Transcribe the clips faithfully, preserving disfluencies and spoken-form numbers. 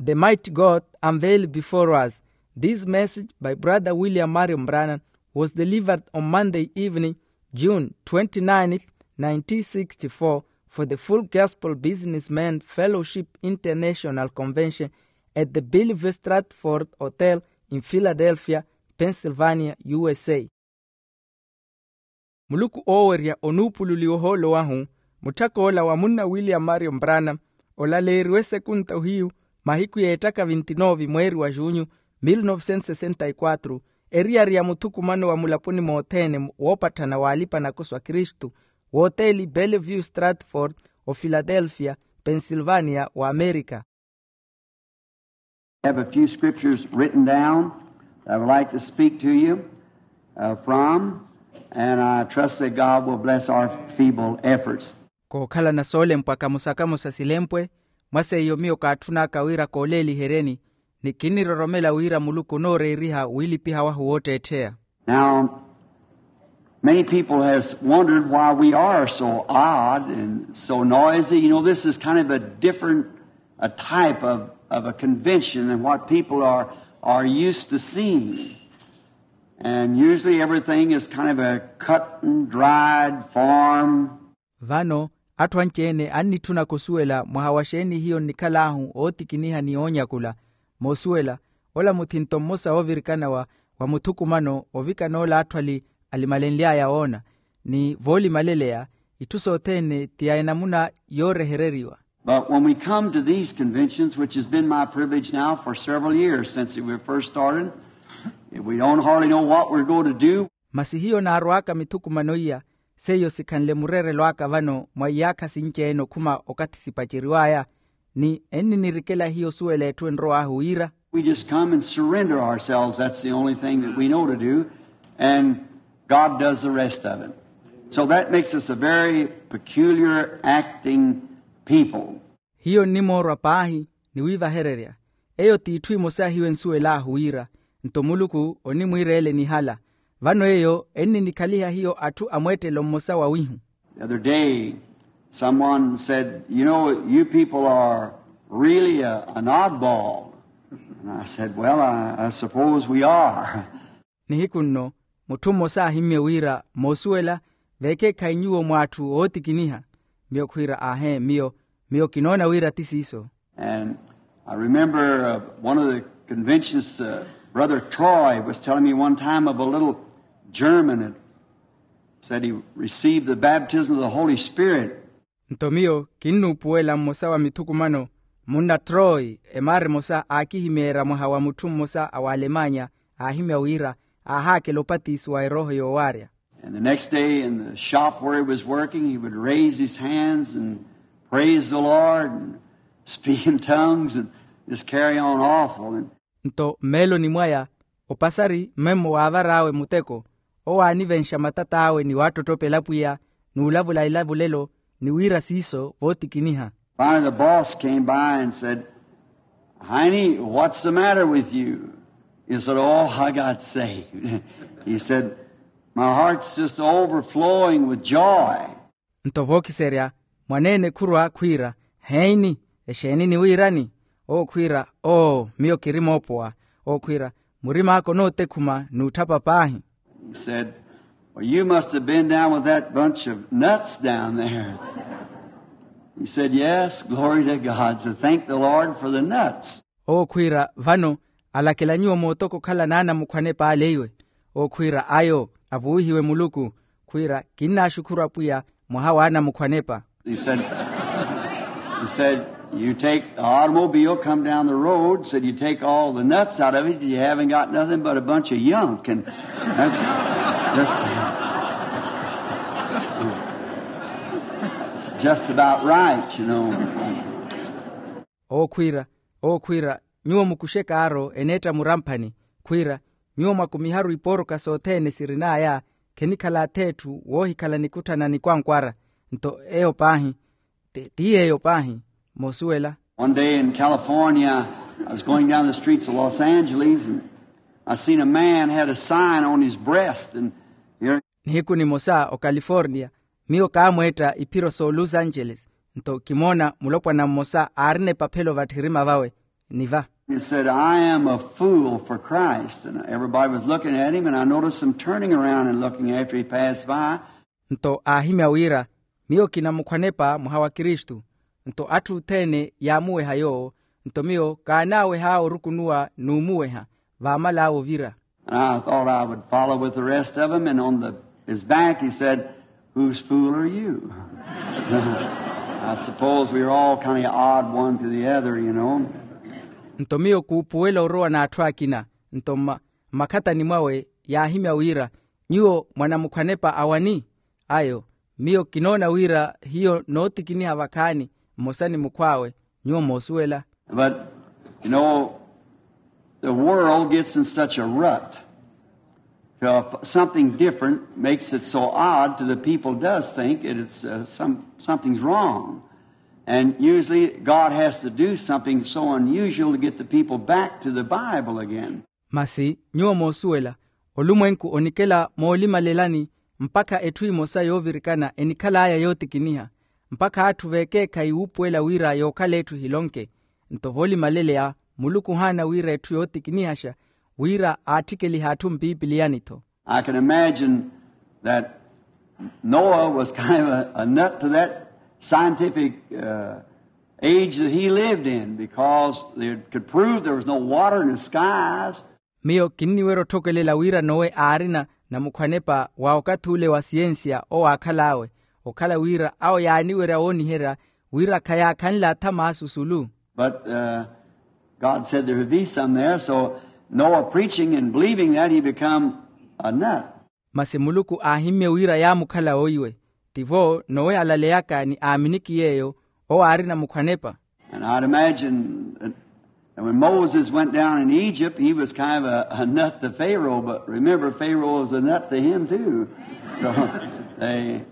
The mighty God unveiled before us. This message by Brother William Marion Branham was delivered on Monday evening, June twenty-ninth, nineteen sixty-four, for the Full Gospel Businessmen Fellowship International Convention at the Bellevue Stratford Hotel in Philadelphia, Pennsylvania, U S A. Muluku oowerya onuupululiwa ohoolo wahu. Mutthak'ola wa munna William Marion Branham olaleeriwe esekunta ohiyu mahiku y'ettaka vinti-nove mweeri wa junyu, mil novecentos sessenta y quatro, eriyari ya muthukumano wa mulaponi mothene woopatthana w'alipa-nakoso a kristu, w'oteeli Bellevue Stratford, o Philadelphia, Pennsylvania, wa Amerika. Have a few scriptures written down that I would like to speak to you, uh, from, and I trust that God will bless our feeble efforts. Kookhalana soolempwa kamosa kamosa silempwe, mwa seiyo miyo kaatthun'aka wira kooleeliheryeni, ni kinniroromela wira muluku onooreeriha wiilipiha wahu wootteettheya. Now, many people has wondered why we are so odd and so noisy. You know, this is kind of a different, a type of, of a convention than what people are, are used to seeing. And usually everything is kind of a cut and dried form. Vano, atthu anci-ene annitthunaka osuwela mwaha wa xeeni hiyo nnikhal'ahu ootikiniha ni oonyakula. Moosuwela, ola muthinto mmosa woovirikana wa, wa muthukumano ovikana ola atthu ali, alimalenly'aya woona, ni voolimaleleya, itthu sothene ti ya enamuna yoorehereriwa. But when we come to these conventions, which has been my privilege now for several years since we first started, we don't hardly know what we're going to do. Masi hiyo naarw'aka mithukumano iya, seiyo sikhanle mureerelo aka vano mwa iyaakha sinci-ene okhuma okathi sipaceriw'aya, ni enninirikela hiyo osuwela etthu enrow'ahu wira. We just come and surrender ourselves. That's the only thing that we know to do. And God does the rest of it. So that makes us a very peculiar acting people. Hiyo nnimoorwa paahi ni wiivahererya. Eyo t'itthu imosa hiyo ensuwel'ahu wira, nto muluku onimwiira ele nihala. Vano eyo enninikhaliha hiyo atthu a mweettelo mmosa wawihu. The other day, someone said, "You know, you people are really a, an oddball." And I said, "Well, I, I suppose we are." Nihiku nno, mutthu mmosa aahimmye wira, "Moosuwela, veekeekhayi nyuwo mw'atthu ootikiniha." Miyo khwiira, "Aahee, miyo, miyo kinoona wira ti siiso." And I remember, uh, one of the conventions, uh, Brother Troy was telling me one time of a little German that said he received the baptism of the Holy Spirit. Nto miyo kinnuupuwela mmosa wa mithukumano, munna Troy, emaara emosa aakihimeerya mwaha wa mutthu mmosa a w'alemanya, aahimya wira aahaakela opatiso wa erooho yoowaarya. And the next day in the shop where he was working, he would raise his hands and praise the Lord and speak in tongues and just carry on awful. And nto mmeeloni mwaya, opasari mmemmo waavar'awe muteko, owo aanivenxa matat'awe ni waattottopela pwiya, n'ulavula ilavulelo, ni wira siiso vootikiniha. Finally, the boss came by and said, "Heine, what's the matter with you?" He said, "Oh, I got saved." He said, "My heart's just overflowing with joy." Nto vookiserya, mwaneene khurwa khwiira, "Heine, exeeni niwiirani?" Owo khwiira, "Oo, miyo kiri moopowa." Owo khwiira, "Murim'aka onootekhuma n'utthapa paahi." He said, "Well, you must have been down with that bunch of nuts down there." He said, "Yes, glory to God. So thank the Lord for the nuts." Owo khwiira, "Vano alakela nyuwo mootoko okhala n'anamukhwanepa ale iwe." Owo khwiira, "Ayo, avuwihiwe Muluku." Khwiira, "Kinnaaxukhuru Apwiya mwaha w'anamukhwanepa." He said, he said, "You take the automobile, come down the road," said, "you take all the nuts out of it, you haven't got nothing but a bunch of yunk." And that's, that's, it's just about right, you know. Owo khwiira, owo khwiira, "Nyuwo mukuxe kaaro eneetta muramphani." Khwiira, "Nyuwo mwakumiharu ipooroka sothene sirin'aya, khenikhala ath'etthu woohikhala nikutthana nikwankwara." Nto eyo paahi, ti, ti yeeyo paahi, moosuwela. One day in California, I was going down the streets of Los Angeles, and I seen a man had a sign on his breast, and here. Nihiku nimosa ocalifornia, miyo kaamweetta iphiro s'olos angeles, nto kimoona mulopwana mmosa aarina epaphelo vatthirima vawe. niva. He said, "I am a fool for Christ." And everybody was looking at him, and I noticed them turning around and looking after he passed by. Nto aahimya wira, miyo kinamukhwanepa mwaha wa kristu. Nto atthu othene yaamuweha yoowo. Nto miyo kaanaaweha orukunuwa n'umuweha vaamal'awe ovira. And I thought I would follow with the rest of them, and on the, his back he said, "Whose fool are you?" I suppose we were all kind of odd one to the other, you know. Nto miyo kuupuwela orowa n'atthu akina. Nto mma- mmakhatani mwawe yaahimya wira, nyuwo mwanamukhwanepa a wani? Ayo, miyo kinoona wira hiyo nootikiniha vakhaani mmosa ni mukhw'awe. Nyuwo moosuwela. But, you know, the world gets in such a rut. If something different makes it so odd to the people, does think it, it's uh, some, something's wrong. And usually God has to do something so unusual to get the people back to the Bible again. Masi nyuwo moosuwela, olumwenku onikela moolimalelani mpakha etthu emosa yoovirikana enikhal'aya yootikiniha, mpakha atthu veekeekhayi wuupuwela wira yookhala etthu ehilonke. Nto voolimaleleya muluku ohaana wira etthu yootikinihaxa, wira aatthikelihe atthu mpipiliyani-tho. I can imagine that Noah was kind of a, a nut to that scientific uh, age that he lived in, because they could prove there was no water in the skies. Miyo kinniwerya otthokelela wira nowe aarina namukhwanepa wa okathi ule wa siyensiya owaakhal'awe, okhala wira awo yaaniwerya wooniherya wira khayaakhanle athama asusulu. But uh, God said there would be some there, so Noah preaching and believing that, he become a nut. Masi muluku aahimmye wira yaamukhala oiwe. Tivo nowe alaleyaka ni aaminiki yeeyo, owo aari namukhwanepa. And I'd imagine that when Moses went down in Egypt, he was kind of a, a nut to Pharaoh, but remember, Pharaoh was a nut to him too. So they,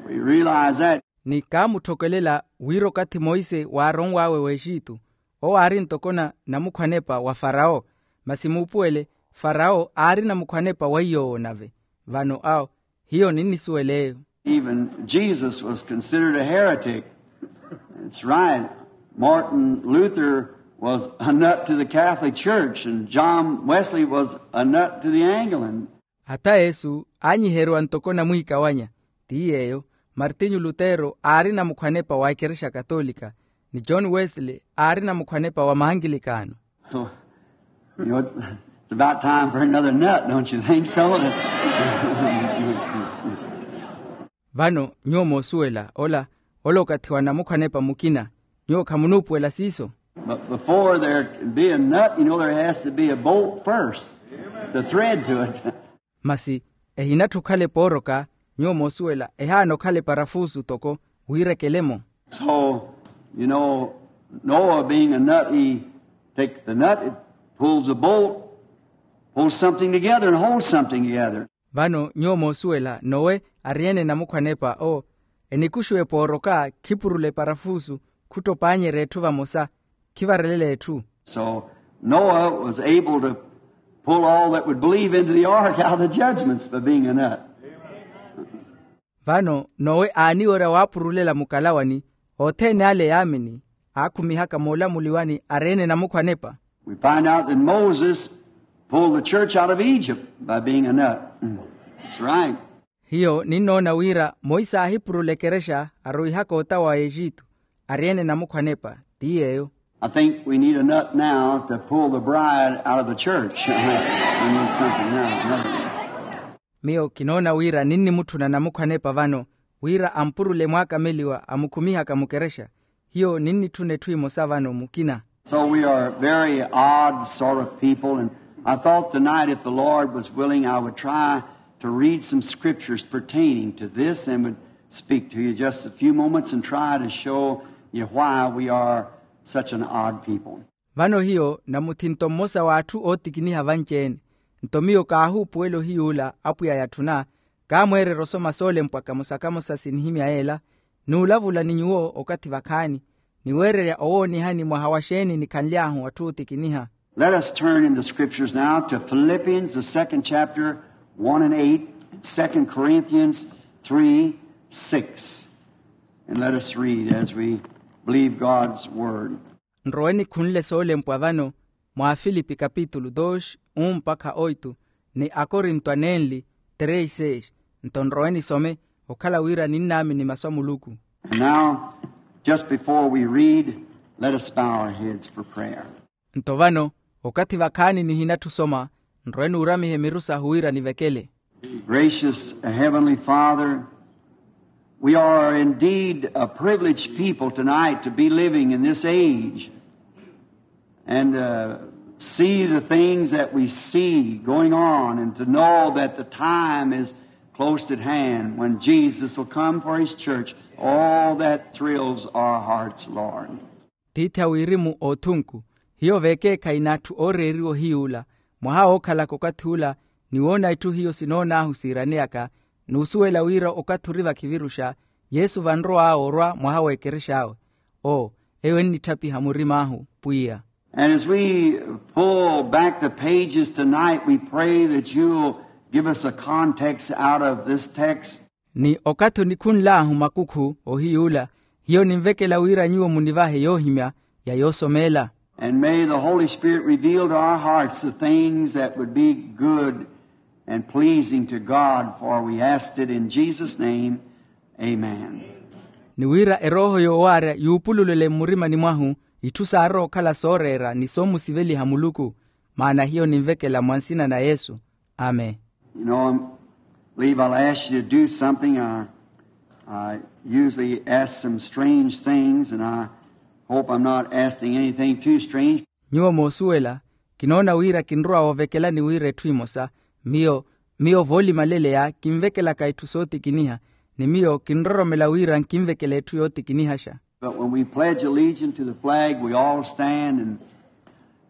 we realize that. Ni kaamutthokelela wira okathi monse waaronw'awe w'exitu, owo aari ntoko namukhwanepa wa farawo. Masi muupuwele, farawo aari namukhwanepa wa iy'owo nave. Vano awo hiyo ninnisuwel'eyo. Even Jesus was considered a heretic. That's right. Martin Luther was a nut to the Catholic Church, and John Wesley was a nut to the Anglican. Hata yesu aanyiheriwa ntoko namwiikawanya. Ti yeeyo, martinyu lutero aari namukhwanepa wa ekerexa katolika, ni john wesley aari namukhwanepa wa maankilikano. So, you know, it's, it's about time for another nut, don't you think so? Vano nyuwo moosuwela ola, ola okathi wa namukhwanepa mukina. Nyuwo khamunuupuwela siiso? But before there can be a nut, you know, there has to be a bolt first, the thread to it. Masi ehinatthi okhale pooroka, nyuwo moosuwela ehaana okhale parafusu toko wiirekele-mo. So, you know, Noah being a nut, he takes the nut, it pulls a bolt, pulls something together and holds something together. Vano nyuwo moosuwela nowe ari-ene namukhwanepa o, enikuxuwe pooroka khipurule parafusu, khuttopaanyerya etthu vamosa, khivarelela etthu. So Noah was able to pull all that would believe into the ark out of the judgments by being a nut. Vano nowe aaniwerya waapurulela mukalawani othene ale yaamini, aakhumihaka moolamuliwani ari-ene namukhwanepa. We find out that Moses pulled the church out of Egypt by being a nut. That's right. Hiyo ninnoona wira monse aahipurula ekerexa arowihaka ota wa exitu, ari-ene namukhwanepa. Ti yeeyo. I think we need a nut now to pull the bride out of the church. We need something now, another. Miyo kinoona wira ninnimutthuna namukhwanepa vano, wira ampurule mwaakameliwa amukhumihaka mukerexa. Hiyo ninnitthuna etthu emosa vano mukina. So we are very odd sort of people, and I thought tonight, if the Lord was willing, I would try to read some scriptures pertaining to this and would speak to you just a few moments and try to show you why we are such an odd people. Vano hiyo namuthinto mmosa w'atthu ootikiniha vanci-ene. Nto miyo kaahuupuwela ohiyuula apwiya yatthuna, kaamweererya osoma soolempwa kamosa-kamosa sinihimya yeela, n'ulavula ni nyuwo okathi vakhaani, ni weererya owoonihani mwaha wa xeeni nikhanly'ahu atthu ootikiniha. Let us turn in the scriptures now to Philippians, the second chapter, one and eight, Second Corinthians three, six. And let us read as we believe God's word. Nrowe nikhunle soolempwa vano mwa afilipi kapitulu dos, un mpakha oitu, ni akorinto anenli tres seis. Nto nrowe nisome okhala wira ninnaamini masu a muluku. And now, just before we read, let us bow our heads for prayer. Nto vano, okathi vakhaani nihinatthu osoma, nrowe nuuramihe miru sahu wira nivekele. Gracious Heavenly Father, we are indeed a privileged people tonight to be living in this age and uh, see the things that we see going on and to know that the time is close at hand when Jesus will come for his church. All that thrills our hearts, Lord. Tiithi a wirimu othunku, hiyo veekeekhayi n'atthu ooreeriwa ohiy'ula, mwaha wookhalaka okathi ula, ni woona itthu hiyo sinoon'ahu siiraneyaka, n'usuwela wira okathi ori vakhiviruxa, yesu vanrow'awe orwa mwaha w'ekerex'awe. Oo, eyo ennitthapiha murim'ahu pwiya. And as we pull back the pages tonight, we pray that you'll give us a context out of this text. Ni okathi onikhunl'ahu makukhu ohiy'ula, hiyo ninvekela wira nyuwo munivahe yoohimya ya yoosomeela. And may the Holy Spirit reveal to our hearts the things that would be good and pleasing to God, for we asked it in Jesus' name. Amen. Ni wira erooho yoowaarya yuupululele mmurimani mwahu itthu saarowa okhala sooreera ni soomusiveliha muluku. Maana hiyo ninvekela mwa nsina na yesu. Amen. You know, I believe I'll ask you to do something. I, I usually ask some strange things, and I hope I'm not asking anything too strange. Nyuwo moosuwela, kinoona wira kinrowa woovekelani wira etthu emosa. Miyo miyo voolimaleleya kinvekelaka etthu sootikiniha, ni miyo kinroromela wira nkinvekela etthu yootikinihaxa. But when we pledge allegiance to the flag, we all stand, and,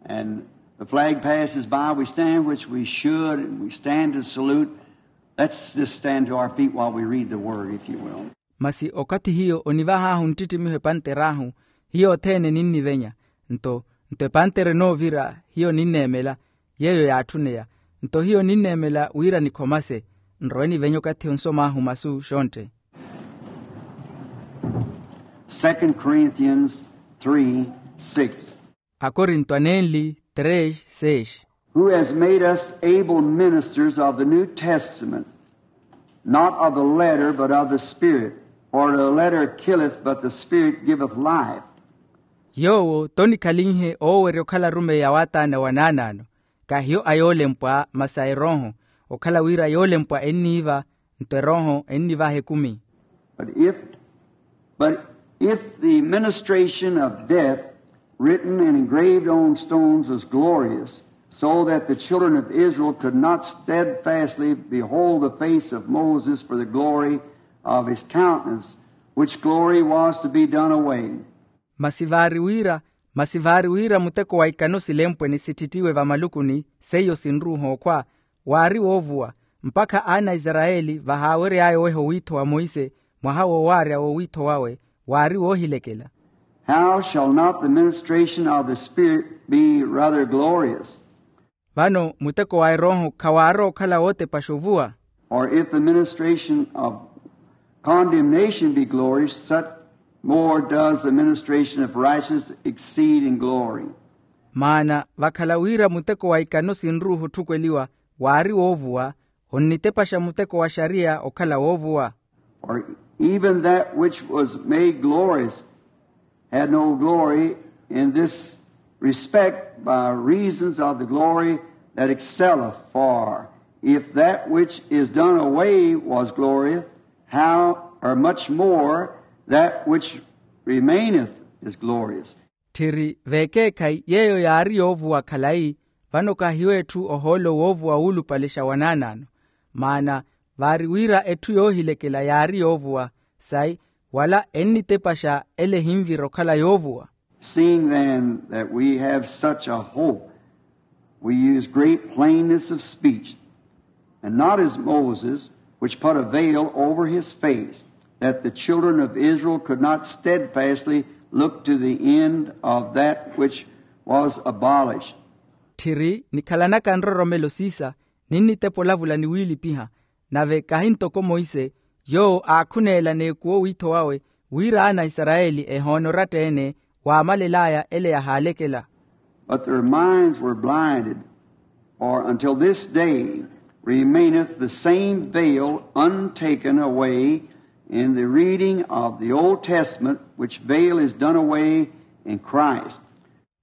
and the flag passes by, we stand, which we should, and we stand to salute. Let's just stand to our feet while we read the word, if you will. Masi okathi hiyo onivah'ahu nttittimiho epanter'ahu, hiyo othene ninnivenya. Nto nto epantere enoovira, hiyo ninneemela, yeeyo yaatthuneya. Nto hiyo ninneemela wira nikhomase, nrowe nivenya okathi onsom'ahu masu xontte. Second Corinthians three six. Akorinto anenli tres seis. Who has made us able ministers of the New Testament, not of the letter, but of the Spirit. For the letter killeth, but the Spirit giveth life. Yoowo tonikhalinhe oowerya okhala arumeyi a waataana wa naanaano, kahiyo a yoolempwa masi a erooho, okhala wira yoolempwa enniiva, nto erooho ennivaha ekumi. But if, but if the ministration of death, written and engraved on stones, was glorious, so that the children of Israel could not steadfastly behold the face of Moses for the glory of his countenance, which glory was to be done away. Masi vaari wira masi vaari wira muteko wa ikano silempwe ni sitthittiwe vamalukuni, seiyo sinruuha okhwa, waari woovuwa, mpakha aana a isarayeli vahaawery'aya oweha owiitho wa monse, mwaha woowaarya w'owiitho wawe, waari woohilekela. How shall not the ministration of the Spirit be rather glorious? Vano muteko wa erooho khawaarwa okhala wootepaxa ovuwa. Or if the ministration of condemnation be glorious, such more does the ministration of righteousness exceed in glory. Maana vakhala wira muteko wa ikano sinruuha otthukweliwa, waari woovuwa, onnitepaxa muteko wa xariya okhala woovuwa. Or even that which was made glorious had no glory in this respect, by reasons of the glory that excelleth. For if that which is done away was glorious, how or much more that which remaineth is glorious. Tthiri veekeekhayi yeeyo yaari yoovuwa khalayi, vano kahiyo etthu ohoolo woovuwa wuulupalexa wa naanaano. Maana vaari wira etthu yoohilekela yaari yoovuwa, sayi wala ennitepaxa ele ehinvira okhala yoovuwa. Seeing then that we have such a hope, we use great plainness of speech, and not as Moses, which put a veil over his face, that the children of Israel could not steadfastly look to the end of that which was abolished. Tthiri nikhalanaka nroromelo siisa, ninnitepa olavula ni wiilipiha, nave kahi ntoko monse, yoowo aakhuneela n'ekuwa owiitho wawe, wira aana a isarayeli ehoone oratta-ene waamalel'aya ele yahaalekela. But their minds were blinded, for until this day remaineth the same veil untaken away in the reading of the Old Testament, which veil is done away in Christ.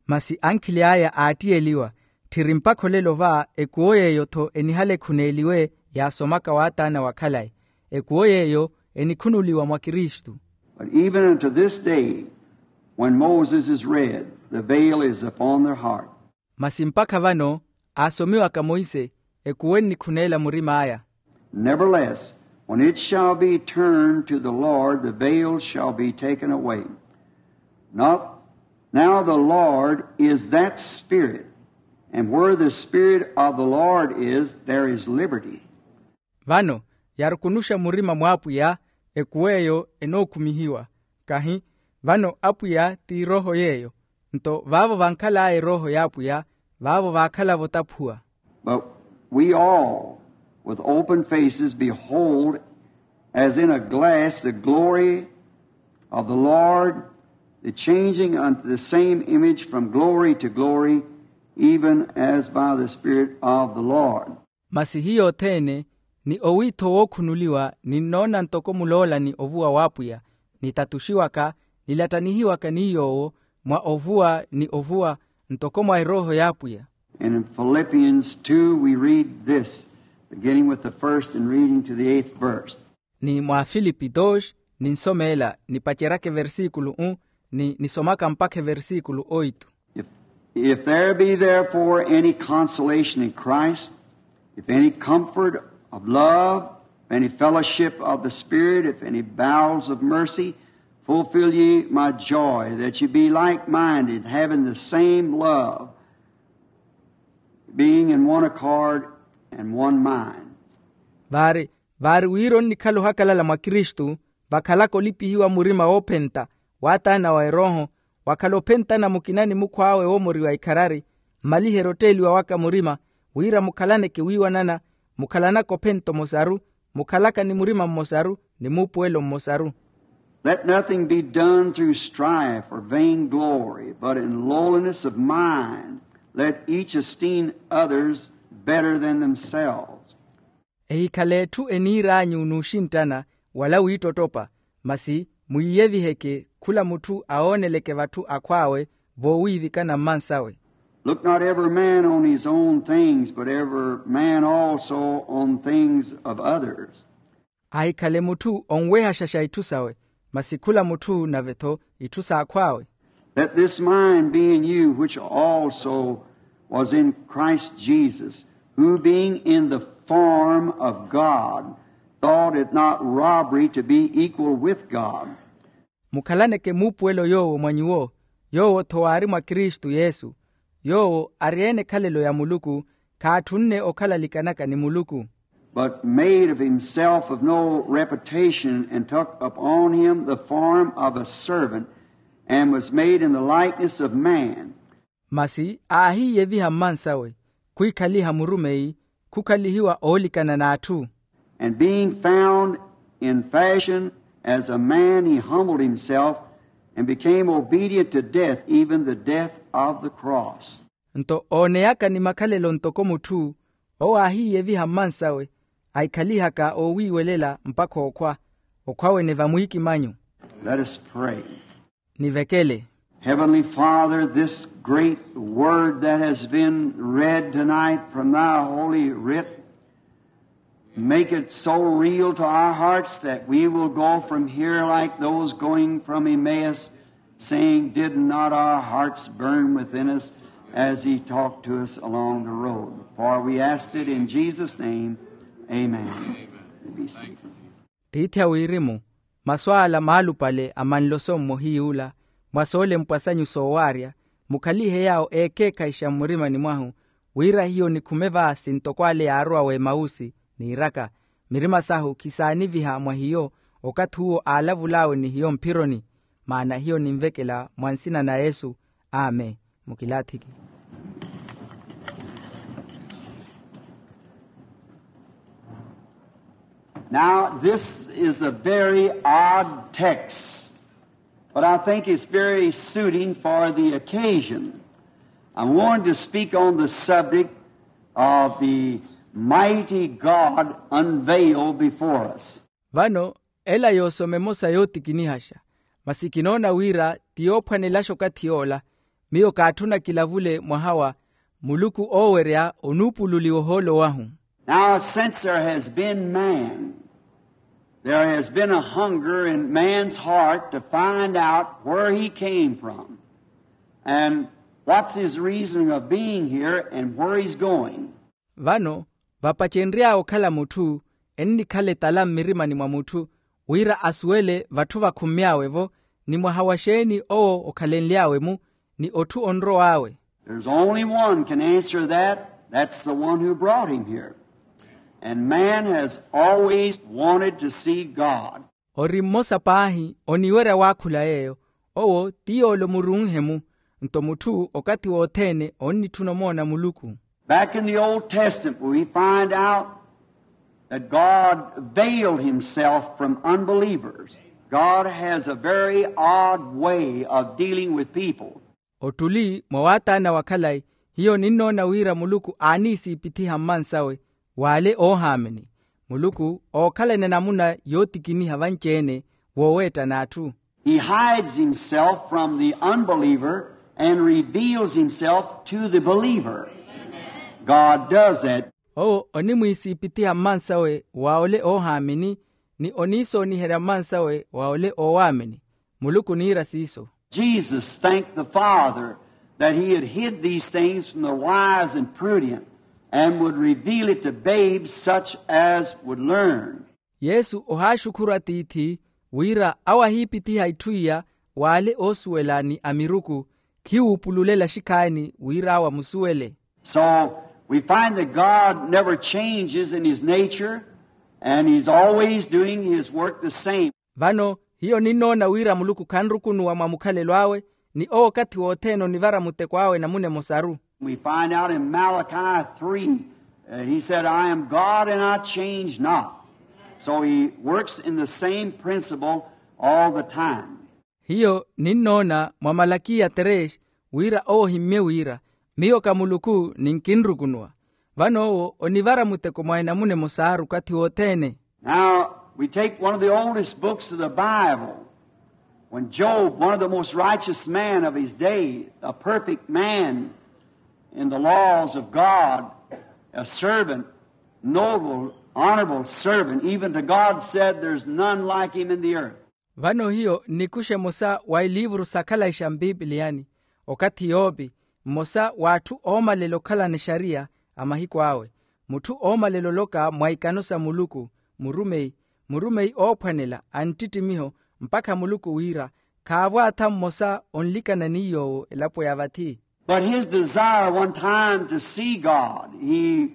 Masi ankhili aya aattiyeliwa, tthiri mpakha olelo va ekuwo yeeyo-tho enihale ekhuneeliwe yaasomaka w'ataana wa khalayi. Ekuwo yeeyo enikhunuliwa mwa kristu. But even unto this day, when Moses is read, the veil is upon their heart. Masi mpakha vano aasomiwaka monse, ekuwo ennikhuneela murim'aya. Nevertheless, when it shall be turned to the Lord, the veil shall be taken away. Not, now the Lord is that Spirit, and where the Spirit of the Lord is, there is liberty. Vano yarukunuxa murima mw'apwiya, ekuwo eyo enookhumihiwa. Kahi vano apwiya ti erooho yeeyo. Nto vaavo vankhal'aya erooho y'apwiya, vaavo vaakhalavo otaphuwa. But we all, with open faces, behold as in a glass the glory of the Lord, the changing unto the same image from glory to glory, even as by the Spirit of the Lord. Masi hiyo othene ni owiitho wookhunuliwa ninnoona ntoko muloolani ovuwa w'apwiya, nitatuxiwaka, nilattanihiwaka ni yoowo mwa ovuwa ni ovuwa, ntoko mwa erooho y'apwiya. And in Philippians two we read this, beginning with the first and reading to the eighth verse. Ni mwa filipi dos, ninsomeela nipaceryaka eversikulu u, ni nisomaka mpakha eversikulu oitu. If, if there be therefore any consolation in Christ, if any comfort of love, if any fellowship of the Spirit, if any bowels of mercy, fulfill ye my joy, that ye be like-minded, having the same love, being in one accord and one mind. Vaari, vaari wira onnikhala ohakalala mwa kristu, vakhalaka olipihiwa murima woophenta, w'ataana wa erooho, wakhala ophentana mukina ni mukhw'awe woomoriwa ikharari, mmaliherye otteeliwa waka murima, wira mukhalaneke wiiwanana, mukhalanaka ophenta omosaru, mukhalaka ni murima mmosaru, ni muupuwelo mmosaru. Let nothing be done through strife or vainglory, but in lowliness of mind let each esteem others better than themselves. Ehikhale etthu eniir'anyu n'uxinttana, wala wiittottopa, masi mwiiyeviheke khula mutthu awooneleke vatthu akhw'awe, voowiivikana mmansawe. Look not every man on his own things, but every man also on things of others. Ahikhale mutthu onwehaxaxa itthu sawe, masi khula mutthu nave-tho itthu s'akhw'awe. Let this mind be in you, which also was in Christ Jesus, who being in the form of God, thought it not robbery to be equal with God. Mukhalaneke muupuwelo yoowo mwa nyuwo, yoowo-tho waari mwa kristu yesu, yoowo ari-ene ekhalelo ya muluku, khaatthunne okhalalikanaka ni muluku. But made of himself of no reputation, and took upon him the form of a servant, and was made in the likeness of man. Masi aahiiyeviha mmansawe, khwikhaliha murumeyi, khukhalihiwa oolikana n'atthu. And being found in fashion as a man, he humbled himself and became obedient to death, even the death of the cross. Nto ooneyaka ni makhalelo ntoko mutthu, owo aahiiyeviha mmansawe, ahikhalihaka oowiiwelela mpakha okhwa, okhwa wene vamwiikimanyu. Let us pray. Nivekele. Heavenly Father, this great word that has been read tonight from thy holy writ, make it so real to our hearts that we will go from here like those going from Emmaus, saying, did not our hearts burn within us as he talked to us along the road? For we asked it in Jesus' name. Amen. Be seated. Tiithi a wirimu, masu ala maalupale a manloso mmohiy'ula, mwa soolempwa sanyu soowaarya, mukhalihe yaawo eekeekhayixa mmurimani mwahu, wira hiyo nikhume vaasi ntoko ale yaarowa w'emausi, niiraka, mirima sahu khisaaniviha mwa hiyo, okathi uwo aalavul'awe ni hiyo mphironi. Maana hiyo ninvekela mwa nsina na yesu. Amen. Mukilaathiki. Now, this is a very odd text. But I think it's very suiting for the occasion. I wanted to speak on the subject of the mighty God unveiled before us. Vano, ela yoosoma emosa yootikinihaxa, masi kinoona wira ti yoophwanelaxa okathi yoola. Miyo kaatthuna kilavule mwaha wa muluku oowerya onuupululiwa ohoolo wahu. Now, since there has been man, there has been a hunger in man's heart to find out where he came from and what's his reason of being here and where he's going. Vano, vapacenry'awe okhala mutthu, ennikhala etala mmirimani mwa mutthu, wira asuwele vatthu vakhummy'awe-vo, ni mwaha wa xeeni owo okhalenly'awe-mu, ni otthu onrow'awe. There's only one can answer that. That's the one who brought him here. And man has always wanted to see God. Ori mmosa paahi oniwerya waakhula yeeyo, owo ti yoole omurunhe-mu. Nto mutthu okathi wothene onnitthuna omoona muluku. Back in the Old Testament, we find out that God veiled himself from unbelievers. God has a very odd way of dealing with people. Ottuli mwa waataana wa khalayi, hiyo ninnoona wira muluku aaniisiipithiha mmansawe w'ale oohaamini. Muluku ookhalana enamuna yootikiniha vanci-ene wooweetta n'atthu. He hides himself from the unbeliever and reveals himself to the believer. God does that. Owo onimwiisiipithiha mmansawe wa ole oohaamini, ni oniisooniherya mmansawe wa ole oowaamini. Muluku oniira siiso. Jesus thanked the Father that he had hid these things from the wise and prudent, and would reveal it to babes such as would learn. Yesu ohaaxukhuru atiithi wira awo ahiipithiha itthu iya w'ale oosuwela ni amiruku, khiwuupululela xikhaani wira awo amusuwele. So we find that God never changes in his nature, and he's always doing his work the same. Vano, hiyo ninnoona wira muluku khanrukunuwa mwa mukhalelo awe, ni owo okathi wothene onivara muteko awe namuna emosaru. We find out in Malachi three, uh, he said, I am God and I change not. So he works in the same principle all the time. Hiyo ninnoona mwa malakiya tres, wira owo ohimmye wira, miyo ka muluku ni nkinrukunuwa. Vano owo onivara muteko mwa enamuna emosaaru okathi wothene. Now, we take one of the oldest books of the Bible. When Job, one of the most righteous men of his day, a perfect man in the laws of God, a servant, noble, honorable servant, even to God, said, there's none like him in the earth. Vano hiyo nnikuxa emosa wa iliivuru sa khalayi xa mpipiliyani, okathi yopi, mmosa w'atthu oomalela okhalana exariya a mahiku awe, mutthu oomalela oloka mwa ikano sa muluku, murumeyi, murumeyi oophwanela a nttittimiho, mpakha muluku wira khaavwaatha mmosa onlikana ni yoowo elapo ya vathi. But his desire one time to see God, he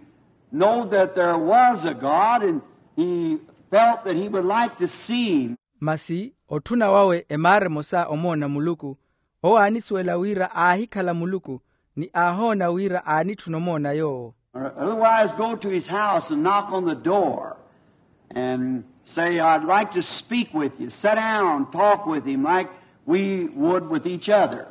know that there was a God, and he felt that he would like to see him. Masi otthuna wawe emaara emosa omoona muluku, owo aanisuwela wira aahikhala muluku, ni aahoona wira aanitthuna omoona yoowo. Or otherwise, go to his house and knock on the door and say, I'd like to speak with you. Sit down, talk with him like we would with each other.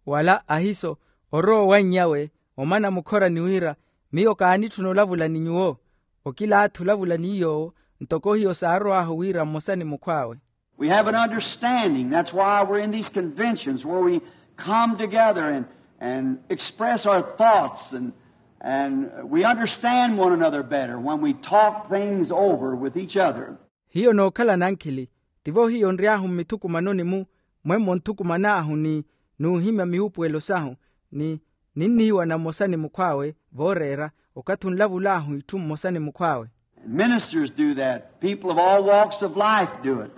Wala ahiso orowa owannyawe omana mukhora ni wira, miyo kaanitthuna olavula ni nyuwo, okilaathi olavula ni yoowo, ntoko hiyo saarow'ahu wira mmosa ni mukhw'awe. We have an understanding. That's why we're in these conventions where we come together and, and express our thoughts, and, and we understand one another better when we talk things over with each other. Hiyo nookhala nankhili, tivo hiyo nry'ahu mmithukumanoni-mu, mwemmo nthukuman'ahu ni nuuhimya miwuupuwelo sahu, ni ninniiwana mmosa ni mukhw'awe vooreera, okathi onlavul'ahu itthu mmosa ni mukhw'awe. And ministers do that. People of all walks of life do it.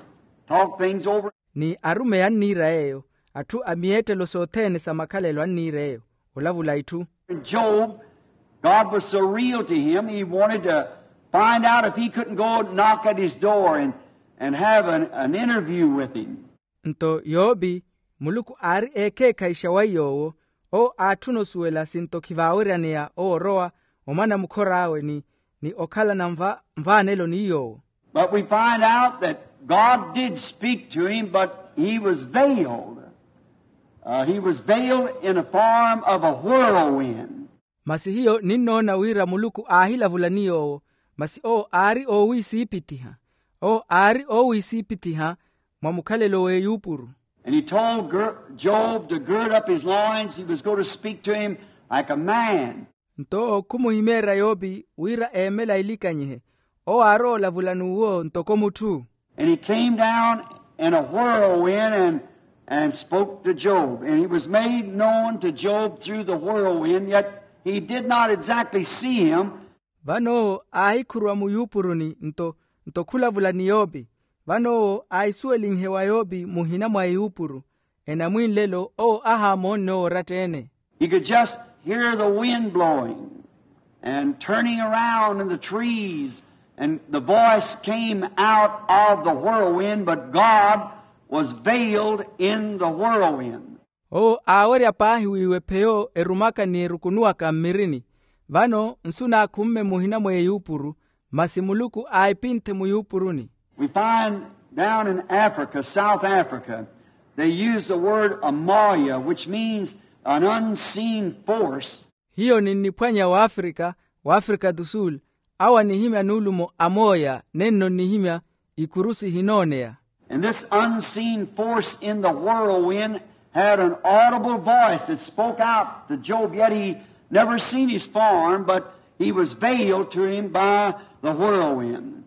Talk things over. Ni arumeyi anniira yeeyo, atthu a miyeettelo sothene sa makhalelo anniira yeeyo, olavula itthu. Job, God was so real to him, he wanted to find out if he couldn't go knock at his door and, and have an, an interview with him. Nto yoopi, muluku aari eekheekhayixa wa yoowo, owo aatthuna osuwela sinto khivaaweryaneya owo orowa omana mukhor'awe ni, ni okhalana nva, nvaanelo ni yoowo. But we find out that God did speak to him, but he was veiled. Uh, he was veiled in a form of a whirlwind. Masi hiyo ninnoona wira muluku aahilavula ni yoowo, masi owo aari oowisiipitiha. Owo aari oowisiipitiha mwa mukhalelo w'eyuupuru. And he told Gir- Job to gird up his loins. He was going to speak to him like a man. Nto khumuhimeerya yoopi wira eemela ilikanyihe. Owo aari oolavula n'uwo ntoko mutthu. And he came down in a whirlwind and, and spoke to Job. And he was made known to Job through the whirlwind, yet he did not exactly see him. Vano owo aahikhuruwa muyuupuruni nto nto khulavula ni yoopi. Vano owo aahisuwelinhe wa yoopi muhina mwa eyuupuru. Enamwinlelo owo ahaamoonne owo oratta-ene. He could just hear the wind blowing and turning around in the trees, and the voice came out of the whirlwind, but God was veiled in the whirlwind. Owo aawerya paahi wiiwe pheyo erumaka ni erukunuwaka mmirini. Vano nsu naakhumme muhina mwa eyuupuru, masi muluku aahipinthe muyuupuruni. We find down in Africa, South Africa, they use the word amoya, which means an unseen force. Hiyo ninniphwanya w'afrika, w'afrika do sul, awo anihimya nuulumo amooya nenno nnihimya ikuru sihinooneya. And this unseen force in the whirlwind had an audible voice that spoke out to Job, yet he never seen his form, but he was veiled to him by the whirlwind.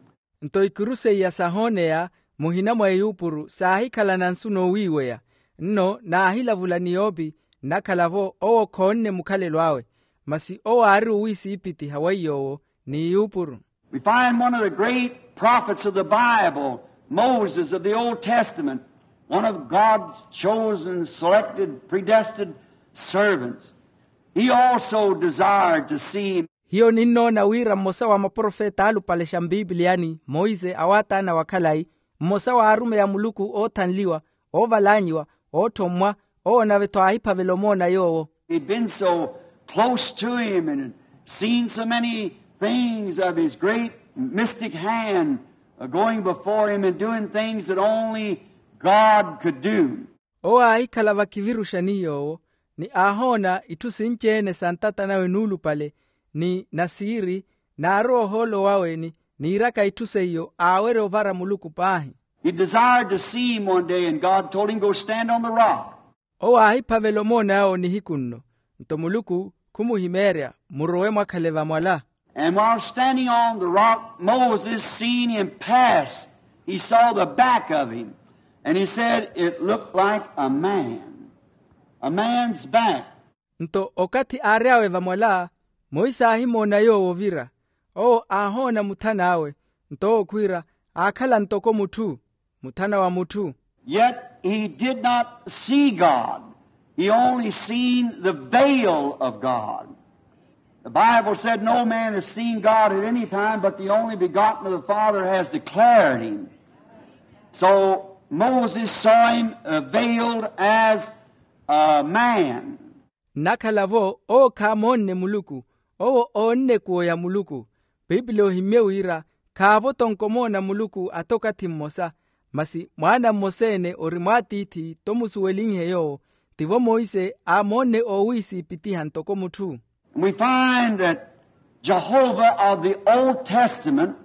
Nto ikuru seiya sahooneya muhina mwa eyuupuru saahikhala na nsu noowiiweya. Nno naahilavula ni yoopi nnakhala-vo owo khoonne mukhalelo awe, masi owo aari owiisiipitiha weiy'owo ni eyuupuru. We find one of the great prophets of the Bible, Moses of the Old Testament, one of God's chosen, selected, predestined servants. He also desired to see. Hiyo ninnoona wira mmosa wa maprofeta alupale xa mpipiliyani, monse awaataana wa khalayi, mmosa wa arumeyi a muluku oothanliwa, oovalanyiwa, ootthommwa, owo nave-tho aahiphavela omoona yoowo. He'd been so close to him and had seen so many things of his great mystic hand, uh, going before him and doing things that only God could do. Owo aahikhala vakhiviruxa ni yoowo, ni aahoona itthu sinci-ene sa ntata nawe nuulupale, ni nasiiri, naarowa ohoolo wawe ni niiraka itthu seiyo aawerya ovara muluku paahi. He desired to see him one day, and God told him, "Go stand on the rock." Owo aahiphavela omoona yawo nihiku nno, nto muluku khumuhimeerya, murowe mwakhale vamwala. And while standing on the rock, Moses seen him pass. He saw the back of him, and he said, "It looked like a man, a man's back." Nto okathi aary'awe vamwala, monse aahimoona yoowo ovira. Owo aahoona muthan'awe, nto owo khwiira, aakhala ntoko mutthu, muthana wa mutthu. Yet he did not see God. He only seen the veil of God. The Bible said, "No man has seen God at any time, but the only begotten of the Father has declared him." So Moses saw him, uh, veiled as a man. Nnakhala-vo owo khaamoonne muluku, owo oonne ekuwo ya muluku. Pipili ohimmye wira khaavo-tho onkomoona muluku ata okathi mmosa, masi mwaana mmosa-ene ori mwaatiithi tomusuwelinhe yoowo. Tivo monse aamoonne oowisiipitiha ntoko mutthu. And we find that Jehovah of the Old Testament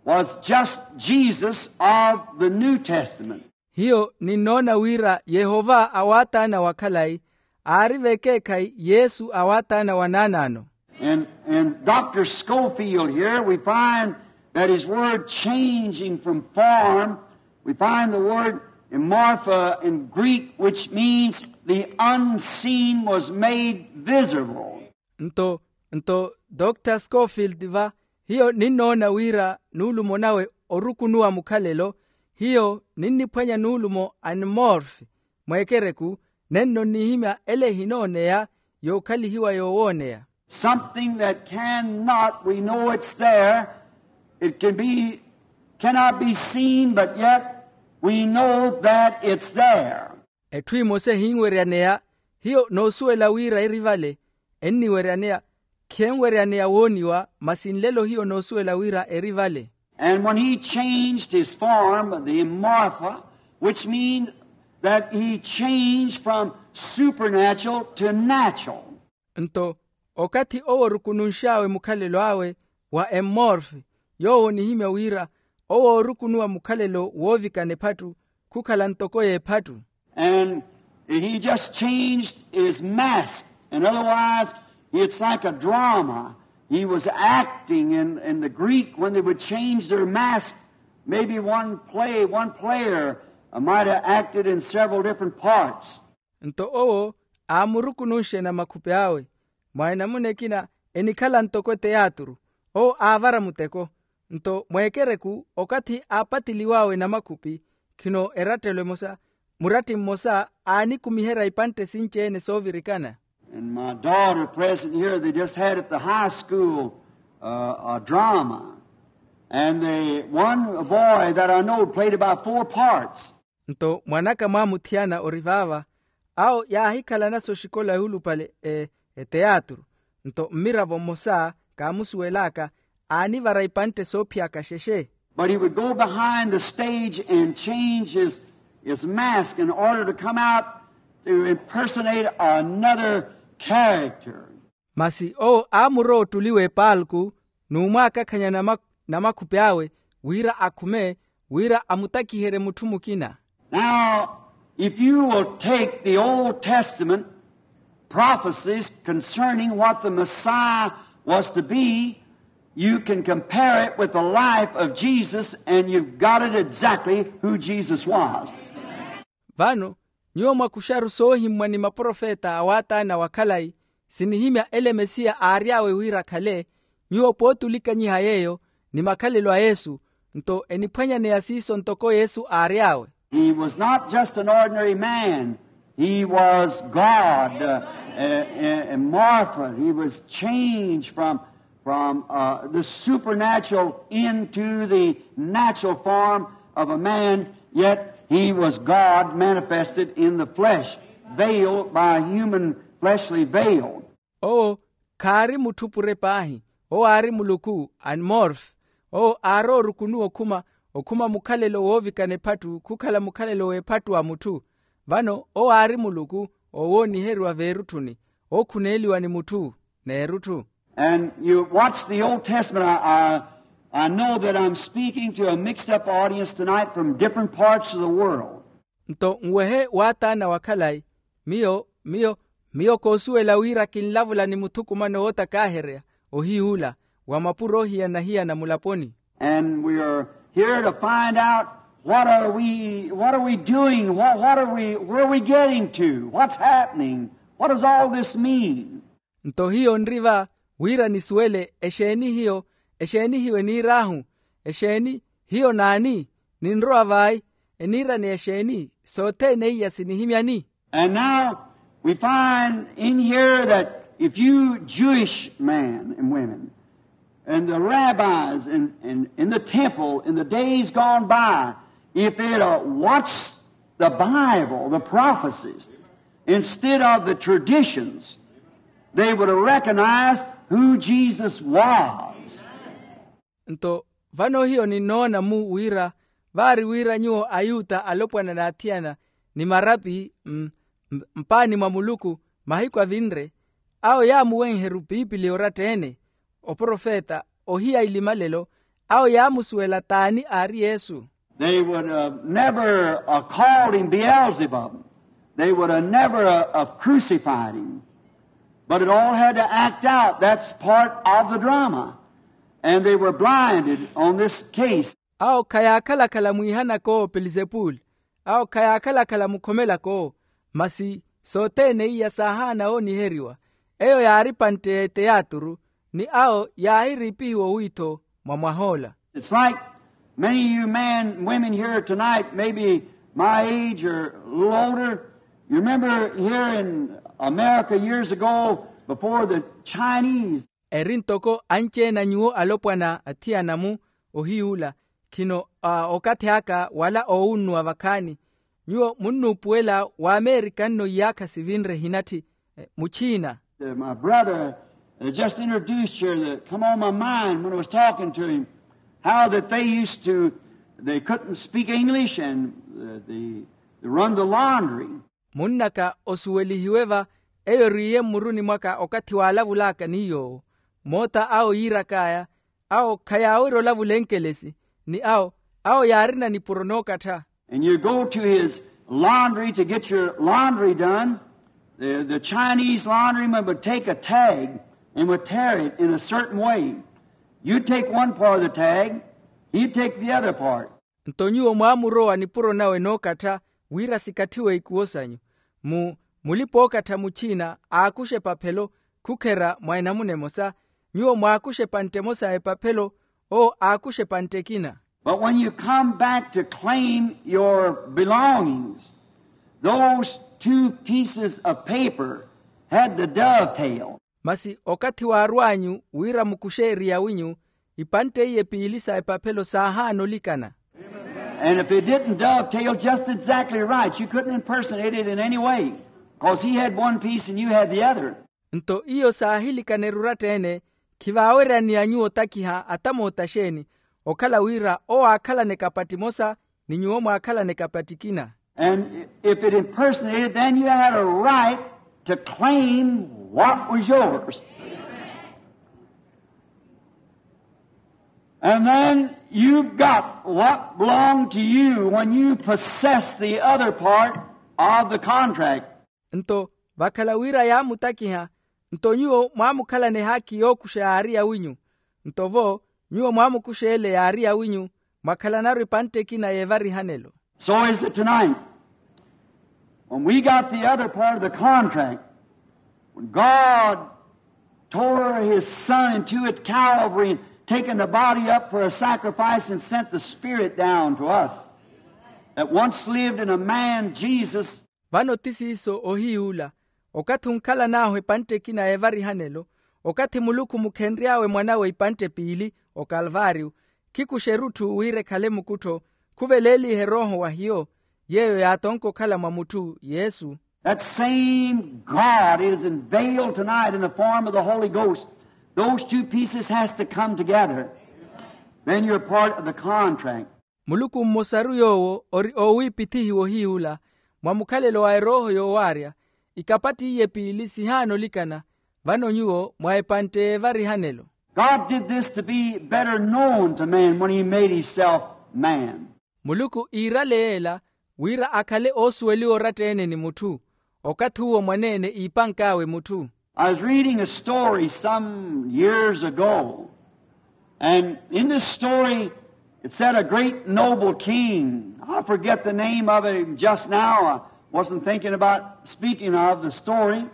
was just Jesus of the New Testament. Hiyo ninnoona wira yehova awaataana wa khalayi aari vekeekhayi yesu awaataana wa naanaano. And, and Doctor Scofield here, we find that his word changing from form, we find the word morphe in Greek, which means the unseen was made visible. Nto nto dr scofield va hiyo ninnoona wira nuulumo nawe orukunuwa mukhalelo hiyo ninniphwanya nuulumo animorfe mweekereku nenno nnihimya ele ehinooneya yookhalihiwa yoowooneya. Something that cannot, we know it's there. It can be, cannot be seen, but yet we know that it's there. Etthu emosa ehinweryaneya hiyo noosuwela wira eri vale enniweryaneya khenweryaneya wooniwa masi nlelo hiyo noosuwela wira eri vale. And when he changed his form, the morphe, which means that he changed from supernatural to natural. Nto okathi owo orukununx'awe mukhalelo awe wa emmorfe, yoowo onihimya wira owo oorukunuwa mukhalelo woovikana ephattu khukhala ntoko y'ephattu. And he just changed his mask. And otherwise, it's like a drama. He was acting in, in the Greek, when they would change their mask, maybe one play, one player, uh, might have acted in several different parts. Nto owo aamurukununxe namakhupi awe. Mwa enamuna ekina enikhala ntoko eteyaaturu, owo aavara muteko. Nto mweekereku okathi aapatiliw'awe namakhupi, khino erattelo emosa, muratti mmosa aanikumiherya ipantte sinci-ene soovirikana. And my daughter present here, they just had at the high school, uh, a drama. And they, one boy that I know played about four parts. Nto mwan'aka mwaamuthiyana ori vaava, awo yaahikhalana soxikola yoolupale eteyaaturu. Nto mmiravo mmosa kaamusuwel'aka aanivara ipantte soophiyaka xexe. But he would go behind the stage and change his, his mask in order to come out to impersonate another character. Masi owo aamurowa ottuliwa epaalku n'umwaakakhanya namakhupi awe wira akhume wira amutakiherye mutthu mukina. Now, if you will take the Old Testament prophecies concerning what the Messiah was to be, you can compare it with the life of Jesus, and you've got it exactly who Jesus was. Vano nyuwo mwakuxaru soohimmwa ni maprofeta a waataana wa khalayi, sinihimya ele mesiya aary'awe wira akhale. Nyuwo pootulikanyiha yeeyo ni makhalelo a yesu, nto eniphwanyaneya siiso ntoko yesu aary'awe. He was not just an ordinary man. He was God, uh, uh, uh, morphed. He was changed from from, uh, the supernatural into the natural form of a man, yet he was God manifested in the flesh, veiled by a human fleshly veil. Owo khaari mutthu pure paahi, owo aari muluku, anmorfe. Owo aarowa orukunuwa okhuma, okhuma mukhalelo woovikana ephattu khukhala mukhalelo w'ephattu wa mutthu. Vano owo aari muluku, owooniheriwa veerutthuni, ookhuneeliwa ni mutthu n'erutthu. And you watch the Old Testament. I, I, I know that I'm speaking to a mixed up audience tonight from different parts of the world. Nto nwehe waataana wa khalayi, miyo miyo miyo koosuwela wira kinlavula ni muthukumano wootakaaherya ohiy'ula wa mapuro ohiyana-hiyana mulaponi. And we are here to find out what are we, what are we doing? What, what are we, where are we getting to? What's happening? What does all this mean? Nto hiyo nri va wira nisuwele exeeni hiyo, exeeni hiyo eniir'ahu, exeeni hiyo naani, ninrowa vai, eniiraneya exeeni, sothene iya sinihimyani. And now we find in here that if you Jewish men and women and the rabbis in, in, in the temple in the days gone by, if they'd have watched the Bible, the prophecies, instead of the traditions, they would have recognized who Jesus was. Nto vano hiyo ninnoona-mu wira vaari wira nyuwo ayuta alopwana n'athiyana ni marapi, m- m- mpaani mwa muluku, mahiku avinre, awo yaamuwenheru piipiliya oratta-ene, oprofeta, ohiya ilimalelo, awo yaamusuwela t'ani aari yesu. They would have never uh, called him Beelzebub. They would have never uh, have crucified him. But it all had to act out. That's part of the drama. And they were blinded on this case. Awo khayaakhala-khala mwiihanaka owo pelizepuli, awo khayaakhala-khala mukhomelaka owo. Masi sothene iya saahaana ooniheriwa. Eyo yaari pantte y'eteyaaturu, ni awo yaahiriipihiwa owiitho mwa mwah'ola. It's like many of you men and women here tonight, maybe my age or a little older. You remember here in America years ago, before the Chinese. Eri ntoko anci-ene a nyuwo alopwana athiyana-mu ohiy'ula, khino okathi aka wala oowunnuwa vakhaani. Nyuwo munnuupuwela w'amerika nno iyaakha sivinre ehinatthi, muchiina. My brother just introduced here that come on my mind when I was talking to him. How that they used to, they couldn't speak English and uh, they, they run the laundry. Munn'aka osuwelihiwe va eyo eriiye mmuruni mwaka okathi waalavul'aka ni yoowo. Moota awo yiirak'aya, awo khayaawerya olavula enkelesi, ni awo awo yaarina nipuro nookattha. And you go to his laundry to get your laundry done. The, the Chinese laundryman would take a tag and would tear it in a certain way. You take one part of the tag, he take the other part. Nto nyuwo mwaamurowa nipuro nawe nookattha wira sikatthiwe ikuwo sanyu. Mu mulipa-ookattha muchina aakuxa epaphelo, khukherya mwa enamuna emosa. Nyuwo mwaakuxa epantte emosa ya epaphelo, owo aakuxa epantte ekina. But when you come back to claim your belongings, those two pieces of paper had the dovetail. Masi okathi waarw'anyu wira mukuxe eri yawinyu, ipantte iye piili sa epaphelo saahaana olikana. And if it didn't dovetail just exactly right, you couldn't impersonate it in any way, because he had one piece and you had the other. Nto iyo saahilikana eruratteene, khivaaweryaniya nyuwo otakiha atamoota xeeni, okhala wira owo aakhalana ekapatti emosa ni nyuwo mwaakhalana ekapatti ekina. And if it impersonated, then you had a right to claim what was yours. And then you got what belonged to you when you possessed the other part of the contract. Nto vakhala wira yaamutakiha, nto nyuwo mwaamukhalana ehaakhi yookuxa yaari yawinyu. Nto vo nyuwo mwaamukuxa ele yaari yawinyu, mwakhalanaru epantte ekina y'evarihanelo. So is it tonight. When we got the other part of the contract, when God tore his son in two at Calvary and taken the body up for a sacrifice and sent the spirit down to us that once lived in a man, Jesus. Vano ti siiso ohiy'ula, okathi onkhalan'ahu epantte ekina y'evarihanelo, okathi muluku mukhenry'awe mwan'awe ipantte piili okalvaariyo, khikuxa erutthu wira ekhale mukuttho, khuveleelihe erooho wa hiyo yeeyo yaatonka okhala mwa mutthu yesu. That same God is unveiled tonight in the form of the Holy Ghost. Those two pieces has to come together. Then you're part of the contract. Muluku mmosaru yoowo ori oowiipithihiwa ohiy'ula, mwa mukhalelo wa erooho yoowaarya, ikapatti iye piili sihaana olikana, vano nyuwo mwa epantte y'evarihanelo. God did this to be better known to man when he made himself man. Muluku iirale yeela wira akhale oosuweliwa oratta-ene ni mutthu, okathi uwo mwaneene iipank'awe mutthu. I was reading a story some years ago, and in this story it said a great noble king, I forget the name of it just now, I wasn't thinking about speaking of the story.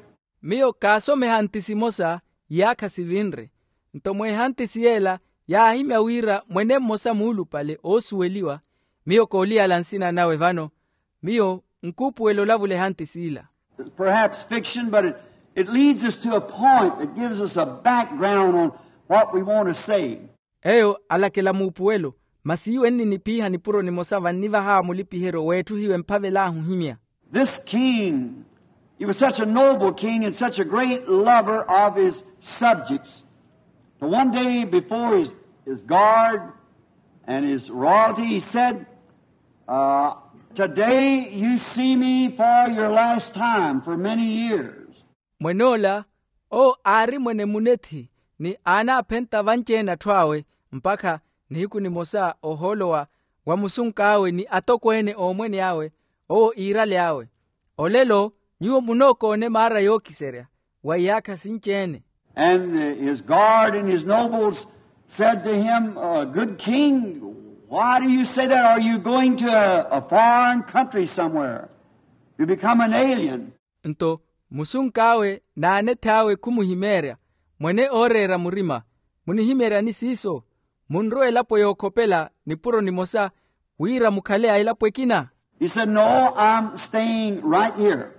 Miyo kaasomeha ntisi emosa iyaakha sivinre, nto mweehantisi yeela yaahimya wira mwene mmosa muulupale oosuweliwa, miyo kooliyala nsina nawe vano, miyo nkuupuwela olavula ehantisi ila. Perhaps fiction, but it, it leads us to a point that gives us a background on what we want to say. Eyo alakela muupuwelo, masi iwe nninipiiha nipuro nimosa vannivaha mulipiheryo weetthuhiwe mphavel'ahu ohimya. This king, he was such a noble king and such a great lover of his subjects. So one day before his, his guard and his royalty, he said, uh, today you see me for your last time for many years. Mwen'ola owo aari mwene munethi ni aanaaphenta vanci-ene atthu awe, mpakha nihiku nimosa ohoolo wa musunk'awe ni atokweene oomwene awe, owo iirale awe, olelo nyuwo munookoone maara yookiserya wa iyaakha sinci-ene. And his guard and his nobles said to him, good king, why do you say that? Are you going to a foreign country somewhere to become an alien? Nto musunk'awe n'anethi awe khumuhimeerya, mwene ooreera murima, munihimeeryani siiso? Munrowa elapo yookhopela nipuro nimosa wira mukhale a elapo ekina? He said, no, I'm staying right here.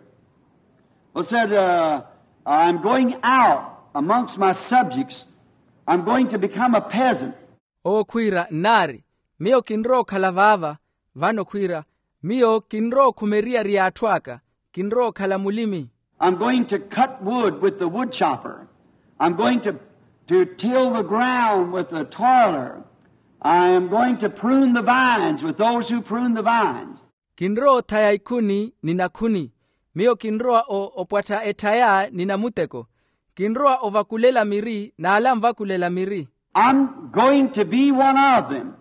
He said, uh, I'm going out amongst my subjects. I'm going to become a peasant. Owo khwiira nnaari, miyo kinrowa okhala vaava. Vano khwiira, miyo kinrowa okhumeryerya atthu aka, kinrowa okhala mulimi. I'm going to cut wood with the wood chopper. I'm going to, to till the ground with the toiler. I am going to prune the vines with those who prune the vines. Kinrowa othaya ikhuni ni nakhuni. Miyo kinrowa o opwattha etthaya ni namuteko. Kinrowa ovakulela miri n'ala anvakulela miri. I'm going to be one of them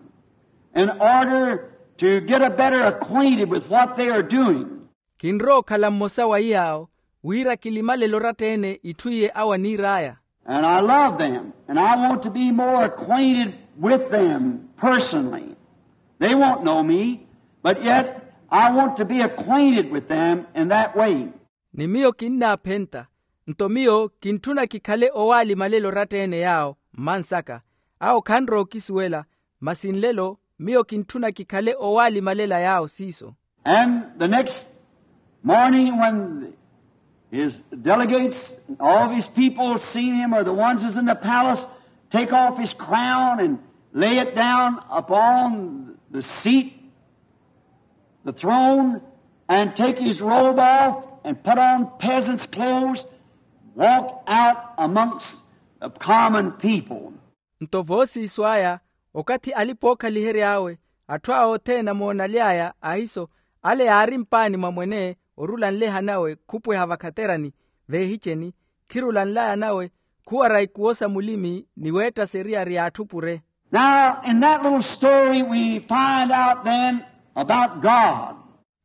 in order to get a better acquainted with what they are doing. Kinrowa okhala mmosa wa iy'awo wira kilimalele oratta-ene itthu iye awo aniir'aya. And I love them and I want to be more acquainted with them personally. They won't know me, but yet I want to be acquainted with them in that way. Ni miyo kinnaaphenta, nto miyo kintthuna kikhale owaalimalela oratta-ene yaawo mmansaka. Awo khanrowa okisuwela, masi nlelo miyo kintthuna kikhale owaalimalela yaawo siiso. And the next morning when his delegates and all of his people seen him, or the ones that's in the palace, take off his crown and lay it down upon the seat, the throne, and take his robe off and put on peasant's clothes, walk out amongst the common people. Nto voosiiso aya, okathi alipa-ookhalihery'awe, atthu awo othene amoonaly'aya ahiso, ale yaari mpaani mwa mwene orula nleha nawe khupweha vakhaterani veehiceni, khirula nlaya nawe khuwara ikuwo sa mulimi ni weetta seriyari y'atthu pure. Now in that little story we find out then about God.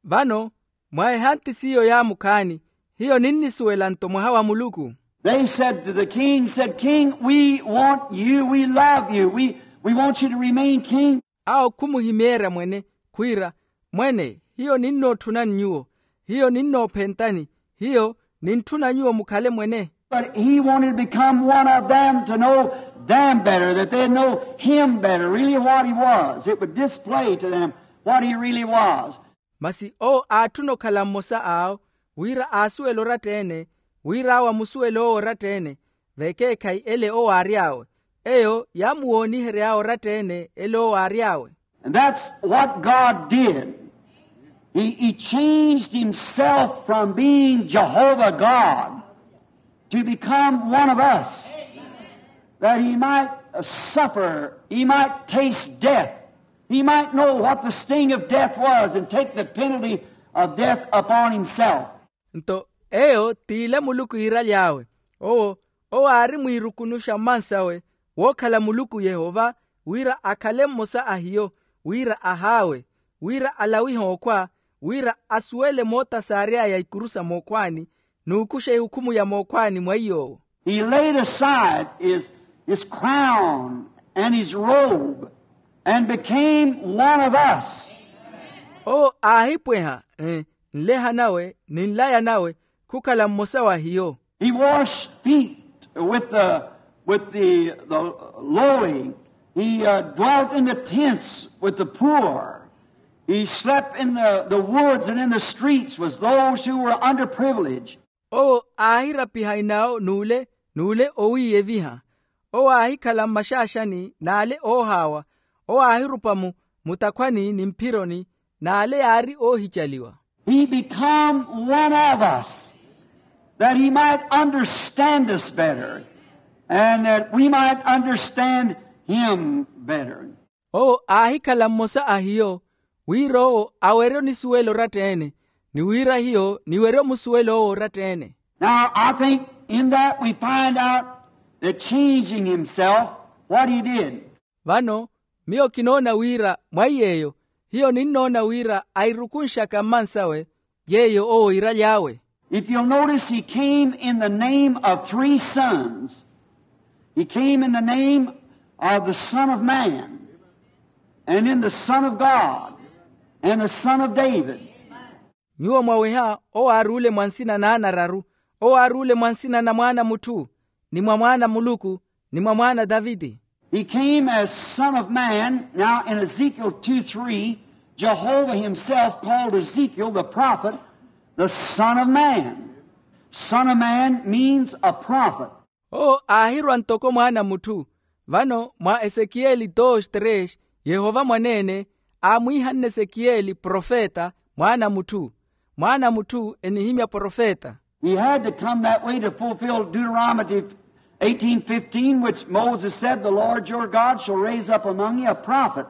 Vano, mwa ehanti s'iyo yaamukhaani, hiyo ninnisuwela nto mwaha wa Muluku. They said to the king, said, "King, we want you, we love you, we, we want you to remain king." Awo khumuhimeerya mwene, khwiira, "Mwene, hiyo ninnootthunani nyuwo, hiyo ninnoophentani, hiyo nintthuna nyuwo mukhale mwene." But he wanted to become one of them, to know them better, that they'd know him better, really what he was. It would display to them what he really was. Masi owo aatthuna okhala mmosa awo, wira aasuwele oratta-ene, wira awo amusuwele owo oratta-ene, vekeekhayi ele owo aary'awe. Eyo yaamuwoonihery'awe oratta-ene ele owo aary'awe. And that's what God did. He, he changed himself from being Jehovah God to become one of us, that he might suffer, he might taste death, he might know what the sting of death was and take the penalty of death upon himself. Nto eyo t'ile Muluku iiraly'awe, owo, owo aari mwiirukunuxa mmansawe wookhala Muluku Yehova, wira akhale mmosa a hiyo, wira ahaawe, wira alawihe okhwa, wira asuwele mootasaarya ya ikuru sa mookhwaani, n'ukuxa ehukhumu ya mookhwaani mwa iy'owo. He laid aside his, his crown and his robe and became one of us. Owo aahipweha, eh, nleha nawe ni nlaya nawe khukhala mmosa wa hiyo. He washed feet with the, with the, the lowly. He, uh, dwelt in the tents with the poor. He slept in the, the woods and in the streets with those who were underprivileged. Owo aahirapiha inawo n'ule n'ule owiiyeviha. Owo aahikhala mmaxaaxani n'ale oohaawa. Owo aahirupa mu mutakhwani ni mphironi n'ale yaari oohicaliwa. He become one of us, that he might understand us better, and that we might understand him better. Owo aahikhala mmosa a hiyo, wira owo awerye onisuwela oratta-ene, ni wira hiyo niwerye omusuwela owo oratta-ene. Now I think in that we find out that changing himself, what he did. Vano miyo kinoona wira mwa iy'eyo, hiyo ninnoona wira airukunxaka mmansawe yeeyo owo iiraly'awe. If you'll notice, he came in the name of three sons. He came in the name of the Son of Man, and in the Son of God, and the Son of David. Nyuwo mwaweha owo aaruule mwa nsina n'anararu, owo aaruule mwa nsina na mwaana mutthu, ni mwa mwaana muluku, ni mwa mwaana daviti. He came as Son of Man. Now in Ezekiel two three, Jehovah himself called Ezekiel the prophet the Son of Man. Son of Man means a prophet. Owo aahirwa ntoko mwaana mutthu. Vano mwa esekiyeli dos tres, yehova mwaneene aamwiihanne esekiyeli profeta, mwaana mutthu. Mwaana mutthu enihimya profeta. He had to come that way to fulfill Deuteronomy, eighteen fifteen, which Moses said, "The Lord your God shall raise up among you a prophet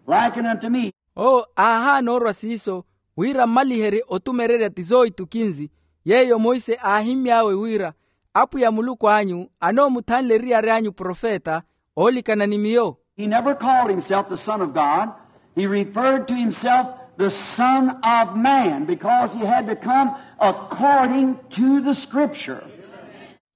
like unto me." Owo aahaana orwa siiso wira mmaliherye otumererya ti zooitu kinzi, yeeyo monse aahimmy'awe wira, apwiya muluku anyu anoomuthanle eriyari anyu profeta oolikana ni miyo. He never called himself the Son of God. He referred to himself the Son of Man because he had to come according to the Scripture.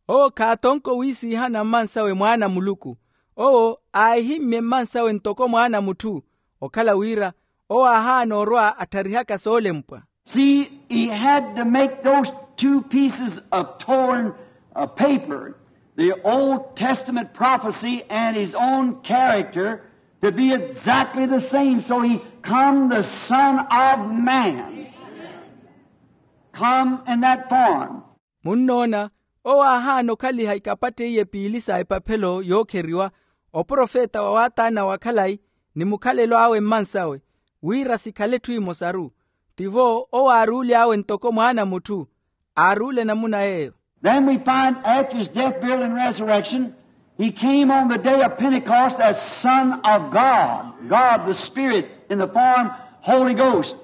Owo khaatonka owiisiihana mmansawe mwaana a muluku. Owo aahimmye mmansawe ntoko mwaana a mutthu, okhala wira owo aahaana orwa attharihaka soolempwa. See, he had to make those two pieces of torn uh, paper, the Old Testament prophecy and his own character, to be exactly the same. So he come the Son of Man, come in that form. Munnoona, owo aahaana okhaliha ikapatta iye piili sa epaphelo yookheriwa, oprofeta wa waataana wa khalayi ni mukhalelo awe mmansawe, wira sikhale etthu emosaru. Tivo owo aaruuly'awe ntoko mwaana a mutthu, aaruule namuna yeeyo. Then we find after his death, burial, and resurrection, he came on the day of Pentecost as Son of God, God the Spirit in the form Holy Ghost.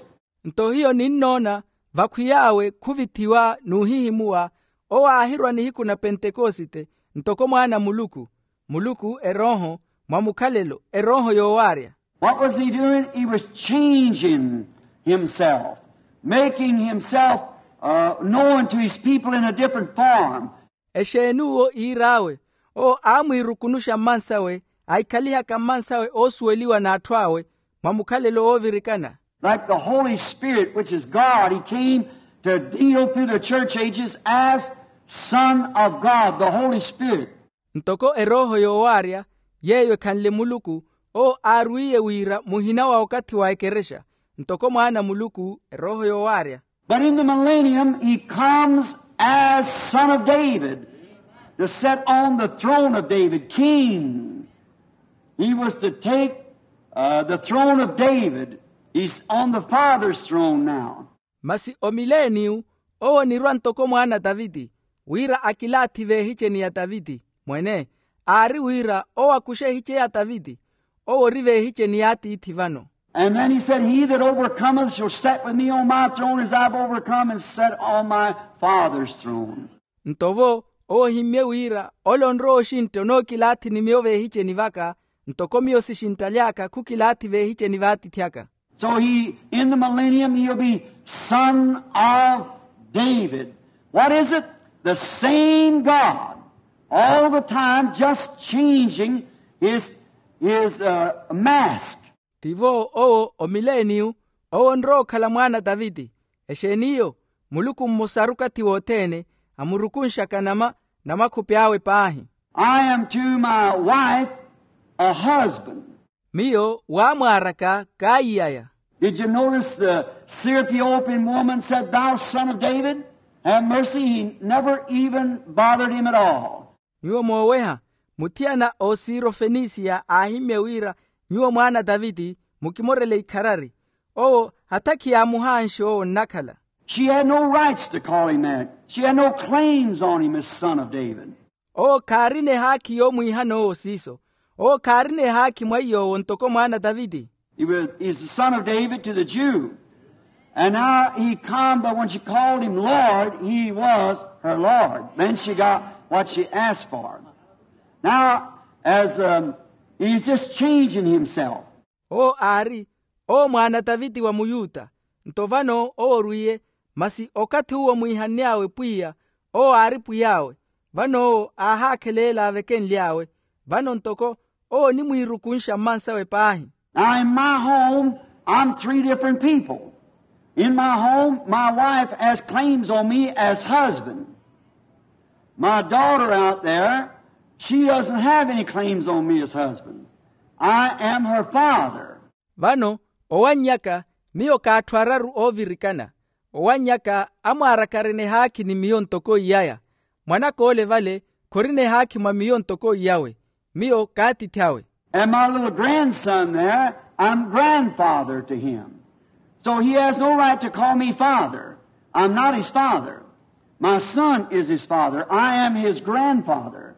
Nto hiyo ninnoona, vakhwiy'awe khuvithiwa n'uhihimuwa, owo aahirwa nihiku na pentekosite ntoko mwaana a muluku, muluku erooho, mwa mukhalelo erooho yoowaarya. What was he doing? He was changing himself, making himself uh, known to his people in a different form. Exeeni uwo iir'awe? Owo aamwiirukunuxa mmansawe, aikhalihaka mmansawe oosuweliwa n'atthu awe mwa mukhalelo woovirikana. Like the Holy Spirit, which is God, he came to deal through the church ages as Son of God, the Holy Spirit. Ntoko erooho yoowaarya yeeyo ekhanle muluku, owo aarwiiye wira muhina wa okathi wa ekerexa, ntoko mwaana a muluku erooho yoowaarya. But in the millennium, he comes as Son of David to sit on the throne of David, king. He was to take uh, the throne of David. He's on the Father's throne now. Masi omileniyu owo onirwa ntoko mwaana a taviti, wira akilaathi v'ehiceni ya taviti. Mwene, aari wira owo akuxe ehice ya taviti, owo ori v'ehiceni y'atiithi vano. And then he said, "He that overcometh shall sit with me on my throne, as I've overcome and sat on my Father's throne." Nto vo owo ohimmye wira, ole onrowa oxintta onookilaathi ni miyo v'ehiceni vaka, ntoko miyo sixinttaly'aka khukilaathi v'ehiceni v'atiithi aka. So he, in the millennium, he'll be Son of David. What is it? The same God, all the time, just changing his, his uh, mask. Tivo owo omileniyu, owo onrowa okhala mwaana a taviti. Exeeniyo? Muluku mmosaru okathi wothene, amurukunxaka nama, namakhupi awe paahi. I am to my wife a husband. Miyo waamwaaraka kaiyaya. Did you notice the Syrophoenician woman said, "Thou son of David, have mercy"? He never even bothered him at all. Nyuwo mooweha, muthiyana oosiiro fenisiya aahimmye wira, "Nyuwo mwaana a taviti, mukimorele ikharari." Owo hattakhi yaamuhaanxe owo onnakhala. She had no rights to call him that. She had no claims on him as son of David. Owo khaarina ehaakhi yoomwiihana owo siiso. Owo khaarina ehaakhi mwa iy'owo ntoko mwaana a taviti. He was, he's the son of David to the Jew. And now he come, but when she called him Lord, he was her Lord. Then she got what she asked for. Now, as um, he's just changing himself. Owo aari, owo mwaana a taviti wa muyuta. Nto vano owo orwiye, masi okathi uwo omwiihanny'awe pwiya, owo aari pwiy'awe. Vano owo aahaakheleela avekenly'awe. Vano ntoko owo onimwiirukunxa mmansawe paahi. Now, in my home, I'm three different people. In my home, my wife has claims on me as husband. My daughter out there, she doesn't have any claims on me as husband. I am her father. Vano owanny'aka, miyo k'atthu araru oovirikana. Owanny'aka amwaaraka arina ehaakhi ni miyo ntoko iyaya. Mwanak'ole vale khorina ehaakhi mwa miyo ntoko iyawe. Miyo k'atiithi awe. And my little grandson there, I'm grandfather to him. So he has no right to call me father. I'm not his father. My son is his father. I am his grandfather.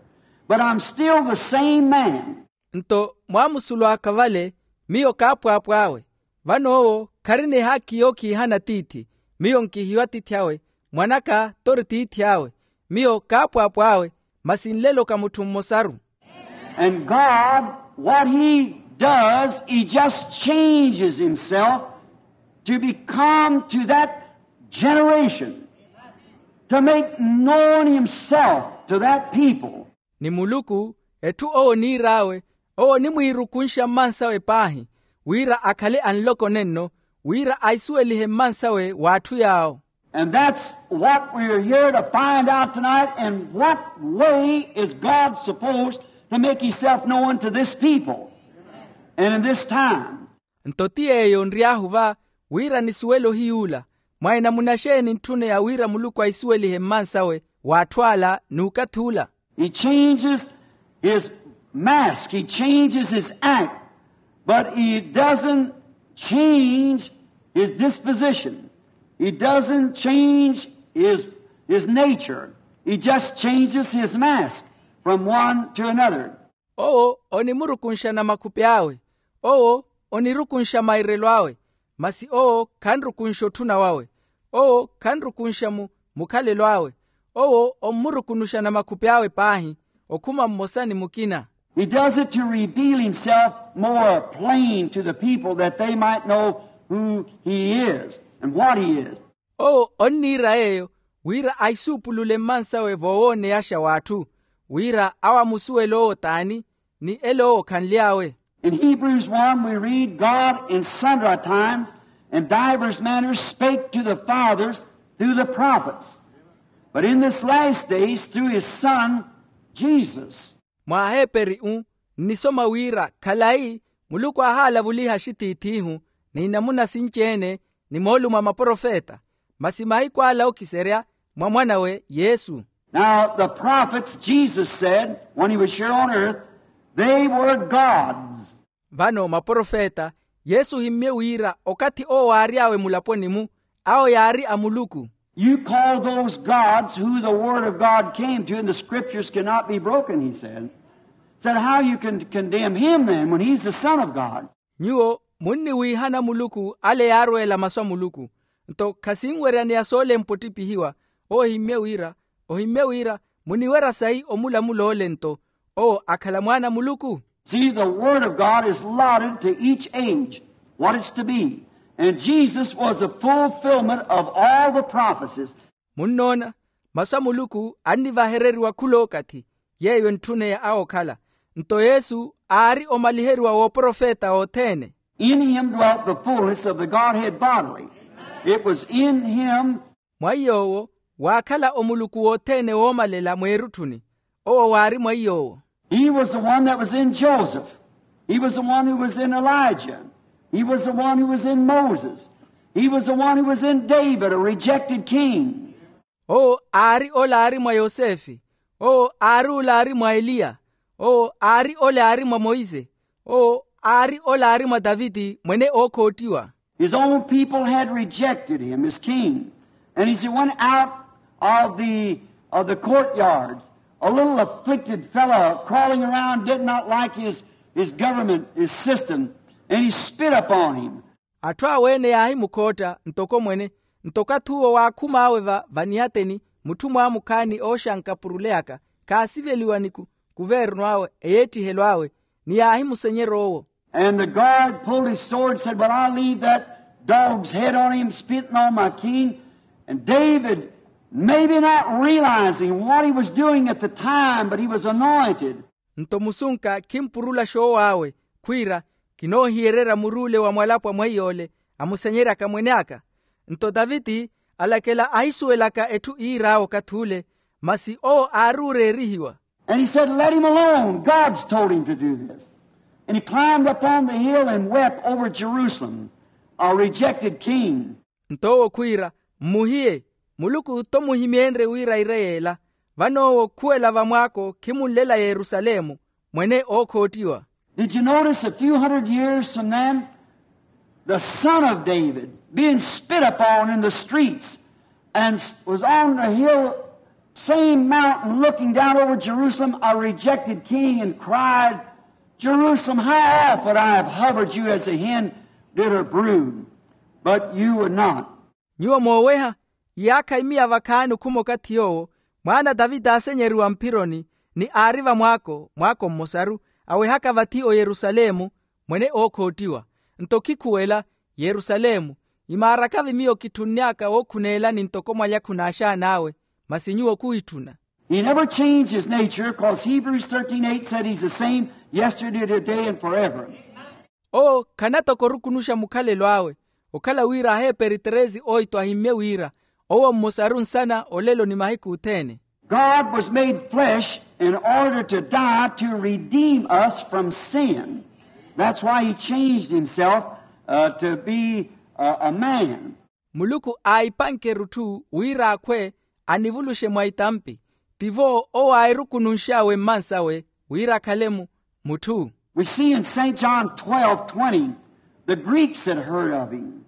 but I'm still the same man. Nto mwaamusulu aka vale, miyo kaapwaapw'awe. Vano owo kharina ehaakhi yookhihana tiithi. Miyo nkihiwa tiithi awe, mwan'aka t'ori tiithi awe. Miyo kaapwaapw'awe, masi nlelo ka mutthu mmosaru. And God, what he does, he just changes himself to become to that generation, to make known himself to that people. Ni muluku, etthu owo oniir'awe, owo onimwiirukunxa mmansawe paahi, wira akhale anloko nenno, wira aisuwelihe mmansawe w'atthu yaawo. And that's what we're here to find out tonight. In what way is God supposed to make himself known to this people and in this time? Nto ti yeeyo nry'ahu va, wira nisuwele ohiyuula, mwa enamuna xeeni ntthuneya wira muluku aisuwelihe mmansawe w'atthu ala n'ukathi ula? He changes his mask, he changes his act, but he doesn't change his disposition. He doesn't change his, his nature. He just changes his mask from one to another. Owo onimurukunxa na makhupi awe. Owo onirukunxa mairelo awe. Masi owo khanrukunxa otthuna wawe. Owo khanrukunxa mu mukhalelo awe. Owo ommurukunuxa na makhupi awe paahi, okhuma mmosa ni mukina. He does it to reveal himself more plain to the people, that they might know who he is and what he is. Owo onniira yeeyo wira aisuupulule mmansawe voowooneyaxa w'atthu, wira awo amusuwele owo t'ani, ni ele owo khanly'awe. In Hebrews one, we read, God in sundry times and divers manners spake to the fathers through the prophets, but in this last days through his Son, Jesus. Mwa aheeperi-u, nnisoma wira khalayi muluku aahalavuliha axitiith'ihu ni namuna sinci-ene, ni moolumo a maprofeta, masi mahiku ala ookiserya mwa mwan'awe yesu. Now the prophets, Jesus said, when he was here on earth, they were gods. Vano maprofeta, yesu ohimmye wira okathi owo waary'awe mulaponi-mu, awo yaari a muluku. You call those gods who the word of God came to, and the scriptures cannot be broken, he said. Said, how you can condemn him then when he's the Son of God? Nyuwo munniwiihana muluku ale yaarweela masu a muluku, nto khasinweryaneya soolempa ottiphihiwa. Owo ohimmye wira, ohimmye wira muniwerya sayi omulamul'ole nto owo akhala mwaana a muluku. See, the word of God is allotted to each age, what it's to be. And Jesus was the fulfillment of all the prophecies. Munnoona, masu a muluku annivahereriwa khul'okathi, yeeyo entthuneya awo okhala. Nto yesu aari omaliheriwa w'oprofeta othene. In him dwelt the fullness of the Godhead bodily. It was in him. Mwa iy'owo waakhala omuluku wothene woomalela mweerutthuni. Owo waari mwa iy'owo. He was the one that was in Joseph. He was the one who was in Elijah. He was the one who was in Moses. He was the one who was in David, a rejected king. Owo aari ola aari mwa yosefe. Owo aari ola aari mwa eliya. Owo aari ola aari mwa moise. Owo aari ola aari mwa taviti mwene ookhottiwa. His own people had rejected him as king. And as he went out of the, of the courtyards, a little afflicted fellow crawling around did not like his, his government, his system, and he spit upon him. Atthu awe-ene yaahimukhootta ntoko mwene, nto okathi uwo waakhum'awe va vaniyateni mutthu mwamukhaani ooxanka purule aka, khaasiveliwa ni kuvernu awe eyeettihelo awe, ni yaahimusenyerya owo. And the guard pulled his sword and said, well, I'll leave that dog's head on him, spitting on my king. And David, maybe not realizing what he was doing at the time, but he was anointed. Nto musunka khimpurula xoow'awe, khwiira, kinoohiyererya mur'ule wa mwalapwa mweiy'ole amusenyeryaka mwene aka. Nto taviti alakela ahisuwelaka etthu iir'awe okathi ule, masi owo aari ooreerihiwa. And he said, let him alone. God's told him to do this. And he climbed up on the hill and wept over Jerusalem, a rejected king. Nto owo khwiira, mmuhiye, muluku t'omuhimyeenrye wira ire yeela. Vano owo khuwela vamwaako khimunlela yerusalemu, mwene ookhottiwa. Did you notice a few hundred years from then, the son of David being spit upon in the streets and s- was on the hill Same mountain looking down over Jerusalem, a rejected king, and cried, "Jerusalem, how often I have hovered you as a hen did her brood, but you would not." Nyuwo mooweha, iyaakha imiya vakhaani okhuma okathi yoowo, mwaana a tavita aasenyeriwa mphironi, ni aari vamwaako mwaako mmosaru, awehaka vathi oyerusalemu, mwene ookhottiwa. Nto khikhuwela, yerusalemu, imaaraka-vi miyo kitthunny'aka wookhuneelani ntoko mwalyakhu n'axaan'awe, masi nyuwo khuwitthuna. He never changed his nature, 'cause Hebrews thirteen eight said he's the same yesterday, today, and forever. Owo khanatoko orukunuxa mukhalelo awe, okhala wira aheeperi treze oito ahimmye wira, owo mmosaru nsana olelo ni mahiku othene. God was made flesh in order to die to redeem us from sin. That's why he changed himself, uh, to be, uh, a man. Muluku aahipanke erutthu wira akhwe anivuluxe mwa itampi. Tivo owo aahirukununx'awe mmansawe wira akhale mu mutthu. We see in Saint John twelve twenty, the Greeks had heard of him.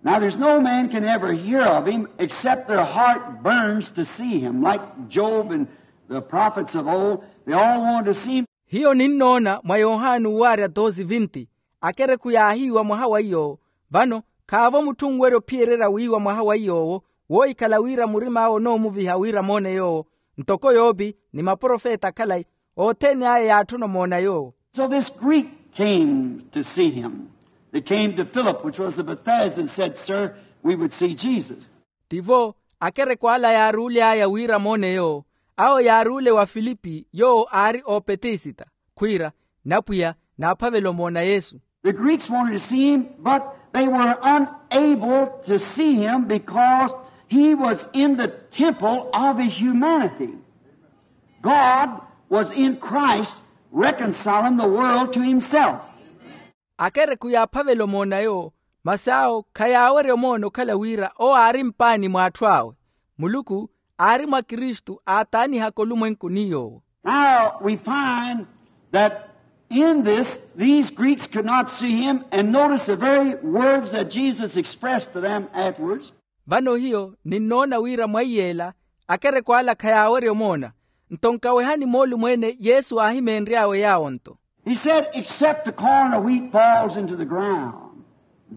Now, there's no man can ever hear of him except their heart burns to see him, like Job and the prophets of old. They all wanted to see him. Hiyo ninnoona mwa yohani uwaarya dosi vinti, akereku yaahiiwa mwaha wa iy'owo. Vano khaavo mutthu onwerya ophiyererya wiiwa mwaha wa iy'owo, woohikhala wira murim'awe onoomuviha wira amoone yoowo. Ntoko yopi ni maprofeta akhalayi, othene aya yaatthuna omoona yoowo. So this Greek came to see him. They came to Philip, which was a Bethsaida, and said, "Sir, we would see Jesus." Tivo akereku ala yaaruuly'aya wira amoone yoowo. Awo yaaruule wa filipi yoowo aari oopetisita, khwiira, n'apwiya naaphavela omoona yesu. The Greeks wanted to see him, but they were unable to see him because he was in the temple of his humanity. God was in Christ reconciling the world to himself. Akereku yaaphavela omoona yoowo, masi awo khayaawerya omoona okhala wira owo aari mpaani mw'atthu awe. Muluku aari mwa kristu aataanihaka olumwenku ni yoowo. Now we find that in this, these Greeks could not see him, and notice the very words that Jesus expressed to them afterwards. Vano hiyo ninnoona wira mwa iyeela akereku ala khayaawerya omoona. Nto nkawehani moolumweene yesu aahimeenry'awe yaawo nto. He said, "Except the corn of wheat falls into the ground,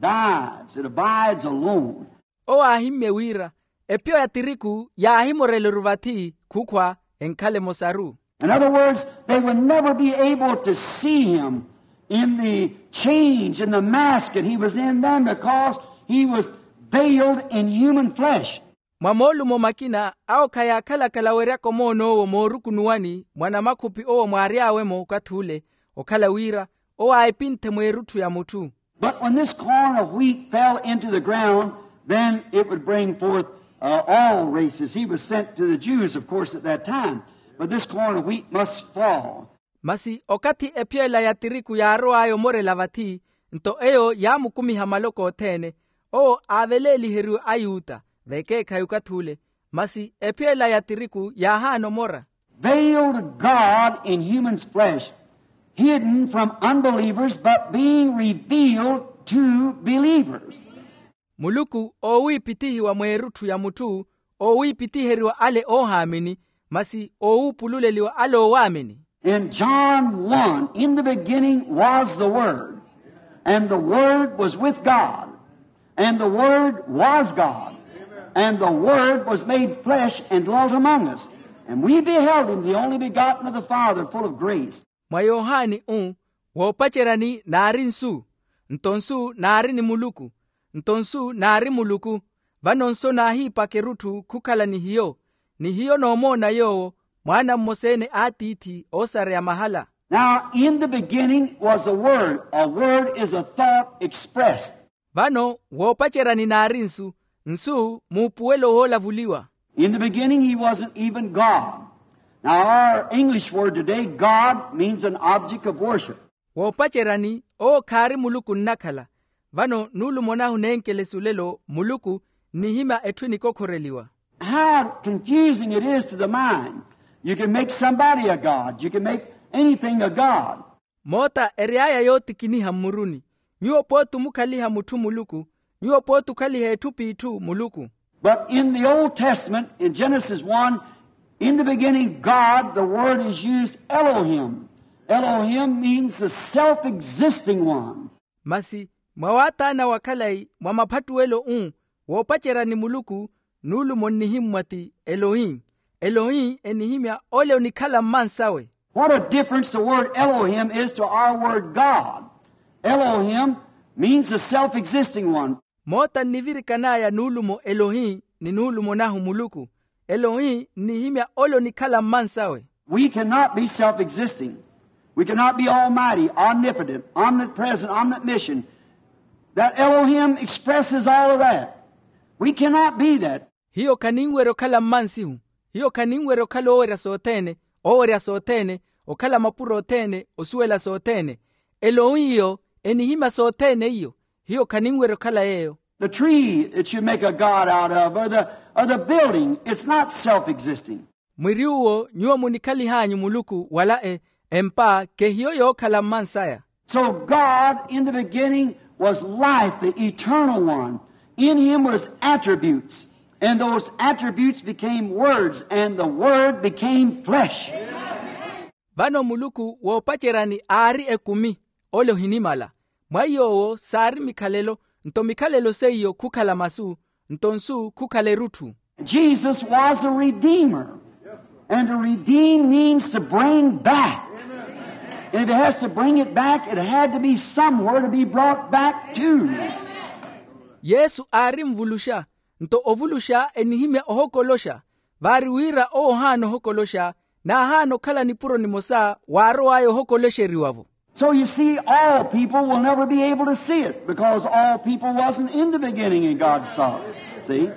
dies, it abides alone." Owo aahimmye wira epyo ya tiriku yaahimorela-ru vathi khukhwa, enkhale emosaru. In other words, they would never be able to see him in the change, in the mask that he was in then, because he was veiled in human flesh. Mwa moolumo makina awo khayaakhalakhala weryaka omoon'owo moorukunuwani mwa namakhupi owo mwaary'awe-mo okathi ule, okhala wira owo aahipinthe mweerutthu ya mutthu. But when this corn of wheat fell into the ground, then it would bring forth, uh, all races. He was sent to the Jews, of course, at that time. But this corn of wheat must fall. Masi okathi epyo ela ya tiriku yaarow'aya omorela vathi, nto eyo yaamukumiha maloko othene. Owo aaveleeliheriwe ayuta vekeekhayi okathi ule, masi epyo ela ya tiriku yaahaana omora. Veiled God in human's flesh, hidden from unbelievers, but being revealed to believers. Muluku oowiipithihiwa mweerutthu ya mutthu, oowiipithiheriwa ale oohaamini, masi oowuupululeliwa ale oowaamini. In John one, in the beginning was the Word, and the Word was with God, and the Word was God, and the Word was made flesh and dwelt among us, and we beheld him, the only begotten of the Father, full of grace. Mwa yohani u, woopaceryani naari nsu, nto nsu naari ni muluku, nto nsu naari muluku. Vano nsu naahiipaka erutthu khukhala ni hiyo, ni hiyo noomoona yoowo, mwaana mmosa-ene a tiithi oosareya mahala. Now in the beginning was a word. A word is a thought expressed. Vano woopaceryani naari nsu, nsu muupuwelo woolavuliwa. In the beginning he wasn't even God. Now our English word today, God, means an object of worship. Woopaceryani owo khaari muluku nnakhala. Vano nuulumo nahu neenkelesi olelo muluku nnihimya etthu enikokhoreliwa. How confusing it is to the mind. You can make somebody a god. You can make anything a god. Moota ery'aya yootikiniha mmuruni. Nyuwo pooti omukhaliha mutthu muluku. Nyuwo pooti okhaliha etthu p'itthu muluku. But in the Old Testament, in Genesis one, In the beginning, God, the word is used, Elohim. Elohim means the self-existing one. Masi mwa waatana wa khalayi mwa maphattuwelo u woopacerya ni muluku, nuulumo nnihimmwa ti elohi. Elohi enihimya ole onikhala mmansawe. What a difference the word Elohim is to our word God. Elohim means the self-existing one. Moota nnivirikan'aya nuulumo elohi ni nuulumo nahu muluku. Elohi nnihimya ole onikhala mmansawe. We cannot be self-existing. We cannot be almighty, omnipotent, omnipresent, omniscient. That Elohim expresses all of that. We cannot be that. Hiyo khaninwerya okhala mmansihu. Hiyo khaninwerya okhala oowerya sothene, oowerya sothene, okhala mapuro othene, osuwela sothene. Elohi iyo enihimya sothene iyo. Hiyo khaninwerya okhala yeeyo. The tree that you make a god out of, or the, or the building, it's not self-existing. Mwiri uwo nyuwo munikhalihanyu muluku wala e empa kehiyo yookhala mmansaya. So God in the beginning was life, the eternal one. In him was attributes, and those attributes became words, and the word became flesh. Vano muluku woopaceryani aari ekumi, ole ohinimala. Mwa iy'owo saari mikhalelo, nto mikhalelo seiyo khukhala masu, nto nsu khukhala erutthu. Jesus was a redeemer. And to redeem means to bring back. And if it has to bring it back, it had to be somewhere to be brought back to. Yesu aari nvuluxa, nto ovuluxa enihimya ohokoloxa. Vaari wira owo ohaana ohokoloxa, n'ahaana okhala nipuro nimosa waarow'aya ohokoloxeriwa-vo. So you see, all people will never be able to see it because all people wasn't in the beginning in God's thoughts. See?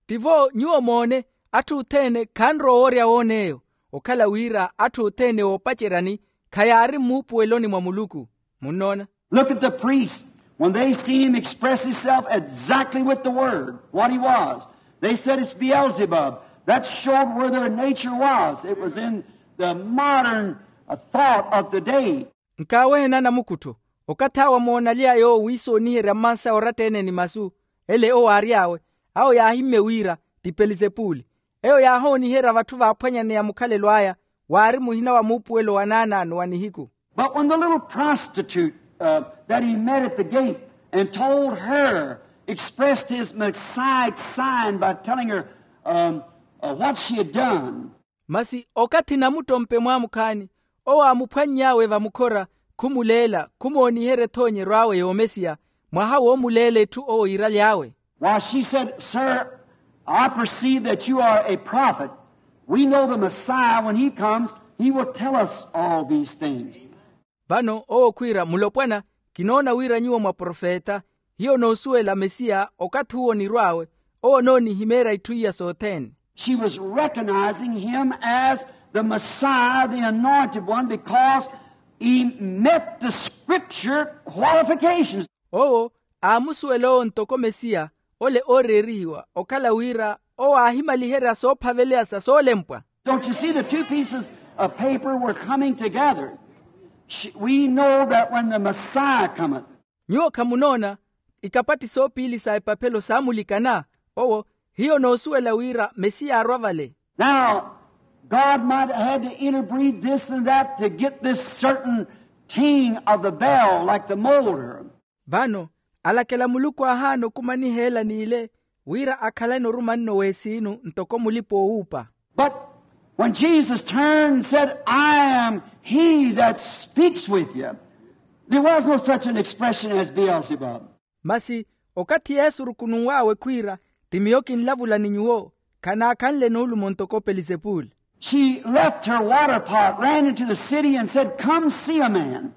Tivo nyuwo moone, atthu othene khanrowa oworya woon'eyo. Okhala wira atthu othene oopaceryani khayaari mmuupuweloni mwa muluku. Munnoona? Look at the priests. When they seen him express himself exactly with the word, what he was, they said, "It's Beelzebub." That showed where their nature was. It was in the modern, uh, thought of the day. Nkaawehe nanamukuttho, okathi awo amoonaly'aya owo wiisooniherya mmansa oratta-ene ni masu, ele owo aary'awe, awo yaahimmye wira ti pelizepuli. Eyo yaahooniherya vatthu vaaphwanyaneya mukhalelo aya, waari muhina wa muupuwelo wa naanaano wa nihiku. But when the little prostitute, uh, that he met at the gate and told her, expressed his Messiah sign by telling her, um, uh, what she had done. Masi okathi namuttompe mwaamukhaani, owo aamuphwanny'awe vamukhora, khumuleela, khumooniherya ethoonyeryo awe y'omesiya, mwaha woomuleela etthu owo yiiraly'awe. Why, she said, "Sir, I perceive that you are a prophet. We know the Messiah, when he comes, he will tell us all these things." Vano owo khwiira, "Mulopwana, kinoona wira nyuwo mwaprofeta, hiyo noosuwela Mesiya, okathi uwo onirw'awe, owo onoonihimeerya itthu iya sothene." She was recognizing him as the Messiah, the anointed one, because he met the scripture qualifications. Owo aamusuwela owo ntoko Mesiya, ole ooreerihiwa, okhala wira owo aahimaliherya soophaveleya sa soolempwa. Don't you see the two pieces of paper were coming together? Sh-, we know that when the Messiah cometh. Nyuwo khamunoona, ikapatti soopiili sa epaphelo saamulikana, owo, hiyo noosuwela wira Mesiya aarwa vale. Now, God might have had to interbreed this and that to get this certain ting of the bell, like the moulder. Vano, alakela Muluku aahaana okumaniha ela n'ile, wira akhalane orumanno w'esiinu ntoko mulipa-oowuupa. But when Jesus turned and said, "I am he that speaks with you," there was no such an expression as Beelzebub. Masi, okathi Yesu orukununw'awe khwiira, ti miyo kinlavula ni nyuwo, khanaakhanle nuulumo ntoko Pelizepuli. She left her water pot, ran into the city, and said, "Come see a man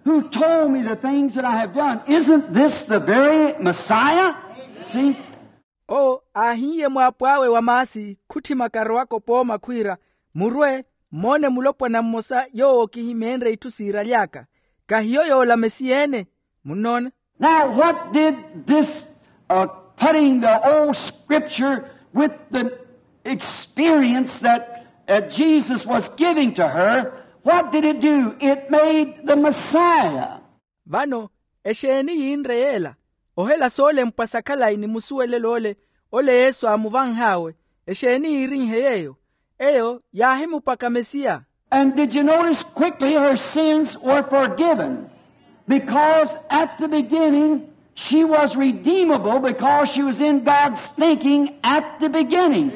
who told me the things that I have done. Isn't this the very Messiah?" See? Owo aahiye mwaapo awe wa maasi, khutthimaka arowaka opooma khwiira, "Murwe, mmoone mulopwana mmosa yoowo kihimeenrye itthu siiraly'aka. Kahiyo yoola Mesiya ene?" Munnoona? Now, what did this, uh, putting the old scripture with the experience that, uh, Jesus was giving to her, what did it do? It made the Messiah. Vano, exeeni yiinre yeela? Ohela soolempwa sa khalayi ni musuwelelo ole, ole Yesu aamuvanh'awe, exeeni yiirinhe yeeyo? eyo yaahimupaka mesiya. And did you notice quickly her sins were forgiven? Because at the beginning she was redeemable because she was in God's thinking at the beginning.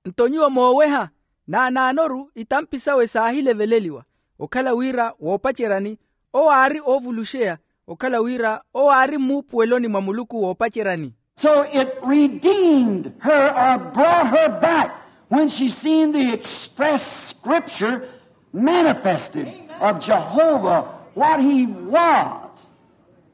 Nto nyuwo mooweha naanaanoru itampi sawe saahileveleliwa okhala wira woopaceryani owo aari oovuluxeya okhala wira owo aari mmuupuweloni mwa muluku woopaceryani. So it redeemed her or brought her back when she seen the express scripture manifested of Jehovah, what he was,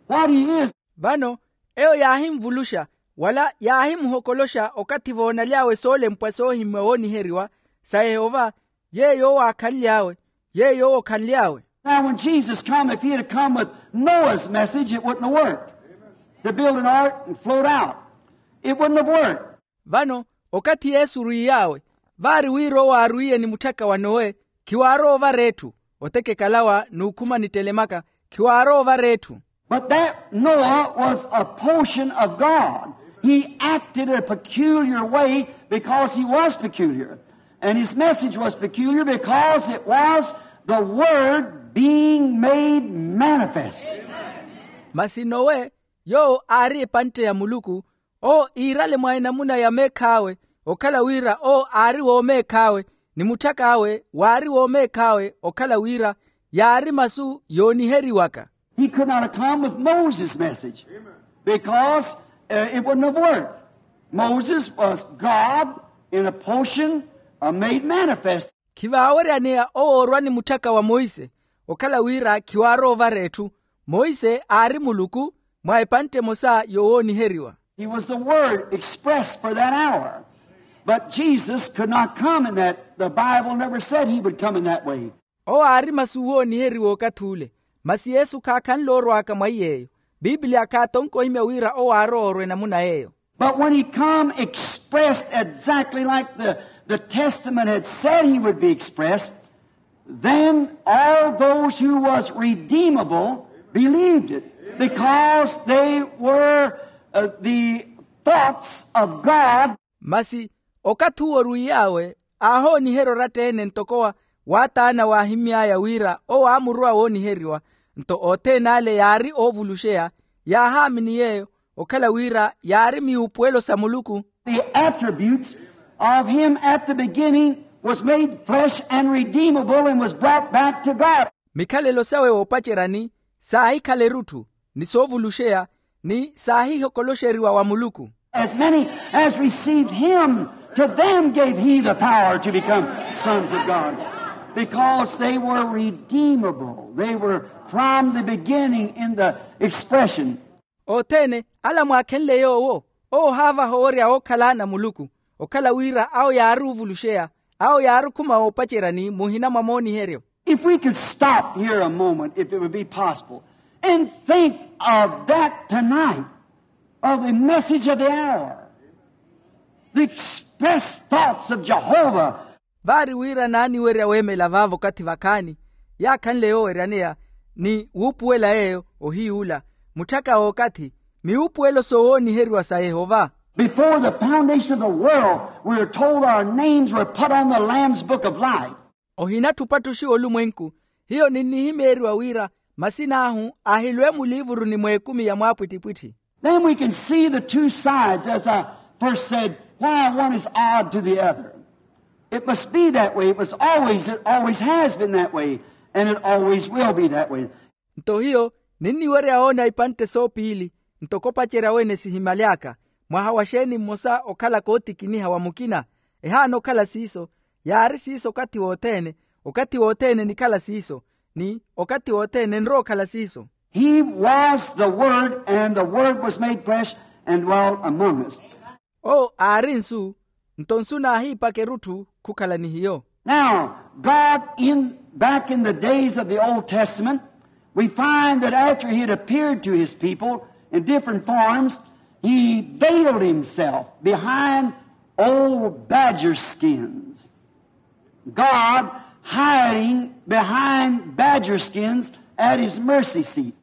what he is. Vano eyo yaahinvuluxa wala yaahimuhokoloxa okathi voonaly'awe soolempwa soohimwa wooniheriwa sa yehova yeeyo owo aakhanly'awe yeeyo owo okhanly'awe. Now when Jesus come, if he had come with Noah's message, it wouldn't have worked. To build an ark and float out, it wouldn't have worked. Vano okathi yesu orwiy'awe vaari wira owo aarwiye ni mutthaka wa nowe khiwaarowa ovara etthu otekekalawa n'ukhuma nittelemaka khiwaarowa ovara etthu. But that Noah was a portion of God. He acted a peculiar way because he was peculiar. And his message was peculiar because it was the Word being made manifest. Masi nowe yoowo aari epantte ya muluku owo iirale mwa enamuna ya meekh'awe okhala wira owo aari woomeekh'awe ni mutthak'awe waari woomeekh'awe okhala wira yaari masu yooniheriwaka. He could not have come with Moses' message because uh, it wouldn't have worked. Moses was God in a portion uh, made manifest. Khivaaweryaneya owo orwa ni mutthaka wa monse okhala wira khiwaarowa ovara etthu. Monse aari muluku mwa epantte emosa yowooniheriwa. He was the word expressed for that hour. But Jesus could not come in that. The Bible never said he would come in that way. Owo aari masu wooniheriwa okathi ule masi yesu khaakhanle orw'aka mwa iy'eyo. Pipiliya khaatonke ohimya wira owo aarowa orwa enamuna y'eyo. But when he come expressed exactly like the, the testament had said he would be expressed, then all those who was redeemable believed it because they were uh, the thoughts of God. Masi okathi uwo orwiy'awe aahooniherya oratta-ene ntoko wa waataana waahimy'aya wira owo aamurowa wooniheriwa. Nto othene ale yaari oovuluxeya yaahaamini yeeyo okhala wira yaari miupuwelo sa muluku. The attributes of him at the beginning was made flesh and redeemable and was brought back to God. Mikhalelo sawe woopaceryani saahikhala erutthu ni soovuluxeya ni saahihokoloxeriwa wa muluku. As many as received him, to them gave he the power to become sons of God, because they were redeemable. They were from the beginning in the expression. Othene ala mwaakhenle yoowo owo ohaavaha owerya ookhala ana a muluku okhala wira awo yaari ovuluxeya awo yaari okhuma woopaceryani muhina mwa mooniheryo. If we could stop here a moment, if it would be possible, and think of that tonight, of the message of the hour, the express thoughts of Jehovah. Vaari wira naaniwerya weemela vaavo okathi vakhaani yaakhanle yooweryaneya ni wuupuwela yeeyo ohiy'ula mutthaka w'okathi miwuupuwelo soowooniheriwa sa yehova. Before the foundation of the world, we are told our names were put on the Lamb's book of life. Ohinatthu opattuxiwa olumwenku hiyo ninnihimeeriwa wira masin'ahu ahilwe muliivuruni mw'ekumi ya mwaapwittipwitthi. Then we can see the two sides, as I first said, why one is odd to the other. It must be that way. It was always, it always has been that way, and it always will be that way. Nto hiyo ninniwerya woona ipantte soopiili ntoko opacerya wene sihimaly'aka. Mwaha wa xeeni mmosa okhalaka ootikiniha wa mukina ehaana okhala siiso. Yaari siiso okathi wothene okathi wothene enikhala siiso ni okathi wothene enrowa okhala siiso. He was the Word, and the Word was made flesh and dwelt among us. Owo aari nsu nto nsu naahiipaka erutthu khukhala ni hiyo. Now, God, in, back in the days of the Old Testament, we find that after he had appeared to his people in different forms, he veiled himself behind old badger skins. God hiding behind badger skins at his mercy seat.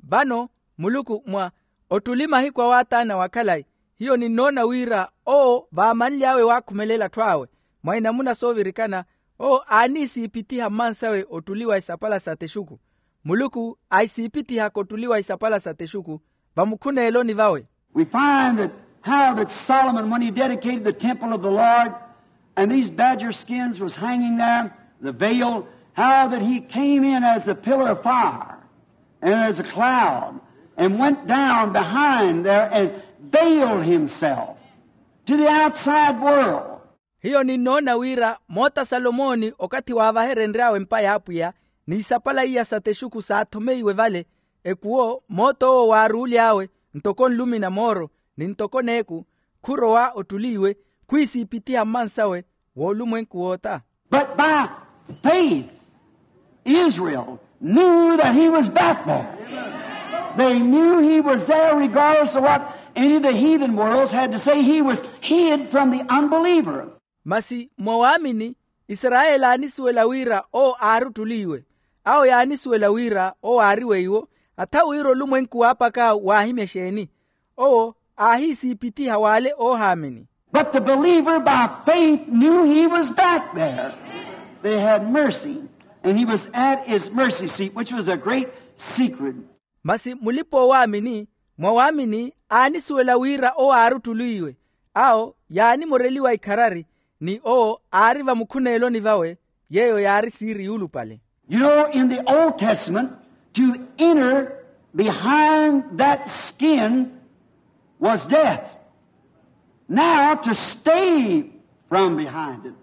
Vano muluku mwa ottuli mahiku a waataana wa khalayi hiyo ninnoona wira owo vaamanly'awe waakhumelela atthu awe Mwa inamuna soovirikana, owo aaniisiipittiha mmansawe ottuliwa esapala sa texuku. Muluku aisiipittihaka ottuliwa esapala sa texuku vamukhuneeloni vawe. We find that how that Solomon, when he dedicated the temple of the Lord, and these badger skins was hanging there, the veil, how that he came in as a pillar of fire and as a cloud and went down behind there and veiled himself to the outside world. Hiyo ninnoona wira moota salomooni okathi waavaherenry'awe empa y'apwiya, n'isapala iya sa texuku saathomeiwe vale, ekuwo moot'owo waaruuly'awe ntoko nlumi na mooro, ni ntoko n'eku, khurowa ottuli iwe, khwiisiipittiha mmansawe woolumwenku woota. But by faith Israel knew that he was back there. They knew he was there regardless of what any of the heathen worlds had to say. He was hid from the unbeliever. Masi mwa waamini, isarayeli aanisuwela wira owo aari ottuli iwe. Awo yaanisuwela wira owo aari weiwo, atha wira olumwenku waapaka waahimya exeeni. Owo aahiisiipittiha w'ale oohaamini. But the believer by faith knew he was back there. They had mercy, and he was at his mercy seat, which was a great secret. Masi mulipa-oowaamini, mwa waamini aanisuwela wira owo aari ottuli iwe. Awo yaanimoreliwa ikharari, ni owo aari vamukhuneeloni vawe. Yeeyo yaari siiri yuulupale. You know, in the Old Testament, to enter behind that skin was death. Now, to stay from behind it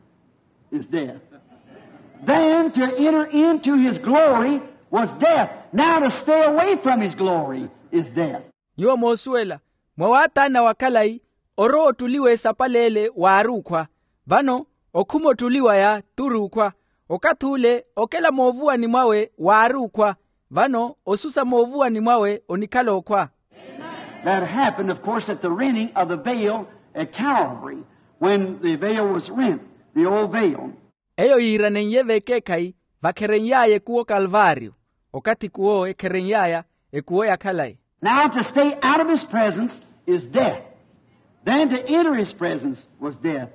is death. Then to enter into his glory was death. Now to stay away from his glory is death. Nyuwo moosuwela, mwa waataana wa khalayi, orowa ottuli w'esapala ele waari okhwa. Vano okhuma ottuli waya t'uri okhwa. Okathi ule okela moovuwani mwawe waari okhwa. Vano osusa moovuwani mwawe onikhala okhwa. That happened, of course, at the rending of the veil at Calvary, when the veil was rent, the old veil. Eyo yiiranen'ye vekeekhayi vakheren'y'aya ekuwo kalvario, okathi ekuwo ekheren'y'aya ekuwo ya khalayi. Now to stay out of his presence is death. Then to enter his presence was death.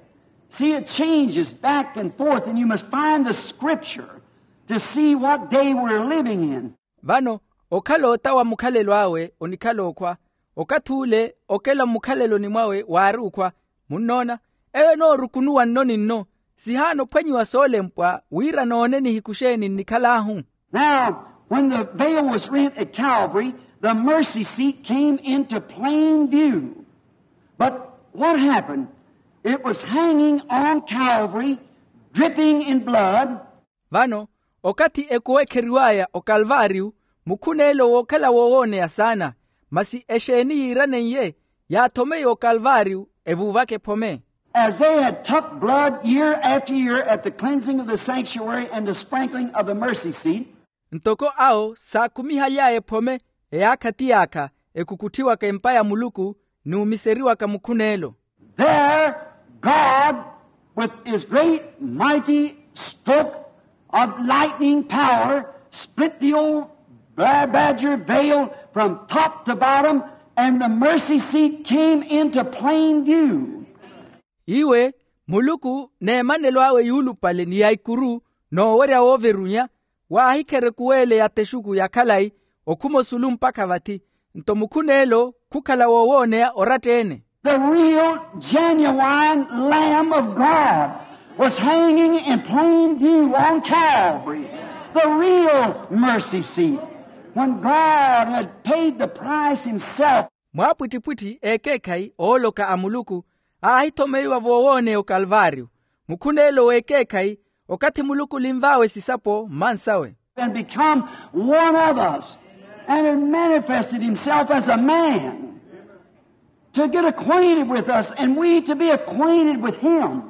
See, it changes back and forth, and you must find the scripture to see what day we're living in. Vano okhala ota wa mukhalelo awe onikhala okhwa, okathi ule okela mmukhaleloni mwawe waari okhwa. Munnoona, eyo enoorukunuwa nno ni nno, sihaana ophwanyiwa soolempwa wira noone nihiku xeeni nnikhal'ahu. Now, when the veil was rent at Calvary, the mercy seat came into plain view. But what happened? It was hanging on Calvary, dripping in blood. Vano, okathi ekuwo ekheriw'aya okalvario, mukhuneelo wookhala woowooneya saana. Masi exeeni yiiranen'ye yaathomeiwa okalvario, evuuvaka ephome. As they had took blood year after year at the cleansing of the sanctuary and the sprinkling of the mercy seat. Ntoko awo saakhumihaly'aya ephome eyaakha ti yaakha, ekukutthiwaka empa ya muluku n'umiseriwaka mukhuneelo. There God, with his great mighty stroke of lightning power, split the old bla- badger veil from top to bottom, and the mercy seat came into plain view. Iwe, muluku n'emanelo awe yuulupale ni ya ikuru, n'owerya wooverunya, waahikherya ekuweele ya texuku ya khalayi, okhuma osulu mpakha vathi. Nto mukhuneelo khukhala woowooneya oratta-ene. The real genuine Lamb of God was hanging in plain view on Calvary, the real mercy seat, when God had paid the price himself. Mwaapwittipwitthi ekeekhayi ooloka a muluku aahithomeiwa voowooneya okalvario. Mukhuneelo w'ekeekhayi, okathi muluku olinv'awe sisapo mmansawe. And become one of us, and had manifested himself as a man to get acquainted with us, and we to be acquainted with him.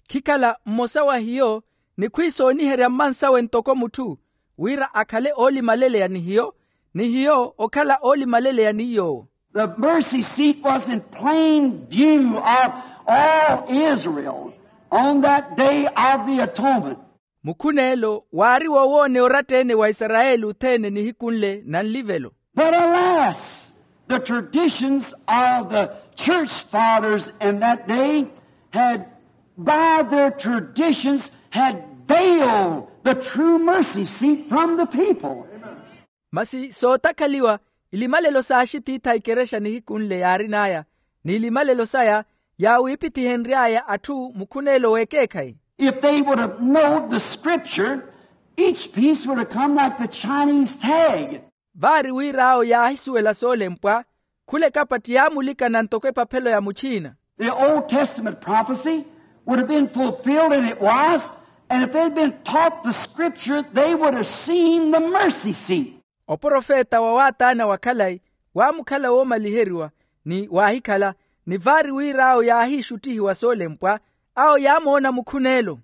Khikhala mmosa wa hiyo, ni khwiisooniherya mmansawe ntoko mutthu, wira akhale oolimaleleya ni hiyo, ni hiyo okhala oolimaleleya ni yoowo. The mercy seat was in plain view of all Israel on that day of the atonement. Mukhuneelo waari woowooneya oratta-ene wa isarayeli othene nihiku nle na nlivelo. But alas, the traditions of the church fathers in that day had By their traditions had veiled the true mercy seat from the people. Masi sootakhaliwa, ilimalelo saaxitiitha ikerexa nihiku nle yaarin'aya, ni ilimalelo saya yaawiipithihenry'aya atthu mukhuneelo w'ekeekhayi. If they would have known the scripture, each piece would have come like the Chinese tag. Vaari wira awo yaahisuwela soolempwa, khula ekapatti yaamulikana ntoko epaphelo ya muchiina. The Old Testament prophecy would have been fulfilled, and it was, and if they'd been taught the scripture, they would have seen the mercy seat. Oprofeta wa waataana wa khalayi waamukhala woomaliheriwa, ni waahikhala, ni vaari wira awo yaahiixuttihiwa soolempwa, awo yaamoona mukhuneelo.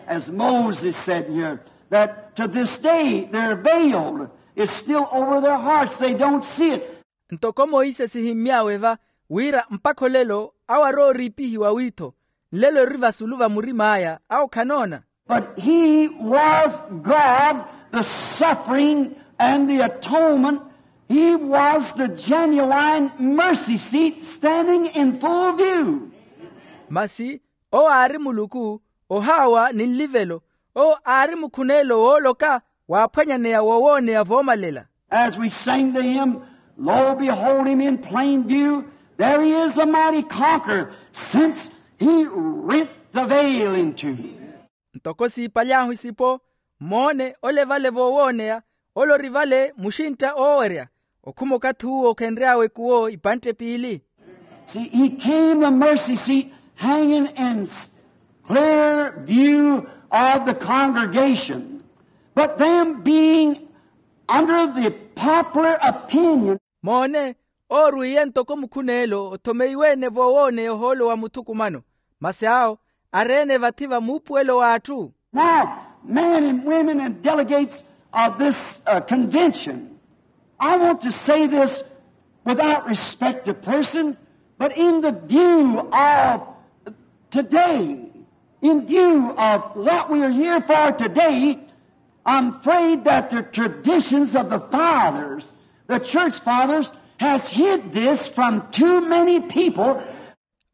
As Moses said here, that to this day their veil is still over their hearts, they don't see it. Ntoko moisesi himmy'awe va, wira mpakha olelo awo arooriipihiwa wiitho, nlelo eri vasulu va murim'aya awo khanoona. But he was God, the suffering and the atonement. He was the genuine mercy seat standing in full view. Masi owo aari muluku, ohaawa ni nlivelo, owo aari mukhuneelo wooloka, waaphwanyaneya wowooneya voomalela. As we sing to him, lo, behold him in plain view, there he is, the mighty conqueror, since he rent the veil in two. Ntoko siipaly'ahu isipo, moone ole vale voowooneya, ole ori vale muxintta oowerya, okhuma okathi uwo okhenry'awe kuwo ipantte piili. See, he came the mercy seat hanging in s- clear view of the congregation, but them being under the popular opinion. Moone, oorwiiye ntoko mukhuneelo othomeiwe-ene voowooneya ohoolo wa muthukumano, masi awo areene vathi va muupuwelo w'atthu. Now, men and women and delegates of this uh, convention, I want to say this without respect to person, but in the view of today, in view of what we are here for today, I'm afraid that the traditions of the fathers, the church fathers, has hid this from too many people.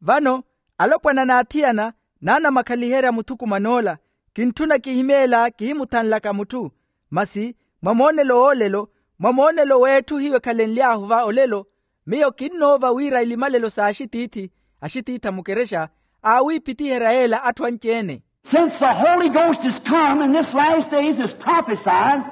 Vano, alopwana n'athiyana naanamakhaliherya muthukuman'ola, kintthuna kihimyeela kihimuthanlaka mutthu. Masi mwa moonelo w'olelo, mwa moonelo w'etthu hiyo ekhalenly'ahu va olelo, miyo kinnoova wira ilimalelo s'axitiithi, axitiitha mukerexa, aawiipitiherya yeela atthu anci-ene. Since the Holy Ghost has come in this last days as prophesied,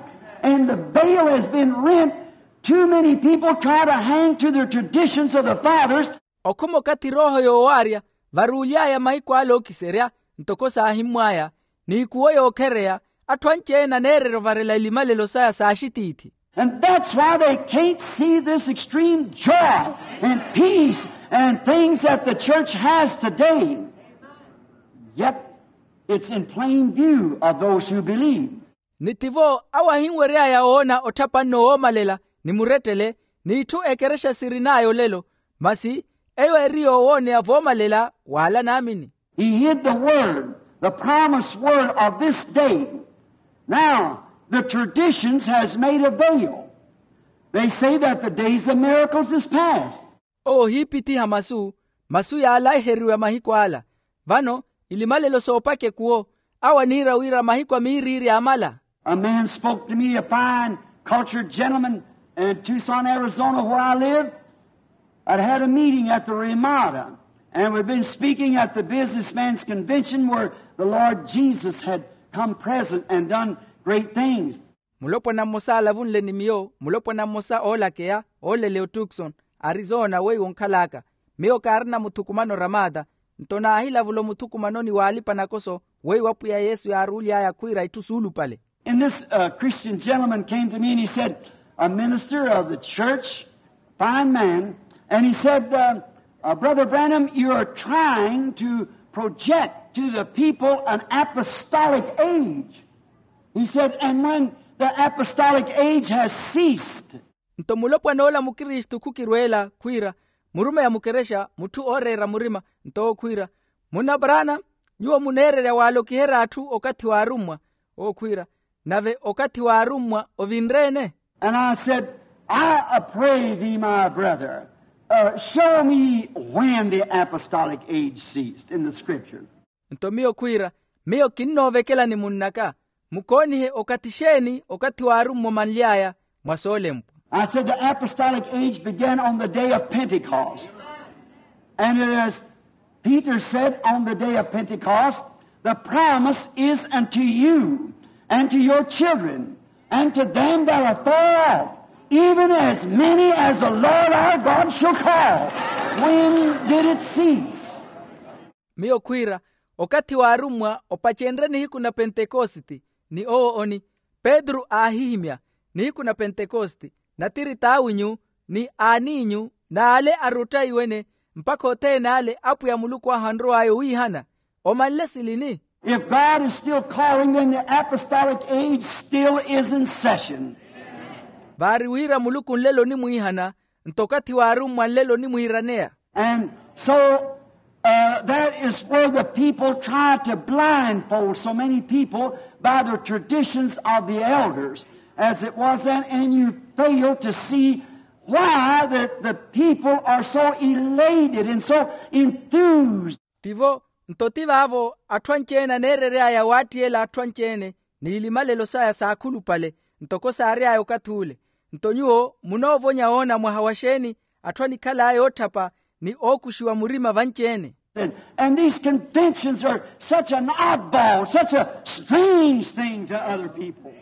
and the veil has been rent, too many people try to hang to their traditions of the fathers. Okhuma okathi erooho yoowaarya varuuly'aya mahiku ale ookiserya, ntoko saahimmw'aya, n'ikuwo yookhereya, atthu anci-ene aneererya ovarela ilimalelo saya s'axitiithi. And that's why they can't see this extreme joy and peace and things that the church has today. Yet it's in plain view of those who believe. Ni tivo awo ahinwery'aya woona otthapanno woomalela ni murettele, n'itthu ekerexa sirin'aya olelo, masi eyo eri yoowooneya voomalela w'ala naamini. He hid the word, the promised word of this day. Now, the traditions has made a veil. They say that the days of miracles is past. Owo ohiipithiha masu, masu yaalaiheriwa mahiku ala. Vano ilimalelo soopaka ekuwo, awo aniira wira mahiku a miiriiri aamala. A man spoke to me, a fine cultured gentleman in Tucson, Arizona, where I live. I'd had a meeting at the Ramada, and we'd been speaking at the businessmen's convention where the Lord Jesus had come present and done great things. Mulopwana mmosa aalavunle ni miyo, mulopwana mmosa oolakeya ooleleya otukson, arizona weiwo onkhal'aka. Miyo kaarina muthukumano ramata, nto naahilavula omuthukumanoni w'alipa-nakoso, weiwo apwiya yesu yaaruuly'aya khwiira itthu suulupale. And this uh, Christian gentleman came to me and he said, a minister of the church, fine man, and he said, uh, uh, Brother Branham, you are trying to project to the people an apostolic age. He said, and when the apostolic age has ceased. Nto mulopwan'ola mukristu khukirweela khwiira, murumeya mukerexa mutthu ooreera murima, nto owo khwiira, munna brana, nyuwo muneererya waalokiherya atthu okathi w'arummwa. Owo khwiira, nave okathi w'arummwa ovinre-ene? And I said, I pray thee, my brother, uh, show me when the apostolic age ceased in the scripture. Nto miyo khwiira, miyo kinnoovekelani munn'aka, mukoonihe okathi xeeni okathi waarummwa omanly'aya mwa soolempwa. I said the apostolic age began on the day of Pentecost. And as Peter said on the day of Pentecost, the promise is unto you and to your children and to them that are far off, even as many as the Lord our God shall call. When did it cease? Miyo khwiira, okathi waarummwa opacenrye nihiku na pentekositi, ni owo oni, petru aahihimya, nihiku na pentekositi, natiri t'awinyu, ni aan'inyu, n'ale aruttaiwene, mpakha othene ale apwiya muluku ahu anrow'aya owiihana. Omanle silini? If God is still calling, then the apostolic age still is in session. Vaari wira muluku nlelo onimwiihana, nto okathi waarummwa nlelo onimwiiraneya. And so, uh, that is where the people try to blindfold so many people by the traditions of the elders, as it was then, and you fail to see why the, the people are so elated and so enthused. Tivo, nto ti vaavo atthu anci-ene aneerery'aya waattiyela atthu anci-ene, n'ilimalelo saya saakhulupale, ntoko saary'aya okathi ule. Nto nyuwo munoovonya woona mwaha wa xeeni atthu anikhal'aya ootthapa ni ookuxiwa murima vanci-ene. And, and these conventions are such an oddball, such a strange thing to other people.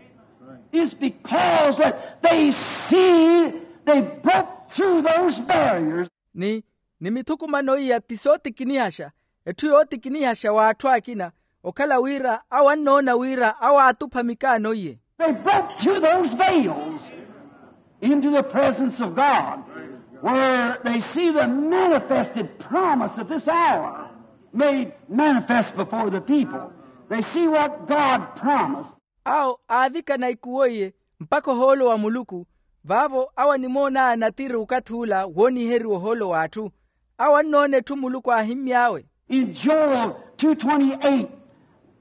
It's because that they see they broke through those barriers. Ni, ni mithukumano iya ti sootikinihaxa, etthu yootikinihaxa w'atthu akina, okhala wira awo annoona wira awo aatupha mikaano iye. They broke through those veils into the presence of God, where they see the manifested promise of this hour made manifest before the people. They see what God promised. Awo aavikana ikuwo iye mpakha ohoolo wa muluku, vaavo awo animoon'aya natiri okathi ula wooniheriwa ohoolo w'atthu. Awo annoona etthu muluku aahimmy'awe. In Joel two twenty-eight,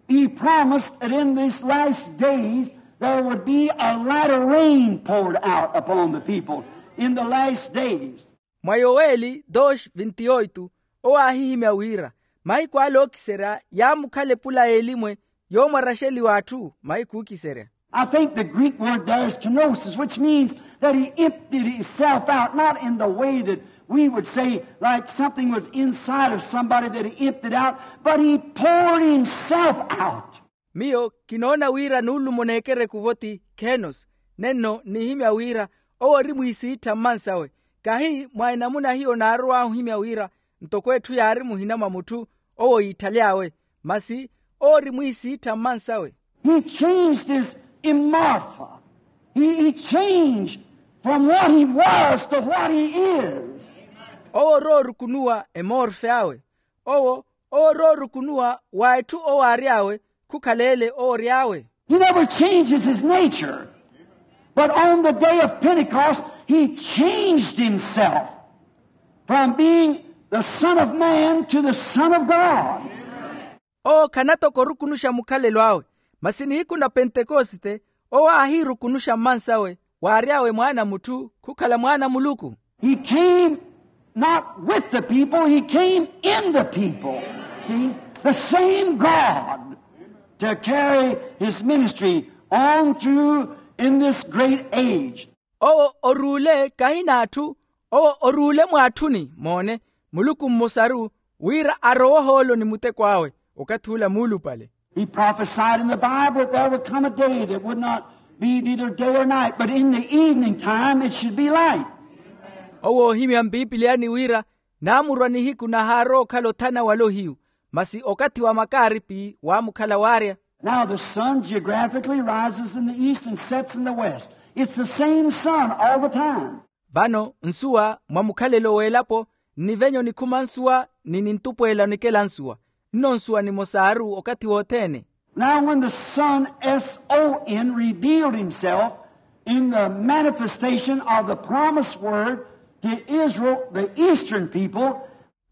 he promised that in these last days there would be a latter rain poured out upon the people in the last days. Mwa yoweli dos vinti-oito, owo aahihimya wira, mahiku ale ookiserya yaamukhala epula y'elimwe yoomwaraxeliwa atthu mahiku ookiserya. I think the Greek word there is kenosis, which means that he emptied himself out, not in the way that we would say, like something was inside of somebody that he emptied out, but he poured himself out. Miyo kinoona wira nuulumo n'ekereku-vo ti khenos, nenno nihimya wira owo ori mwiisiittha mmansawe. Kahi mwa enamuna hiyo naarow'ahu ohimya wira ntoko etthu yaari muhina mwa mutthu owo yiithaly'awe, masi owo ori mwiisiittha mmansawe. He changed his immorpha. He, he changed from what he was to what he is. Owo oroorukunuwa emorfe awe. Owo owo oroorukunuwa wa etthu owo aary'awe khukhala ele owo ory'awe. He never changes his nature. But on the day of Pentecost, he changed himself from being the Son of Man to the Son of God. Owo khanatoka orukunuxa mukhalelo awe, masi nihiku na pentekosite owo aahiirukunuxa mmansawe waary'awe mwaana a mutthu khukhala mwaana a muluku. He came not with the people, he came in the people. See, the same God to carry his ministry on through in this great age. Owo oruule kahi n'atthu, owo oruule mw'atthuni moone, muluku mmosaru wira arowe ohoolo ni muteko awe okathi ula muulupale. He prophesied in the Bible that there would come a day that would not be neither day or night, but in the evening time it should be light. Owo oohimya mpipiliyani wira naamurwa nihiku nahaarowa okhala othana wala ohiyu, masi okathi wa makaaripi waamukhala waarya. Now the sun geographically rises in the east and sets in the west. It's the same sun all the time. Vano nsuwa mwa mukhalelo w'elapo nnivenyo nikhuma nsuwa ni nintupweela nikela nsuwa, nno nsuwa nimosaru okathi wothene. Now when the Son, S O N, revealed himself in the manifestation of the promised word to Israel, the eastern people.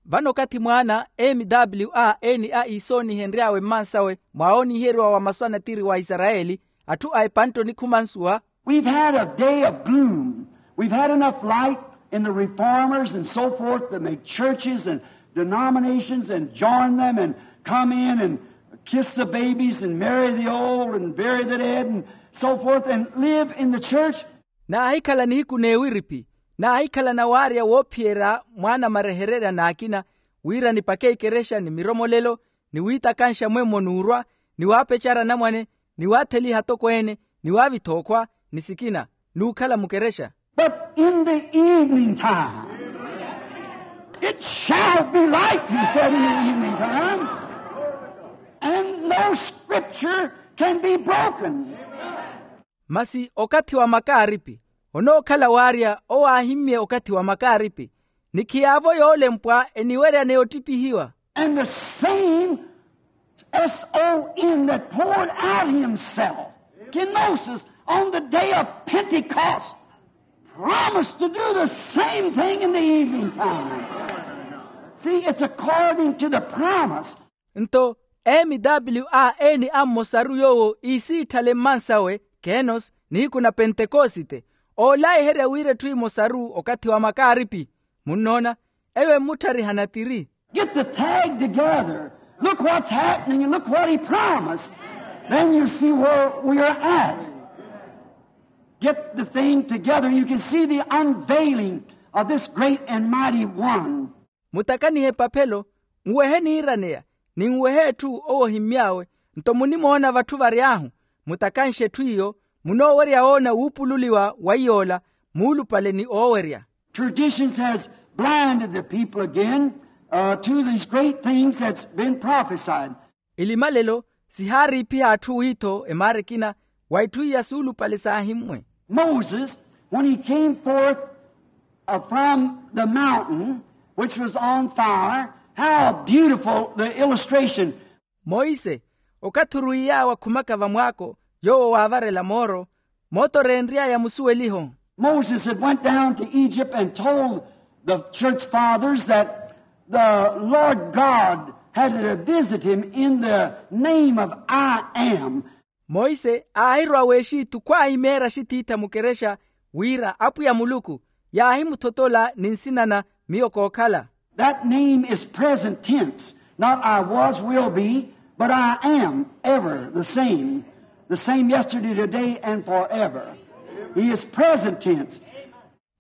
Vano okathi mwaana M W A N A iisoonihenry'awe mmansawe mwa ooniiheriwa wa masu a natiri wa isarayeli, atthu a epantte onikhuma nsuwa. We've had a day of gloom. We've had enough light in the reformers and so forth to make churches and denominations and join them and come in and kiss the babies and marry the old and bury the dead and so forth and live in the church. Naahikhala nihiku n'ewiripi, naahikhala nawaarya woophiyerya mwaana marehererya n'akina, wira nipake ikerexa ni miromolelo, ni wiitakanxa mwemmo n'urwa, ni waapecara anamwane, ni waatheliha atokweene, ni waavitha okhwa, ni sikina, n'ukhala mukerexa. But in the evening time, it shall be light, he said, in the evening time, and no scripture can be broken. Masi okathi wa makaaripi, onookhala waarya owo aahimmye okathi wa makaaripi, ni khiyaavo yoolempwa eniweryaneya ottipihiwa. And the same S O N that poured out himself, kenosis, on the day of Pentecost, promised to do the same thing in the evening time. See, it's according to the promise. Nto, M W A N a mmosaru yoowo iisiitthale mmansawe, kenos, nihiku na pentekosite, oolaiherya wira etthu emosaru okathi wa makaaripi. Munnoona, eyo emmutthariha natiri. Get the tag together. Look what's happening and look what he promised. Then you see where we are at. Get the thing together and you can see the unveiling of this great and mighty one. Mutakanihe epaphelo, nwehe niiraneya, ni nwehe etthu owo ohimmy'awe, nto munimoona vatthu vary'ahu, mutakanxe etthu iyo, munoowerya woona wuupululiwa wa iy'ola, muulupale ni oowerya. Traditions has blinded the people again, uh, to these great things that's been prophesied. Elimalelo sihaariipiha atthu wiitho emaara ekina wa itthu iya suulupale saahimmwe. Moses, when he came forth, uh, from the mountain which was on fire, how beautiful the illustration. Monse, okathi orwiiy'awe akhumaka vamwaako yoowo waavarela mooro, mooto oreenry'aya musuweliho. Moses had went down to Egypt and told the church fathers that the Lord God had to visit him in the name of I am. Monse aahirwa w'exitu khwaahimeerya axitiitha mukerexa wira apwiya muluku yaahimuthotola ni nsina na miyo kookhala. That name is present tense, not I was, will be, but I am ever the same, the same yesterday, today, and forever. He is present tense.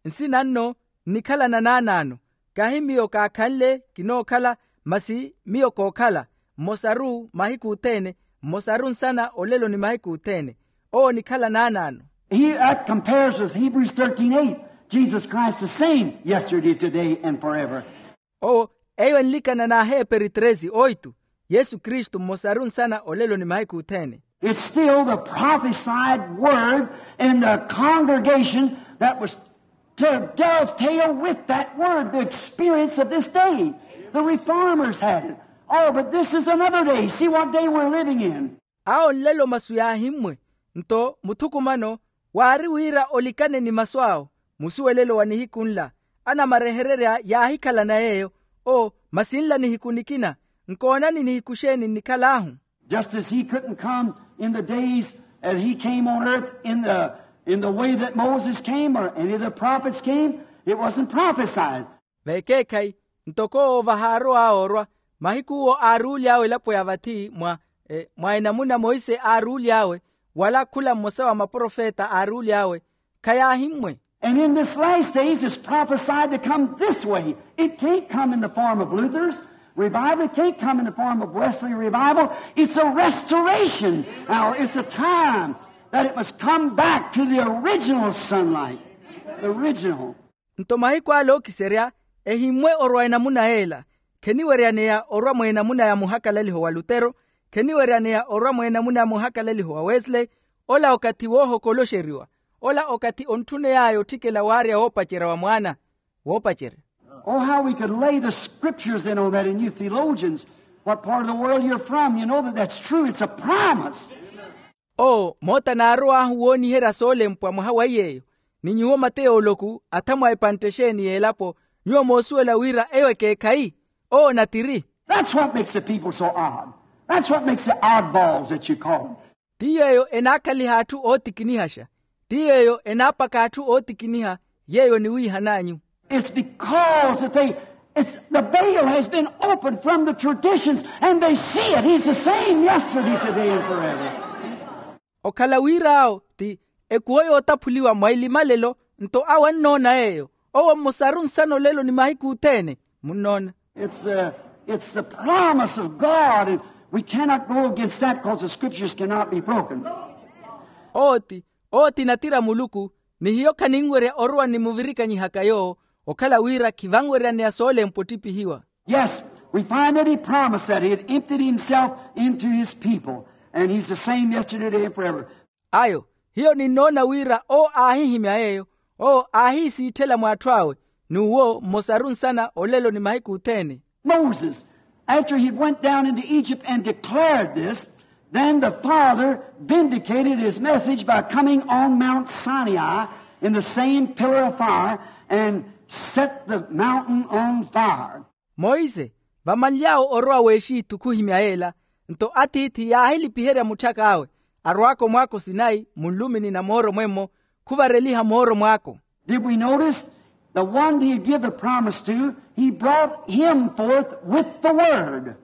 Nsina nno nnikhala na naanaano, kahi miyo kaakhanle kinookhala, masi miyo kookhala, mmosaru mahiku othene, mmosaru nsana olelo ni mahiku othene. Owo onikhala naanaano. He, that compares with Hebrews thirteen eight, Jesus Christ the same yesterday, today, and forever. Owo, eyo enlikana n'aheeperi tresi oitu, yesu kristu mmosaru nsana olelo ni mahiku othene. It's still the prophesied word in the congregation that was to dovetail with that word, the experience of this day. The reformers had it. Oh, but this is another day. See what day we're living in. Awo nlelo masu yaahimmwe, nto muthukumano waari wira olikane ni masu awo. Musuwelelo wa nihiku nla, anamarehererya yaahikhalana yeeyo. O, masi nla nihiku nikina, nkoonani nihiku xeeni nnikhal'ahu. Just as he couldn't come in the days that he came on earth in the, in the way that Moses came or any of the prophets came, it wasn't prophesied. Vekeekhayi, ntoko owo vahaarowa oorwa, mahiku owo aaruuly'awe elapo ya vathi mwa, mwa enamuna monse aaruuly'awe, wala khula mmosa wa maprofeta aaruuly'awe, khayaahimmwe. And in this last days it's prophesied to come this way. It can't come in the form of Luther's revival. It can't come in the form of Wesley revival. It's a restoration. Now, it's a time that it must come back to the original sunlight. The original. Nto mahiku ale ookiserya, ehimmwe orwa enamuna y'ela. Kheniweryaneya orwa mw'enamuna ya muhakalaliho wa lutero, kheniweryaneya orwa mw'enamuna ya muhakalaliho wa wesley. Ola okathi woohokoloxeriwa. Ola okathi ontthuney'aya otthikela waarya woopacerya wa mwaana. Woopacerya. Oh, how we could lay the scriptures in on that, and you theologians, what part of the world you're from, you know that that's true. It's a promise. Oo, moota naarow'ahu wooniherya soolempwa mwaha wa iy'eyo. Ni nyuwo mateyooloku athamwa epantte exeeni y'elapo, nyuwo moosuwela wira eyo ekeekhayi. Oo natiri. That's what makes the people so odd. That's what makes the oddballs that you call them. Ti yeeyo enaakhaliha atthu ootikinihaxa. Ti yeeyo enaapaka atthu ootikiniha. Yeeyo eniwiihan'anyu. It's because that they It's the veil has been opened from the traditions, and they see it. He's the same yesterday, today, and forever. Okhala wira awo ti ekuwo yootaphuliwa mwa ilimalelo. Nto awo annoona yeeyo. Owo mmosaru nsana olelo ni mahiku othene. Munnoona? It's the, it's the promise of God, and we cannot go against that, because the scriptures cannot be broken. Owo ti owo ti natira a muluku. Ni hiyo khaninwerya orowa ni muvirikanyihaka yoowo, okhala wira khivanweryaneya soolempwa ottiphihiwa. Yes, we find that he promised that he had emptied himself into his people, and he's the same yesterday, today, and forever. Ayo, hiyo ninnoona wira owo aahihimya yeeyo. Owo aahiisiitthela mw'atthu awe, n'uwo mmosaru nsana olelo ni mahiku othene. Moses, after he went down into Egypt and declared this, then the Father vindicated his message by coming on Mount Sinai in the same pillar of fire and set the mountain on fire. Monse, vamanly'awe orowa w'exitu khuhimya yeela, nto atiithi yaahilipiherya mutthak'awe, arwaaka omwaako sinayi munlumini na mooro mwemmo, khuvareliha mooro mwaako. Did we notice? The one he give the promise to, he brought him forth with the word.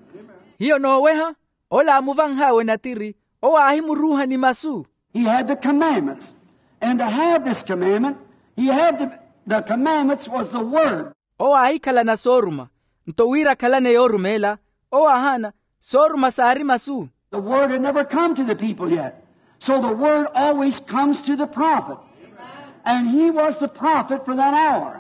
Hiyo nooweha, ola aamuvanh'awe natiri, owo aahimuruuha ni masu. He had the commandments. And to have this commandment, he had the, the commandments was the word. Owo aahikhalana sooruma. Nto wira akhalane yoorumeela, owo aahaana, sooruma saari masu. The word had never come to the people yet. So the word always comes to the prophet. And he was the prophet for that hour.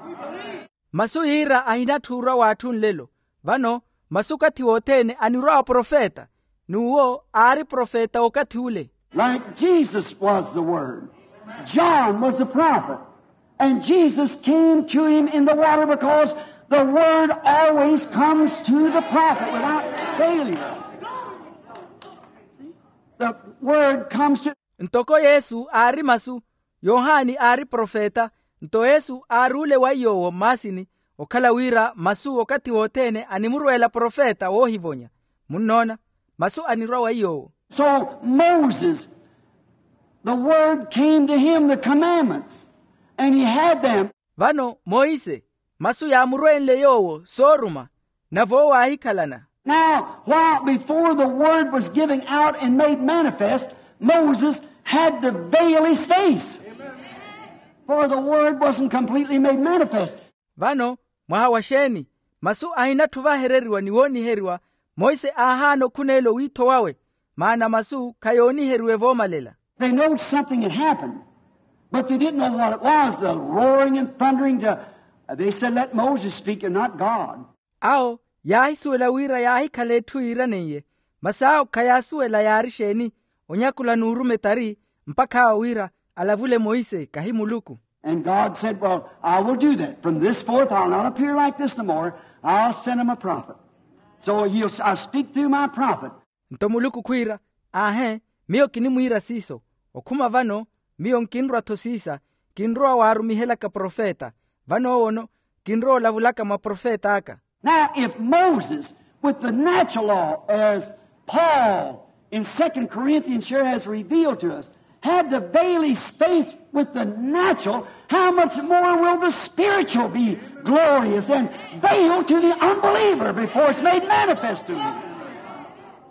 Masu yiira ahinatthu orwa w'atthu nlelo. Vano, masu okathi wothene anirwa wa profeta, n'uwo aari profeta w'okathi ule. Like Jesus was the Word, John was the prophet, and Jesus came to him in the water because the Word always comes to the prophet without failure. The Word comes to Ntoko yesu aari masu, yohani aari profeta. Nto yesu aari ole wa iy'owo mmaasini, okhala wira masu okathi wothene animurweela profeta woohivonya. Munnoona? Masu anirwa wa iy'owo. So Moses, the word came to him, the commandments, and he had them. Vano monse, masu yaamurweenle yoowo sooruma, nave owo aahikhalana. Now, while before the word was given out and made manifest, Moses had to veil his face. For the word wasn't completely made manifest. Vano, mwaha wa xeeni? Masu ahinatthu vahereriwa ni wooniheriwa, monse aahaana okhuneela owiitho wawe, maana masu khayooniheriwe voomalela. They knowed something had happened, but they didn't know what it was, the roaring and thundering to, they said, let Moses speak and not God. Awo yaahisuwela wira yaahikhala etthu yiiraneiye, masi awo khayaasuwela yaari xeeni, onyakula n'urume tari, mpakha awo wira alavule monse kahi muluku. And God said, well, I will do that. From this forth, I'll not appear like this no more. I'll send him a prophet. So he'll, I'll speak through my prophet. Nto muluku khwiira, aahe, miyo kinimwiira siiso. Okhuma vano, miyo nkinrwa-tho siisa, kinrowa waarumihelaka profeta. Vano owono, kinrowa olavulaka mwa profeta aka. Now, if Moses, with the natural law, as Paul in Second Corinthians here has revealed to us, had to veil his face with the natural, how much more will the spiritual be glorious and veiled to the unbeliever before it's made manifest to him?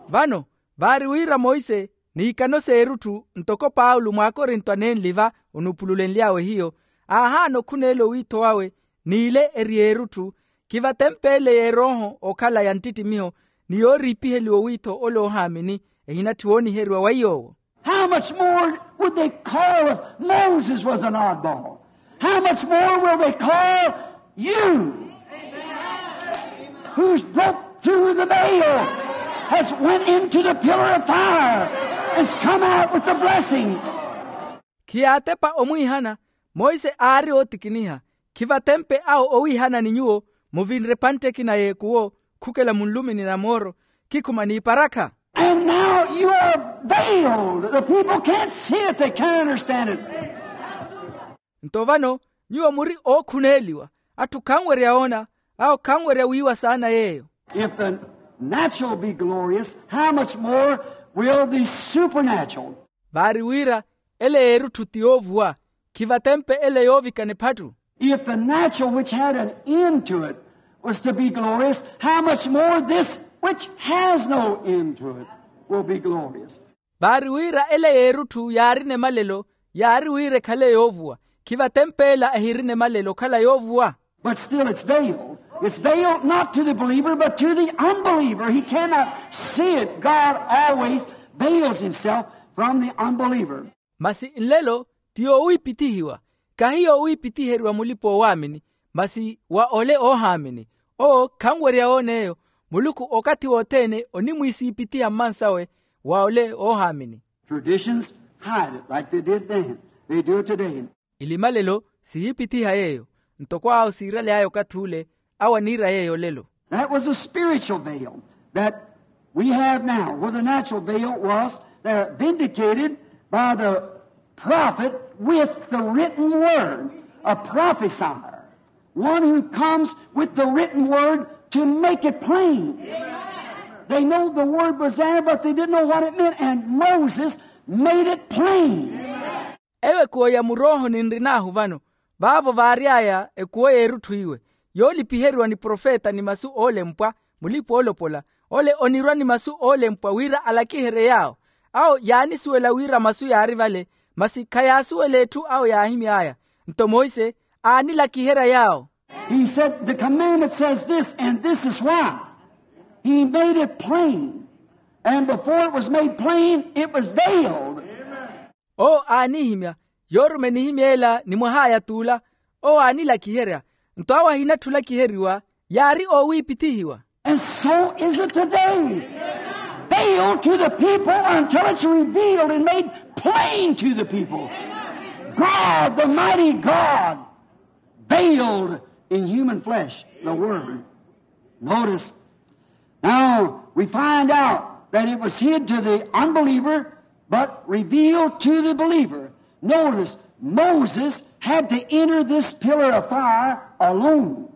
Vano, vaari wira monse, n'ikano s'erutthu, ntoko paulo mw'akorinto anenli va, onuupululenly'awe hiyo, aahaana okhuneela owiitho wawe, n'ile eri erutthu, khivatempeele y'erooho okhala ya nttittimiho, ni yooriipiheliwa owiitho ole oohaamini, ehinatthi wooniheriwa wa iy'owo. How much more would they call if Moses was an oddball? How much more will they call you, who's broke through the veil, has went into the pillar of fire, has come out with the blessing? Khiyaatepa omwiihana, monse aari ootikiniha, khivatempe awo owiihana ni nyuwo, muvinre epantte ekina y'ekuwo, khukela munlumini na mooro, khikhuma n'iparakha. And now you are veiled. The people can't see it, they can't understand it. Nto vano, nyuwo muri ookhuneeliwa, atthu khanwerya oona, awo khanwerya wiiwa saana yeeyo. If the natural be glorious, how much more will the supernatural? Vaari wira, ele y'erutthu ti yoovuwa, khivatempe ele yoovikana ephattu. If the natural which had an end to it Was to be glorious, how much more this which has no end to it will be glorious. Vaari wira ele y'erutthu yaarina emalelo, yaari wira ekhale yoovuwa. Khivatempela ehirina emalelo okhala yoovuwa. But still it's veiled. It's veiled not to the believer but to the unbeliever. He cannot see it. God always veils himself from the unbeliever. Masi nlelo ti yoowiipithihiwa, kahi yoowiipithiheriwa mulipa-oowaamini, masi wa ole oohaamini. Owo khanwerya woona eyo. Muluku okathi wothene onimwiisiipithiha mmansawe wa ole oohaamini. Traditions hide it like they did then. They do it today. Ilimalelo sihiipithiha yeeyo, ntoko awo siiraly'aya okathi ule, awo aniira yeeyo olelo. That was a spiritual veil that we have now, where the natural veil was, they're vindicated by the prophet with the written word, a prophesier, one who comes with the written word to make it plain. They know the word was there, but they didn't know what it meant, and Moses made it plain. Eyo ekuwo ya muroohoni nrin'ahu vano, vaavo vaary'aya ekuwo y'erutthu iwe, yoolipiheriwa ni profeta ni masu oolempwa, mulipa-oolopola, ole onirwa ni masu oolempwa wira alakiherye yaawo. Awo yaanisuwela wira masu yaari vale, masi khayaasuwela etthu awo yaahimy'aya. Nto monse aanilakiherya yaawo. He said, the commandment says this, and this is why. He made it plain. And before it was made plain, it was veiled. Owo aanihimya, yoorume enihimya ela ni mwah'aya t'ula. Owo aanilakiherya, nto awo ahinatthi olakiheriwa, yaari oowiipithihiwa. And so is it today. Veiled to the people until it's revealed and made plain to the people. God, the mighty God, veiled in human flesh, the Word. Notice, now we find out that it was hid to the unbeliever, but revealed to the believer. Notice, Moses had to enter this pillar of fire alone.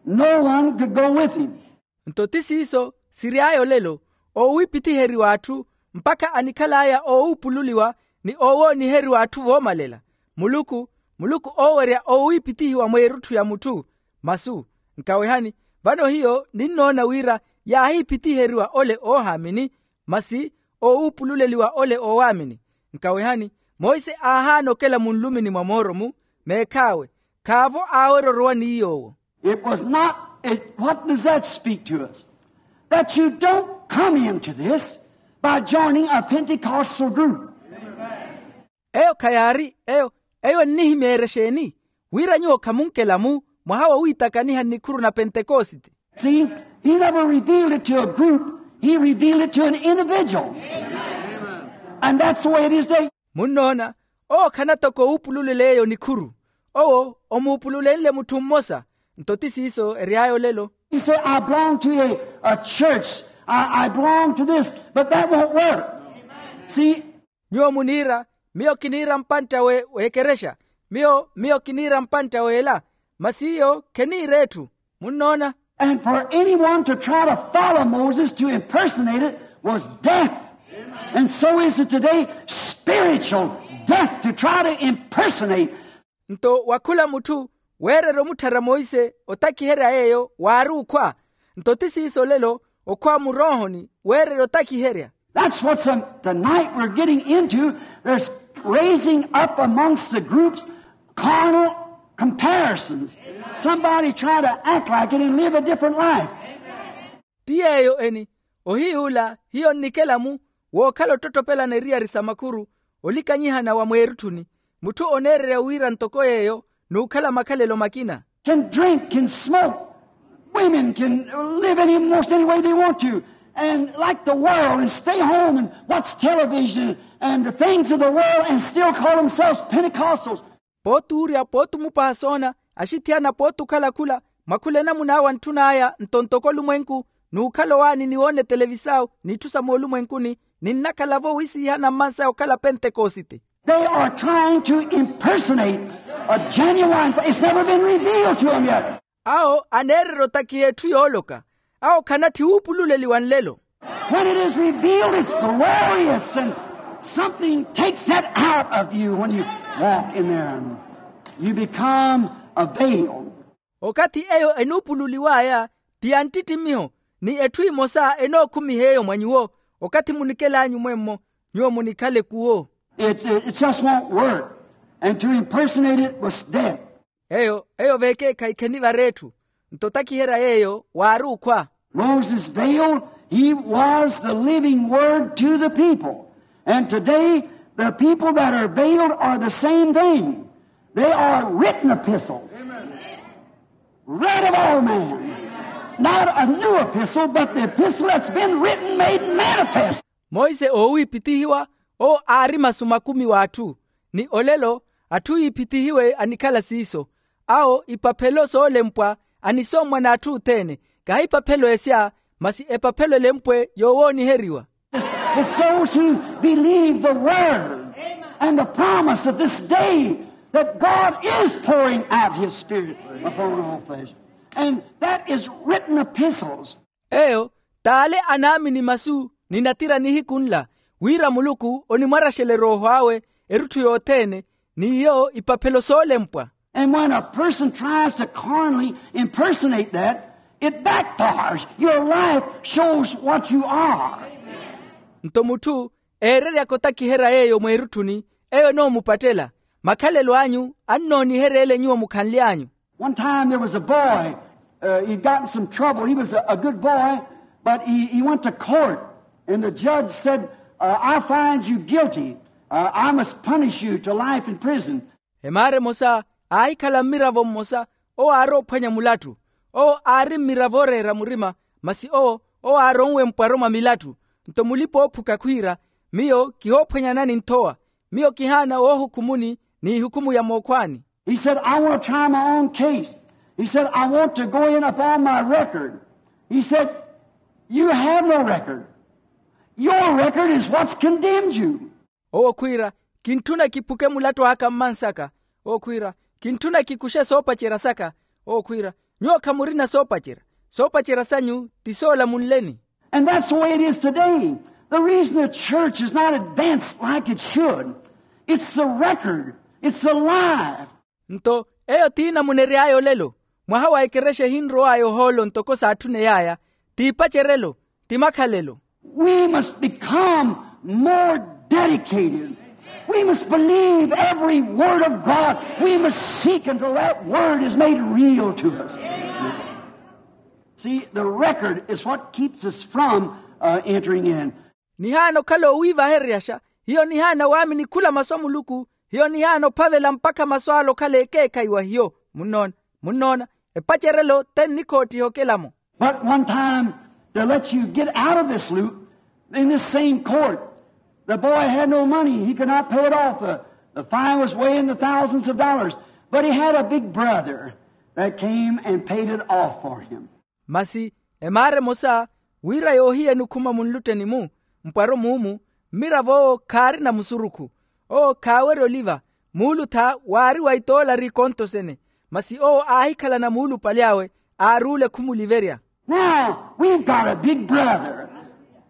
No one could go with him. Nto ti siiso siry'aya olelo, oowiipithiheriwa atthu, mpakha anikhal'aya oowuupululiwa ni oowooniheriwa atthu voomalela. Muluku, muluku oowerya oowiipithihiwa mweerutthu ya mutthu. Masu, nkawehani, vano hiyo ninnoona wira yaahiipithiheriwa ole oohaamini, masi oowuupululeliwa ole oowaamini. Nkawehani, monse aahaana okela munlumini mwa mooro-mu, meekhaawe, khaavo aawerya orowa ni yoowo. It was not, it, what does that speak to us? That you don't come into this by joining a Pentecostal group. Eyo khayaari eyo, eyo ennihimyeerya exeeni? Wira nyuwo khamunkela-mu mwaha wowiitakaniha nnikhuru na pentekosite. See, he never revealed it to a group, he revealed it to an individual. And that's the way it is today. Munnoona, owo khanatoko oupululela eyo nikhuru. Owo omuupululenle mutthu mmosa. Nto ti siiso ery'aya olelo. You say, I belong to a, a church, I, I belong to this, but that won't work. See? Nyuwo muniira, miyo kiniira mpantta we, w'ekerexa, miyo miyo kiniira mpantta w'ela, masi iyo kheniira etthu. Munnoona? And for anyone to try to follow Moses, to impersonate it, was death. And so is it today, spiritual death, to try to impersonate. Nto wa khula mutthu weererya omutthara monse otakiherya yeeyo waari okhwa. Nto ti siiso olelo, okhwa muroohoni weererya otakiherya. That's what's, um, tonight we're getting into. There's raising up amongst the groups carnal comparisons. Somebody trying to act like it and live a different life. Ti yeeyo eni, ohiy'ula hiyo nnikela-mu wookhala ottottopelana eriyari sa makhuru, olikanyihana wa mweerutthuni, mutthu oneererya wira ntoko yeeyo n'ukhala makhalelo makina. Can drink, can smoke. Women can live in most any way they want to, and like the world, and stay home and watch television and the things of the world, and still call themselves Pentecostals. Pooti uurya, pooti omupaha soona, axithiyana pooti okhala khula, mwakhula enamuna awe antthun'aya nto ntoko olumwenku, n'ukhala owaani ni woona etelevisao n'itthu sa moolumwenkuni, ninnakhala-vo owiisiihana mmansaya okhala pentekosite. They are trying to impersonate a genuine thing. It's never been revealed to them yet. Awo aneererya otakiha etthu yooloka. Awo khanatthi wuupululeliwa nlelo. When it is revealed, it's glorious, and something takes that out of you when you walk in there. You become a veil. Okathi eyo enuupululiw'aya ti ya nttittimiho, ni etthu emosa enookhumiha eyo mwa nyuwo. Okathi munikel'anyu mwemmo, nyuwo munikhale kuwo. It's, it's just won't work. And to impersonate it was death. Eyo eyo veekeekhayi khenivara etthu. Nto otakiherya yeeyo waari okhwa. Moses veiled, he was the living word to the people. And today, the people that are veiled are the same thing. They are written epistles. Read of all men. Not a new epistle, but the epistle that's been written, made manifest. Monse oowiipithihiwa, owo aari masu makumi w'atthu. Ni olelo atthu yiipithihiwe anikhala siiso. Awo ipaphelo soolempwa, anisommwa n'atthu othene. Kahi ipaphelo esya, masi epaphelo elempwe yoowooniheriwa. It's those who believe the word and the promise of this day, that God is pouring out his spirit upon all flesh. And that is written epistles. Eyo t'ale anaamini masu ni natira nihiku nla, wira muluku onimwaraxela erooho awe erutthu yothene, n'iyo ipaphelo soolempwa. And when a person tries to carnally impersonate that, it backfires. Your life shows what you are. Nto mutthu eereryaka otakiherya yeeyo mweerutthuni, eyo enoomupattela. Makhalelo anyu annoonihereele nyuwo mukhanly'anyu. One time there was a boy, uh, he'd gotten some trouble. He was a, a good boy, but he, he went to court, and the judge said, uh, "I find you guilty. Uh, I must punish you to life in prison." Emaara emosa aahikhala mmiravo mmosa, owo aari ophwanya mulattu. Owo aari mmiravo ooreera murima, masi owo owo aaronwe mpwaro mwa milattu. Nto mulipa-oophuka khwiira, miyo kihoophwanyanani nthowa. Miyo kihaana woohukhumuni n'ihukumu ya mookhwaani. He said, "I want to try my own case." He said, "I want to go in upon my record." He said, "You have no record. Your record is what's condemned you." Owo khwiira, kintthuna kiphuke mulattu aka mmansaka. Owo khwiira, kintthuna kikuxe soopacerya saka. Owo khwiira, nyuwo khamurina soopacerya. Soopacerya sanyu ti soolamunleni. And that's the way it is today. The reason the church is not advanced like it should, it's the record, it's the life. Nto eyo t'inamunery'aya olelo. Mwaha wa ekerexa ehinrow'aya ohoolo ntoko saatthuney'aya, t'ipacerelo, ti makhalelo. We must become more dedicated. We must believe every word of God. We must seek until that word is made real to us. See, the record is what keeps us from, uh, entering in. Nihaana okhala oowiivahereryaxa, hiyo nihaana waamini khula masu a muluku. Hiyo nihaana ophavela mpakha masu ale okhala ekeekhayi wa hiyo. Munnoona? Munnoona? Epacerelo te nnikhoottiha okelamo. But one time, to let you get out of this loop, in this same court, the boy had no money. He could not pay it off. The, the fine was way in the thousands of dollars. But he had a big brother that came and paid it off for him. Masi emaara emosa, wira yoohiyeni okhuma munlutteni-mu, mpwaro muumu, mmiravo owo khaarina musurukhu. Owo khaawerya oliva. Muulutha waari wa itoolari ikonto sene. Masi owo aahikhalana muulupale awe, aaruule khumuliverya. Now we've got a big brother,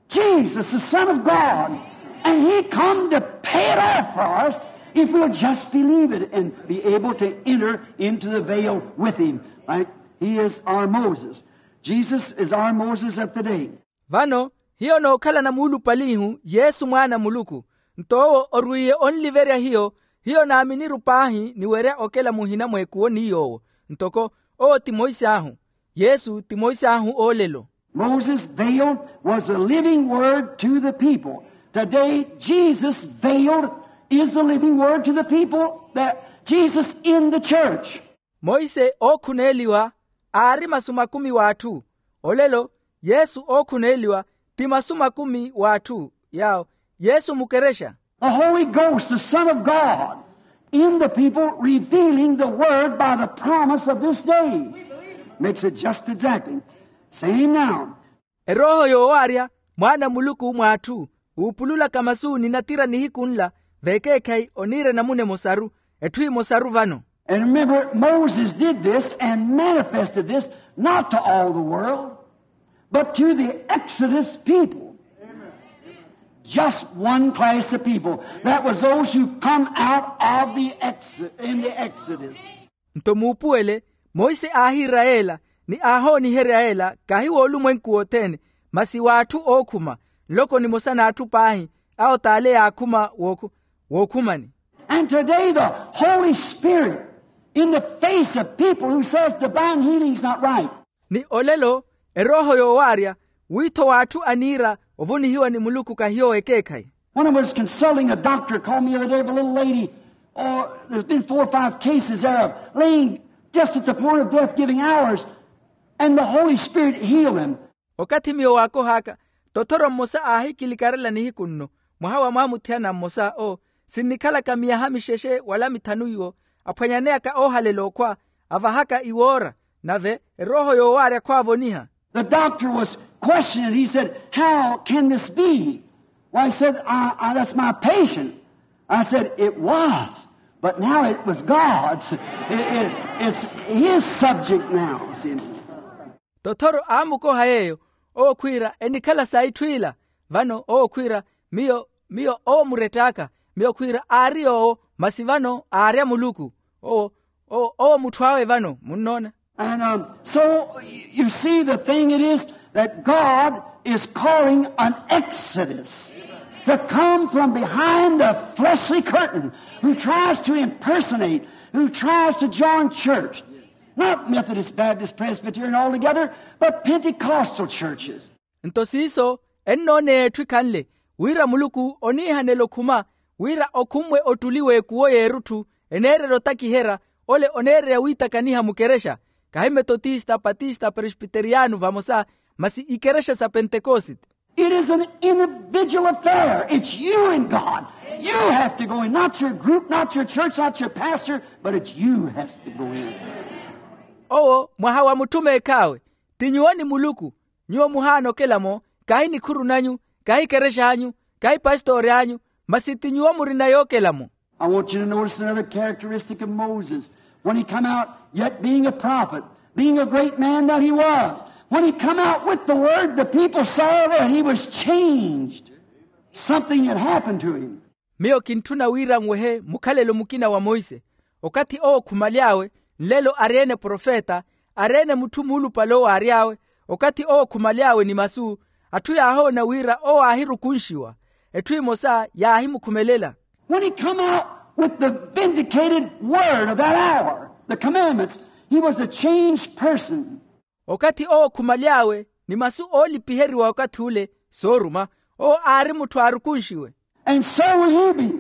Jesus, the Son of God, and he come to pay it off for us if we'll just believe it and be able to enter into the veil with him. Right? He is our Moses. Jesus is our Moses of the day. Vano hiyo nookhalana muulupalihu yesu mwaana a muluku. Nto owo orwiiye onliverya hiyo. Hiyo naaminiru paahi niwerya okela muhina mweekuwo ni yoowo. Ntoko owo ti moisi ahu. Yesu ti moisi ahu oolelo. Moses veiled was the living word to the people. Today Jesus veiled is the living word to the people, that Jesus in the church. Monse ookhuneeliwa aari masu makumi w'atthu. Olelo yesu ookhuneeliwa ti masu makumi w'atthu. Yaawo yesu mukerexa. The Holy Ghost, the Son of God, in the people, revealing the word by the promise of this day. Makes it just exactly same now. Erooho yoowaarya mwaana a muluku mw'atthu, wuupululaka masu ni natira nihiku nla, vekeekhayi oniira enamuna emosaru, etthu emosaru vano. And remember, Moses did this and manifested this not to all the world, but to the Exodus people. Just one class of people. That was those who come out of the ex- in the Exodus. Nto muupuwele Monse aahiira yeela, ni aahooniherya yeela kahi woolumwenku wothene, masi w'atthu ookhuma, nloko nimosa n'atthu paahi, awo t'ale yaakhuma wookhumani. And today the Holy Spirit, in the face of people who says divine healing is not right. Ni olelo erooho yoowaarya, wiitho w'atthu aniira ovonihiwa ni muluku kahiyo ekeekhayi. When I was consulting a doctor, called me the other day of a little lady, oh, there's been four or five cases there of laying just at the point of death, giving hours, and the Holy Spirit healed them. Okathi miyo waakohaka, tothoro mmosa aahikilikarela nihiku nno, mwaha wa mwamuthiyana mmosa owo, sinnikhalaka miyaha mixexe wala mithanu iwo, aphwanyaneyaka oohalela okhwa, avahaka iwoora, nave erooho yoowaarya khwaavoniha. The doctor was questioning. He said, how can this be? Why, he said, I, I, that's my patient. I said, it was, but now it was God's. It, it, it's his subject now, see. Tothoro aamukoha yeeyo, owo khwiira enikhala sa itthu ila. Vano owo khwiira, miyo miyo owo murett'aka. Miyo khwiira aari yoowo, masi vano aarya muluku. Owo owo mutthu awe vano munnoona. And um, so you see, the thing it is that God is calling an exodus to come from behind the fleshly curtain, who tries to impersonate, who tries to join church. Not Methodist, Baptist, Presbyterian altogether, but Pentecostal churches. Nto siiso ennooneya etthu ekhanle, wira muluku oniihanela okhuma, wira okhummwe ottuli w'ekuwo y'erutthu, eneererya otakiherya, ole oneererya wiitakaniha mukerexa, kahi metotista, patista, presbiteriyano vamosa, masi ikerexa sa pentekosite. It is an individual affair. It's you and God. You have to go in, not your group, not your church, not your pastor, but it's you has to go in. Owo mwaha wa mutthu meekh'awe, ti nyuwo ni muluku. Nyuwo muhaana okelamo, kahi nikhuru nanyu, kahi kerex'anyu, kahi pastori anyu, masi ti nyuwo murina yookelamo. I want you to notice another characteristic of Moses. When he come out, yet being a prophet, being a great man that he was, when he come out with the word, the people saw that he was changed. Something had happened to him. Miyo kintthuna wira nwehe mukhalelo mukina wa monse. Okathi owo khumaly'awe, nlelo ari-ene profeta, ari-ene mutthu muulupale owo aary'awe. Okathi owo khumaly'awe ni masu, atthu yaahoona wira owo aahirukunxiwa. Etthu emosa yaahimukhumelela. When he come out with the vindicated word of that hour, the commandments, he was a changed person. Okathi owo khumaly'awe ni masu oolipiheriwa okathi ule sooruma, owo aari mutthu aarukunxiwe. And so will you be.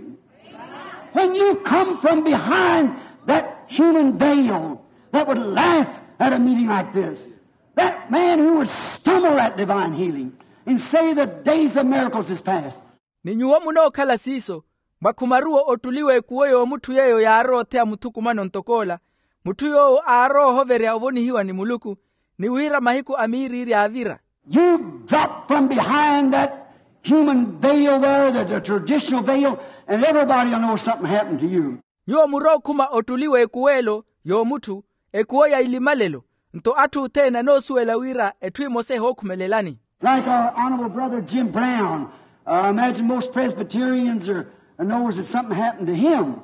When you come from behind that human veil that would laugh at a meeting like this, that man who would stumble at divine healing and say the days of miracles is past. Ni nyuwo munookhala siiso, mwakhumaruwa ottuli w'ekuwo y'omutthu yeeyo yaarowa otheya muthukumano ntok'ola, mutthu yoowo aarowa ohoverya ovonihiwa ni muluku, ni wira mahiku a miiriiri aavira. You drop from behind that human veil there, the, the traditional veil, and everybody will know something happened to you. Nyuwo murookhuma ottuli w'ekuwo elo y'omutthu, ekuwo ya ilimalelo, nto atthu othene anoosuwela wira etthu emosa ehookhumelelani. Like our honorable brother Jim Brown, uh, I imagine most Presbyterians are, knows that something happened to him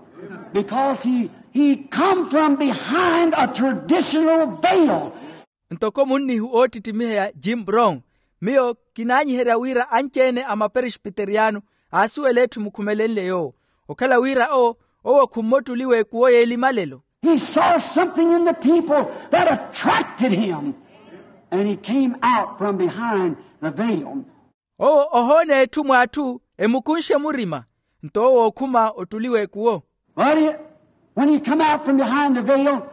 because he, he come from behind a traditional veil. Ntoko munnihu oottittimiheya Jim Brown, miyo kinaanyiherya wira anci-ene a maperesbiteriyano aasuwela etthu emukhumelenle yoowo, okhala wira owo, owo khumme ottuli w'ekuwo y'elimalelo. He saw something in the people that attracted him, and he came out from behind the veil. Owo ohoona etthu mw'atthu emukunxe murima, nto owo ookhuma ottuli w'ekuwo. But it, when you come out from behind the veil,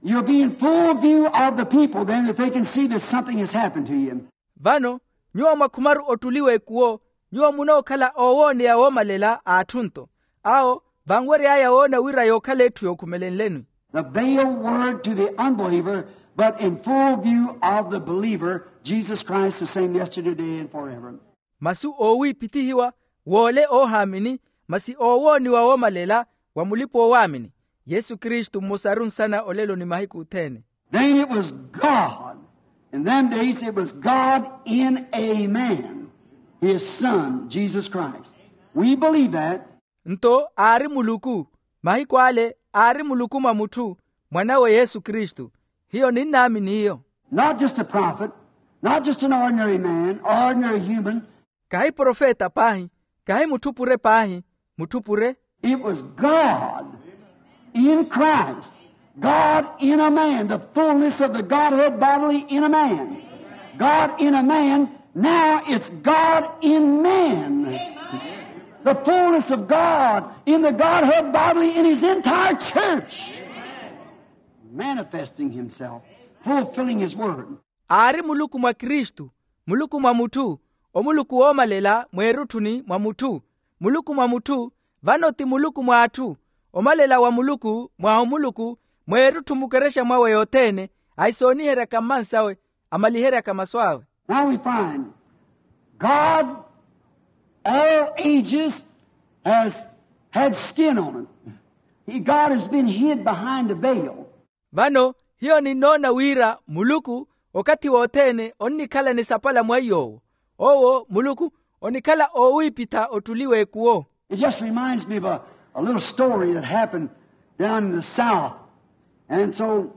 you'll be in full view of the people then, that they can see that something has happened to you. Vano nyuwo mwakhumaru ottuli w'ekuwo, nyuwo munookhala oowooneya woomalela a atthu nto awo vanwery'aya woona wira yookhala etthu yookhumelenleni. The veiled word to the unbeliever, but in full view of the believer, Jesus Christ the same yesterday, today, and forever. Masu oowiipithihiwa w'ole oohaamini, masi oowooniwa woomalela wa mulipa-oowaamini, yesu kristu mmosaru nsana olelo ni mahiku othene. Then it was God. In them days it was God in a man, his son, Jesus Christ. We believe that. Nto aari muluku, mahiku ale aari muluku mwa mutthu, mwan'awe yesu kristu. Hiyo ninnaamini hiyo. Not just a prophet, not just an ordinary man, ordinary human. Kahi profeta paahi, kahi mutthu pure paahi, mutthu pure. It was God in Christ, God in a man, the fullness of the Godhead bodily in a man. God in a man, now it's God in man. The fullness of God in the Godhead bodily in his entire church, manifesting himself, fulfilling his word. Aari muluku mwa kristu, muluku mwa mutthu, omuluku woomalela mweerutthuni mwa mutthu, muluku mwa mutthu. Vano ti muluku mwa atthu, omalela wa muluku mwa omuluku mweerutthu mukerexa mwawe yothene, ahisooniheryaka mmansawe, amaliheryaka masu awe. Now we find God, all ages, has had skin on it. He, God has been hid behind a veil. Vano hiyo ninnoona wira muluku okathi wothene onnikhala nisapala mwa iy'owo. Owo muluku onikhala oowiipitha ottuli w'ekuwo. It just reminds me of a, a little story that happened down in the South. And so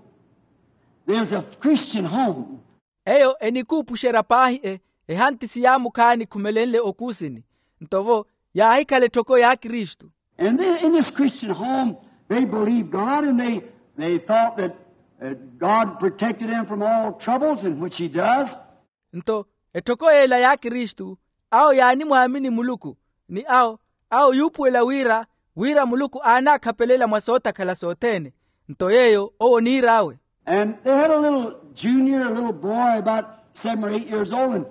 there's a Christian home. Eyo enikuupuxerya paahi e, ehantisi yaamukhaani khumelenle okuusini. Nto vo yaahikhala etthoko y'akristu. And then in this Christian home, they believed God, and they, they thought that, uh, God protected them from all troubles, and which he does. Nto etthoko yeela y'akristu, awo yaanimwaamini muluku, ni awo, awo yuupuwela wira, wira muluku aanakhapelela mwa sootakhala sothene. Nto yeeyo owo oniir'awe. And they had a little junior, a little boy about seven or eight years old, and,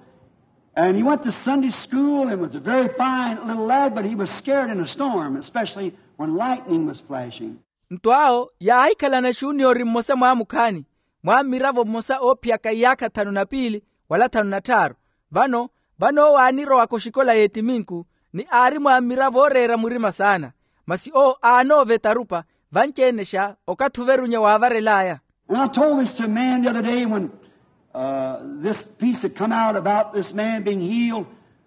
and he went to Sunday school and was a very fine little lad, but he was scared in a storm, especially when lightning was flashing. Nto awo yaahikhalana xuniyori mmosa mwaamukhaani, mwaammiravo mmosa oophiyaka iyaakha thanu na piili wala thanu na tthaaru. Vano, vano owo aanirowaka oxikola y'ettiminku, ni aari mwaammiravo ooreera murima saana. Masi owo aanoova etarupa, vanci-enexa okathi overunya waavarel'aya. And I told this to a man the other day when, uh, this piece had come out about this man being healed.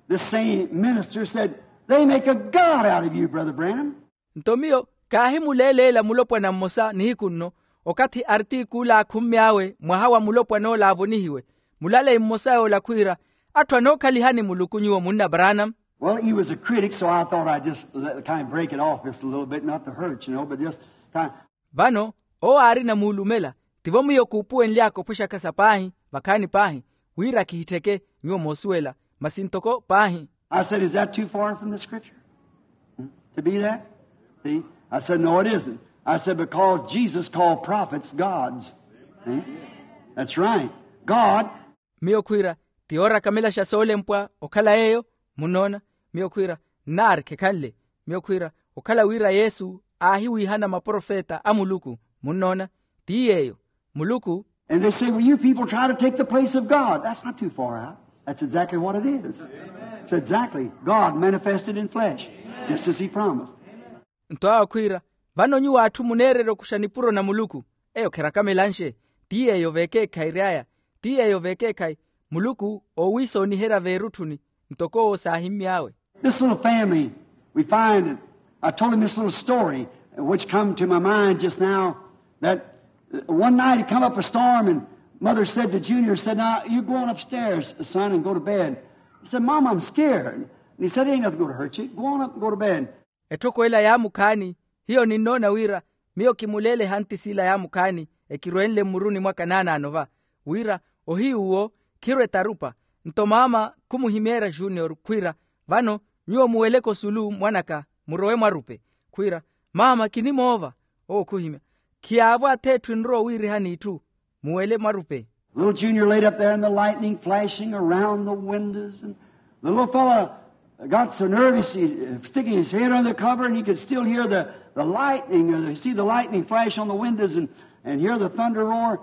This same minister said, "They make a god out of you, Brother Branham." Nto miyo kaahimuleeleela mulopwana mmosa nihiku nno, okathi artikulu aakhumy'awe mwaha wa mulopwan'ola aavonihiwe, mulalei mmosa yoola khwiira, "Atthu anookhalihani muluku nyuwo munna Branham." Well, he was a critic, so I thought I'd just let, kind of break it off just a little bit, not to hurt, you know, but just kind of. Vano owo aarina muulumela, tivo miyo kuupuwenly'aka ophwexaka sa paahi vakhaani paahi, wira kihittheke nyuwo moosuwela, masi ntoko paahi. I said, "Is that too far from the scripture? Hmm? To be that?" See? I said, "No, it isn't." I said, "Because Jesus called prophets gods." See? That's right. God. Miyo khwiira, ti yoorakamelaxa soolempwa okhala yeeyo. Munnoona? Miyo khwiira, nnaari khekhanle. Miyo khwiira, okhala wira yesu aahiwiihana maprofeta a muluku. Munnoona? Ti yeeyo. Muluku. And they say, "Well, you people try to take the place of God." That's not too far out. That's exactly what it is. It's exactly God manifested in flesh, just as he promised. Nto awo khwiira, vano nyuwo atthu muneererya okuxa nipuro na muluku. Eyo kherakame lanxe. Ti yeeyo veekeekhayi ry'aya. Ti yeeyo veekeekhayi. Muluku oowiisooniherya veerutthuni, ntoko owo saahimmy'awe. This little family, we find that I told him this little story, which come to my mind just now, that, uh, one night it come up a storm, and mother said to Junior, said, "Now, you go on upstairs, son, and go to bed." He said, "Mama, I'm scared." And he said, "There ain't nothing going to hurt you. Go on up and go to bed." Etthoko ela yaamukhaani, hiyo ninnoona wira miyo kimuleele ehantisi ila yaamukhaani, ekirwenle mmuruni mwaka naanaano va, wira ohiyu uwo khirwe tarupa. Nto maama khumuhimeerya junior khwiira, vano nyuwo muweleke osulu mwanaka, murowe mwarupe. Khwiira, maama kinimoova. Owo khuhimya, khiyaavo ath'etthu enrowa owiirihani itthu, muwele mwarupe. Little Junior laid up there and the lightning flashing around the windows, and the little fella got so nervous he, uh, sticking his head under the cover, and he could still hear the, the lightning, or see the lightning flash on the windows and, and hear the thunder roar.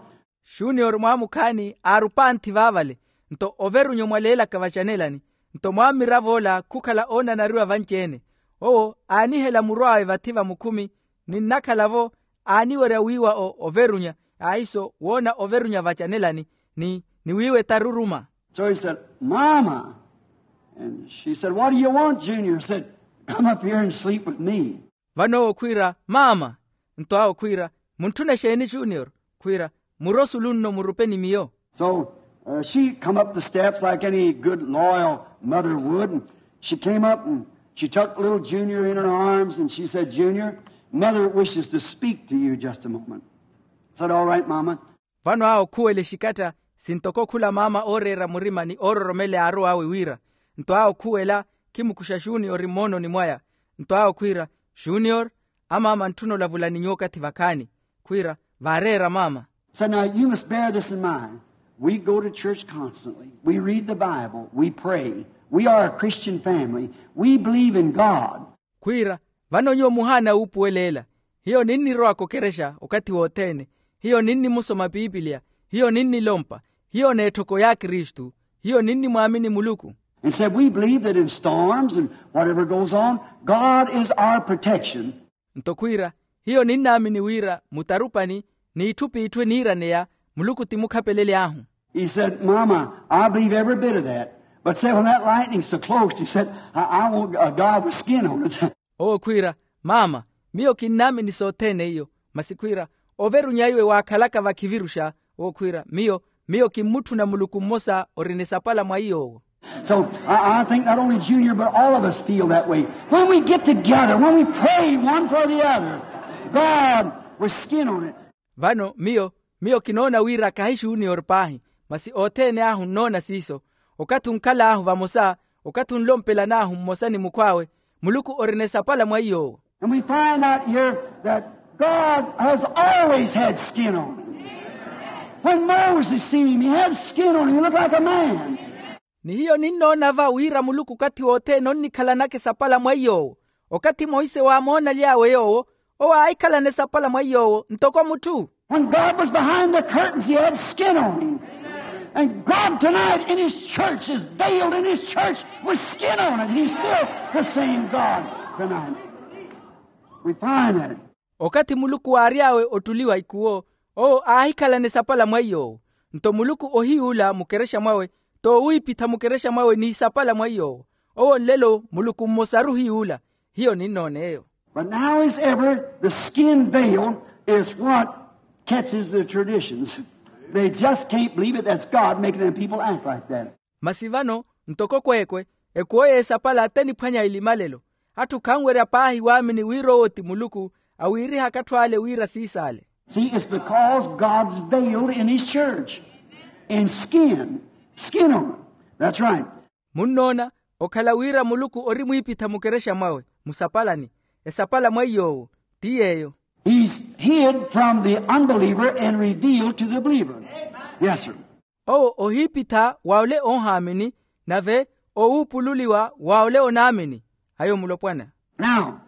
Junior mwaamukhaani aarupa anthi vaavale, nto overunya omwaleelaka vacanelani, nto mwammirav'ola khukhala oonanariwa vanci-ene. Owo aanihela muru awe vathi vamukhumi, ni nnakhala-vo aaniwerya wiiwa o overunya, ahiso woona overunya vacanelani, ni, ni wiiwa etaruruma. So he said, "Mama," and she said, "What do you want, Junior?" Said, "Come up here and sleep with me." Vano owo khwiira, "Maama." Nto awo khwiira, "Muntthuna exeeni, Junior?" Khwiira, Murosulu nno murupe ni miyo. So, uh, she come up the steps like any good loyal mother would, and she came up and she took little Junior in her arms and she said, "Junior, mother wishes to speak to you just a moment." I said, "All right, Mama." Vano awo khuwela exikatta, sintoko khula maama ooreera murima ni oororomela aarowa awe wira. Nto awo khuwela, khimukuxa xunior mmoononi mwaya. Nto awo khwiira, xunior, amaama antthuna olavula ni nyuwo okathi vakhaani. Khwiira, vaareera maama. So now you must bear this in mind. We go to church constantly. We read the Bible. We pray. We are a Christian family. We believe in God. Khwiira, vano nyuwo muhaana wuupuwela ela. Hiyo ninnirowaka okerexa okathi wothene. Hiyo ninnimusoma piipiliya. Hiyo ninnilompa. Hiyo n'etthoko ya kristu. Hiyo ninnimwaamini muluku. And said, "We believe that in storms and whatever goes on, God is our protection." Nto khwiira, hiyo ninnaamini wira mutarupani n'itthu p'itthu eniiraneya, muluku ti mukhapelela ahu. He said, "Mama, I believe every bit of that. But say, when that lightning's so close," he said, "I, I want a God with skin on it." Owo khwiira, maama, miyo kinnaamini sothene iyo. Masi khwiira, overunya iwe waakhalaka vakhiviruxa. Owo khwiira, miyo, miyo kimmutthuna muluku mmosa orina esapala mwa iy'owo. So I, I think not only Junior, but all of us feel that way. When we get together, when we pray one for the other, God with skin on it. Vano miyo, miyo kinoona wira kahi xunior paahi, masi othene ahu nnoona siiso. Okathi onkhal'ahu vamosa, okathi onlompelan'ahu mmosa ni mukhw'awe, muluku orina esapala mwa iy'owo. And we find out here that God has always had skin on him. When Moses seen him, he had skin on him. He looked like a man. Ni hiyo ninnoona va wira muluku okathi wothene onnikhalanaka esapala mwa iy'owo. Okathi monse waamoonaly'awe yoowo, owo aahikhalana esapala mwa iy'owo ntoko mutthu. When God was behind the curtains, he had skin on him. And God tonight in his church is veiled in his church with skin on it. He's still the same God tonight. We find that. Okathi muluku waary'awe ottuli wa ikuwo, owo aahikhalana esapala mwa iy'owo. Nto muluku ohiy'ula mukerexa mwawe, t'owiipitha mukerexa mwawe n'isapala mwa iy'owo. Owo nlelo muluku mmosaru ohiy'ula. Hiyo ninnoona eyo. But now as ever, the skin veil is what catches the traditions. They just can't believe it. That's God making them people act like that. Masi vano, ntoko kweekwe, ekuwo y'esapala t'eniphwanya elimalelo. Atthu khanwerya paahi waamini wira owo ti muluku, awiirihaka atthu ale wira siis'ale. See, it's because God's veiled in his church. In skin. Skin on it. That's right. Munnoona, okhala wira muluku ori mwiipitha mukerexa mwawe, musapalani, esapala mwa iy'owo, ti yeeyo. He's hid from the unbeliever and revealed to the believer. Yes, sir. Owo ohiipitha wa ole oohaamini, nave owuupululiwa wa ole onaamini. Ayo mulopwana. Now,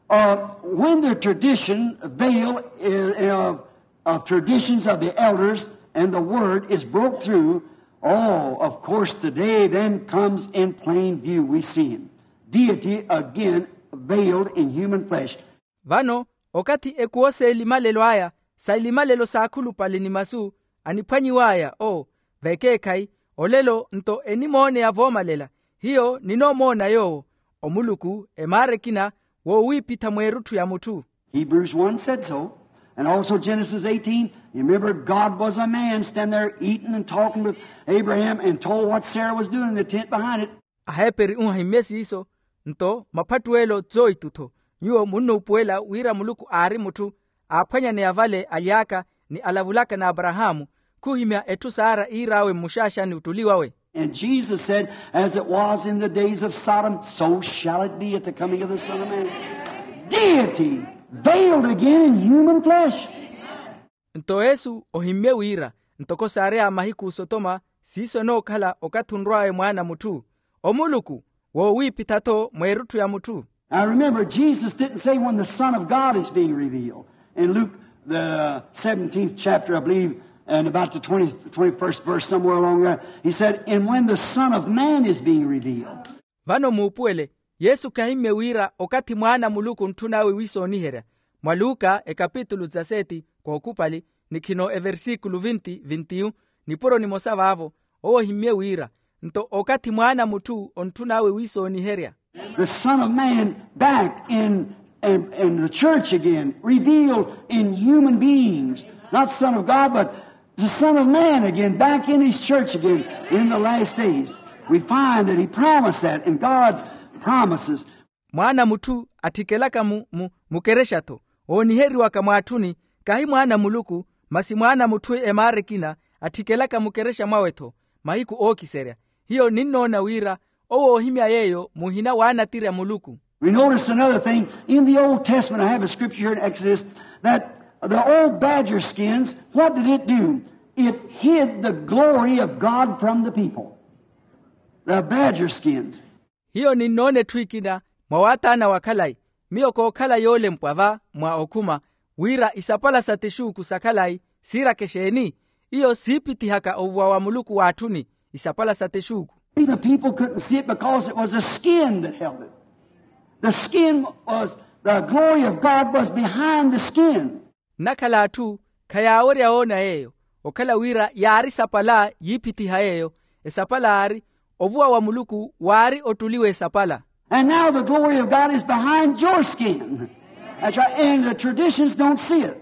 uh, when the tradition veil, uh, of, of traditions of the elders and the word is broke through, oh, of course, today then comes in plain view. We see him. Deity again veiled in human flesh. Vano, okathi ekuwo s'elimalelo aya, sa elimalelo s'akhulupale ni masu, aniphwanyiw'aya, o, vekeekhayi, olelo nto enimooneya voomalela, hiyo ninoomoona yoowo, omuluku, emaara ekina, wowiipitha mweerutthu ya mutthu. Hebrews one said so. And also Genesis eighteen, you remember God was a man standing there eating and talking with Abraham and told what Sarah was doing in the tent behind it. Aheperi ohimmye siiso, nto maphattuwelo tsoitu-tho. Nyuwo munnuupuwela wira muluku aari mutthu, aaphwanyaneya vale aly'aka ni alavulaka n'aparahaamu, khuhimya etthu sara iir'awe mmuxaaxani ottuli wawe. And Jesus said, as it was in the days of Sodom, so shall it be at the coming of the Son of Man. Deity veiled again in human flesh. Nto yesu ohimmye wira, ntoko saary'awe mahiku osotoma, siiso enookhala okathi onrw'awe mwaana a mutthu, omuluku, wowiipitha-tho mweerutthu ya mutthu. Now remember, Jesus didn't say when the Son of God is being revealed. In Luke, the seventeenth chapter, I believe, and about the twenty, twenty-first verse, somewhere along there, he said, and when the Son of Man is being revealed. Vano muupuwele, yesu khahimmye wira okathi mwaana a muluku ontthun'awe wiisooniherya. Mwa luka ekapitulu dezaseti, kookhupali, nikhino eversikulu vinti vintiyu, nipuro nimosa vaavo, owo ohimmye wira, nto okathi mwaana a mutthu ontthun'awe wiisooniherya. The Son of Man back in, in, in the church again, revealed in human beings. Not Son of God, but The Son of Man again, back in his church again in the last days. We find that he promised that in God's promises. Mwaana a mutthu attikelaka mu- mu- mukerexa-tho, ooniheriwaka mwaatthuni, kahi mwaana a muluku, masi mwaana a mutthu emaara ekina, attikelaka mukerexa mwawe-tho mahiku ookiserya. Hiyo ninnoona wira owo oohimya yeeyo muhina waanatirya muluku. We notice another thing. In the Old Testament, I have a scripture here in Exodus, that the old badger skins, what did it do? It hid the glory of God from the people. The badger skins. Hiyo ninnoona etthu ekina mwa waathaana wa khalayi, miyo kookhala yoolempwa va mwa okhuma, wira isapala sa texuuku sa khalayi siiraka exeeni? Iyo siipithihaka ovuwa wa muluku waatthuni, isapala sa texuuku. The people couldn't see it because it was a skin that held it. The skin was, the glory of God was behind the skin. Nnakhala atthu khayaawerya woona yeeyo, okhala wira yaari sapala yiiphithiha yeeyo. Esapala aari, ovuwa wa muluku waari ottuliwa esapala. And now the glory of God is behind your skin. That's right. And the traditions don't see it.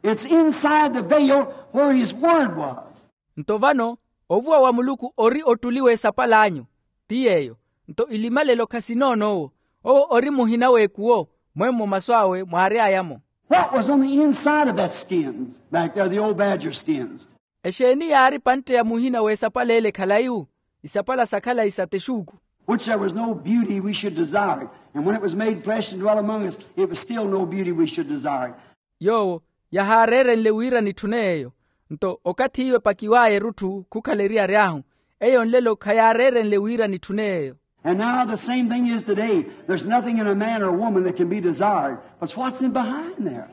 It's inside the veil where his word was. Nto vano ovuwa wa muluku ori ottuliwa esapal'anyu, ti yeeyo. Nto ilimalelo khasinoono owo. Owo ori muhina w'ekuwo, mwemmo masu awe mwaary'aya-mo. What was on the inside of that skin back there, the old badger skins? Exeeni yaari pantte ya muhina w'esapala ele khalayi-wu, isapala sa khalayi sa texuuku? Which there was no beauty we should desire it. And when it was made flesh and dwelt among us, it was still no beauty we should desire it. Yoowo yahaareerenle wira nitthune yeeyo. Nto okathi iwe epakiw'aya erutthu khukhala eriyari ahu, eyo nlelo khayaareerenle wira nitthune yeeyo. And now the same thing is today. There's nothing in a man or a woman that can be desired. But it's what's in behind there.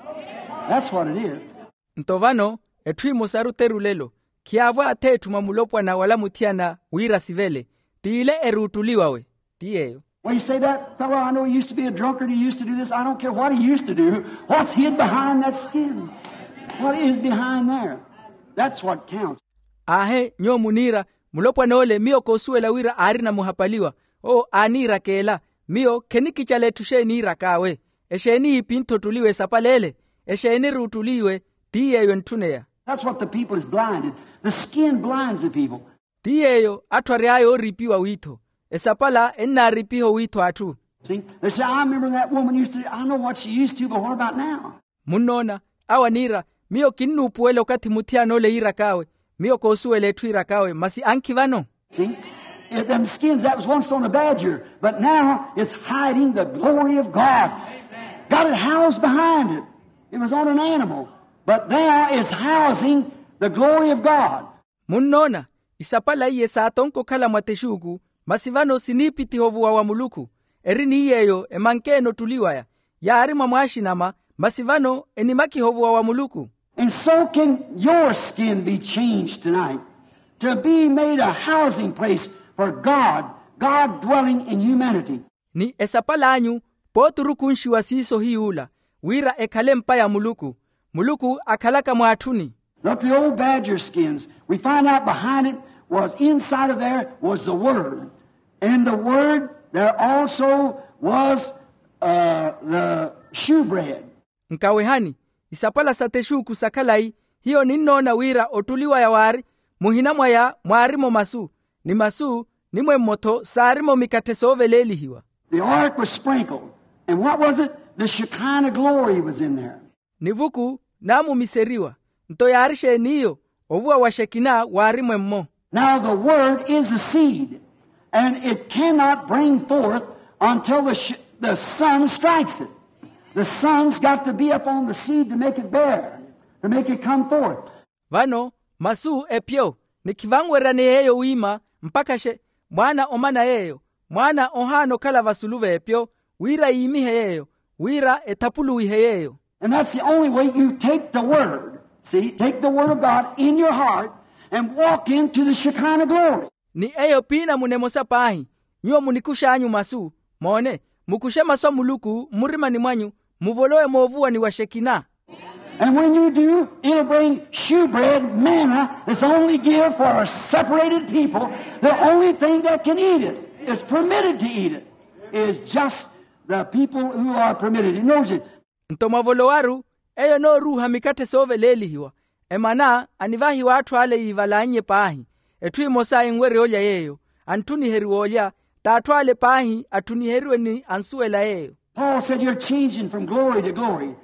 That's what it is. Nto vano etthu emosaru teru lelo, khiyaavwa ath'etthu mwa mulopwana wala muthiyana wira sivele, t'ile eruuttuliwawe, ti yeeyo. Well, you say, that fellow I know, he used to be a drunkard, he used to do this. I don't care what he used to do. What's hid behind that skin? What is behind there? That's what counts. Aahe nyuwo muniira, mulopwana ole miyo koosuwela wira aarina muhapaliwa. Owo aaniiraka ela. Miyo khenikicala etthu xeeni iirak'awe. Exeeni yiipintha ottuliwa esapala ele? Exeeni eruuttuliwe? Ti yeeyo entthuna eya. That's what the people is blinded. The skin blinds the people. Ti yeeyo atthu ary'aya ooriipiwa wiitho. Esapala ennaariipiha owiitho atthu. See, they say, I remember that woman used to, I know what she used to, but what about now? Munnoona, awo aniira, miyo kinnuupuwela okathi muthiyana ole yiirak'awe. Miyo koosuwela etthu yiirak'awe, masi ankhi vano. See, if them skins, that was once on a badger, but now it's hiding the glory of God. Got it housed behind it. It was on an animal, but now it's housing the glory of God. Munnoona, isapala iye saatonka okhala mwa texuuku, masi vano siniipithiha ovuwa wa muluku. Eri ni yeeyo emankeene ottuliw'aya, yaari mwa mwaaxinama, masi vano enimakiha ovuwa wa muluku. And so can your skin be changed tonight to be made a housing place for God, God dwelling in humanity. Ni esapal'anyu pooturukunxiwa siiso hiy'ula, wira ekhale empa ya muluku, muluku akhalaka mwaatthuni. Look, the old badger skins, we find out behind it was, inside of there was the Word. And the Word, there also was, uh, the shewbread. Nkawehani, isapala sa texuuku sa khalayi, hiyo ninnoona wira ottuliw'aya waari, muhina mwaya mwaari-mo masu, ni masu, ni mwemmo-tho saari-mo mikatthe sooveleelihiwa. The ark was sprinkled. And what was it? The Shekinah glory was in there. Nivuku naamumiseriwa. Nto yaari exeeniyo? Ovuwa wa xekina waari mwemmo. Now the word is a seed, and it cannot bring forth until the, sh- the sun strikes it. The sun's got to be up on the seed to make it bear, to make it come forth. Vano masu epyo, ni khivanweryaneya yeeyo wiima mpakha xe mwaana omana yeeyo, mwaana ohaana okhala vasulu v'epyo, wira yiimihe yeeyo, wira ethapuluwihe yeeyo. And that's the only way you take the word. See, take the word of God in your heart and walk into the Shekinah glory. Ni eyo piinamuna emosa paahi, nyuwo munikux'anyu masu, moone, mukuxe masu a muluku mmurimani mwanyu, muvolowe moovuwani wa xekina. And when you do, it'll bring shewbread, manna, that's only give for a separated people. The only thing that can eat it, is permitted to eat it, is just the people who are permitted. He knows it. Nto mwavolowaru, eyo enooruuha mikatthe sooveleelihiwa. Emana anivahiwa atthu ale yiivalannye paahi. Etthu emosa enwerya olya yeeyo, antthuniheriwa olya. T'atthu ale paahi attthuniheriwe ni ansuwela yeeyo. Paul said you're changing from glory to glory.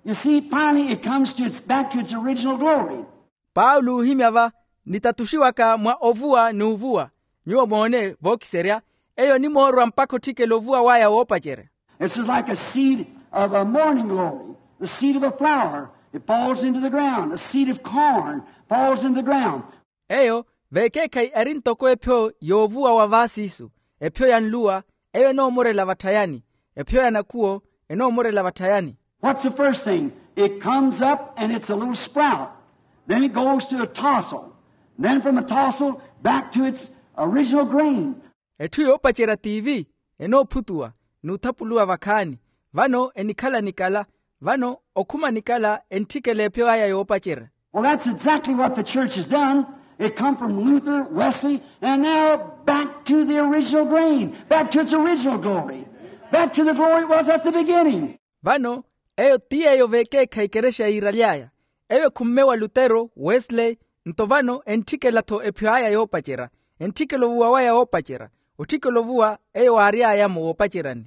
You see, finally it comes to its back to its original glory. Paulo oohimya va, nitatuxiwaka mwa ovuwa n'uvuwa. Nyuwo moone vookiserya, eyo onimoorwa mpakha otthikela ovuwa waya woopacerya. This is like a seed of a morning glory, the seed of a flower. It falls into the ground. A seed of corn falls into the ground. Eyo veekeekhayi eri ntoko ephyo y'ovuwa wa vaasiisu, ephyo ya nluwa, eyo enoomorela vatthayani, ephyo ya nakhuwo enoomorela vatthayani. What's the first thing? It comes up and it's a little sprout. Then it goes to a tassel. Then from a tassel back to its original grain. Etthu yoopacerya tiivi, enoophutuwa n'uthapuluwa vakhaani. Vano enikhala nikala, vano okhuma nikala entthikela ephyo aya yoopacerya. Well, that's exactly what the church has done. It come from Luther, Wesley, and now back to the original grain, back to its original glory, back to the glory it was at the beginning. Vano eyo ti yeeyo veekeekhayi ekerexa yiiraly'aya. Eyo ekhumme wa lutero, wesley, nto vano entthikela-tho ephyo aya yoopacerya, entthikela ovuwa waya woopacerya, otthikela ovuwa eyo waary'ayamo woopaceryani.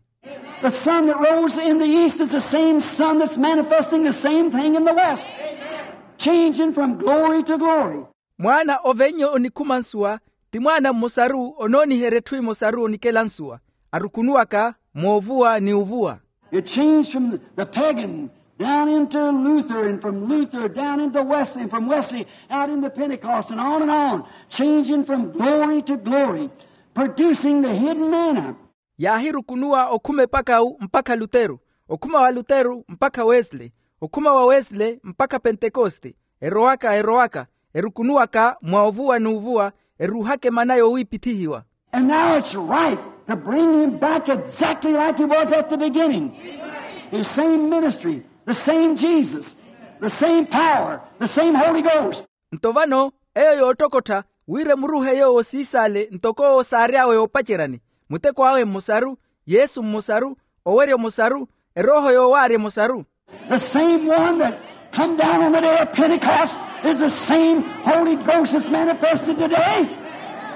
The sun that rose in the east is the same sun that's manifesting the same thing in the west. Changing from glory to glory. Mwaana oveinya onikhuma nsuwa, ti mwaana mmosaru onooniherya etthu emosaru onikela nsuwa, arukunuwaka moovuwa ni uvuwa. It changed from the pagan down into Luther, and from Luther down into Wesley, and from Wesley out into Pentecost, and on and on, changing from glory to glory, producing the hidden manna. Yaahirukunuwa okhuma epakawu mpakha lutero, okhuma wa lutero mpakha wesley, okhuma wa wesley mpakha pentekoste, erowaka erowaka, erukunuwaka mwa ovuwa n'uvuwa, eruuhaka emana yoowiipithihiwa. And now it's right to bring him back exactly like he was at the beginning. The same ministry, the same Jesus, the same power, the same Holy Ghost. Nto vano eyo yoottokottha wira emuruuhe yoowo siisaale ntoko owo saary'awe yoopaceryani, muteko awe mmosaru, yesu mmosaru, owerya omosaru, erooho yoowaarya emosaru. The same one that come down on the day of Pentecost is the same Holy Ghost that's manifested today.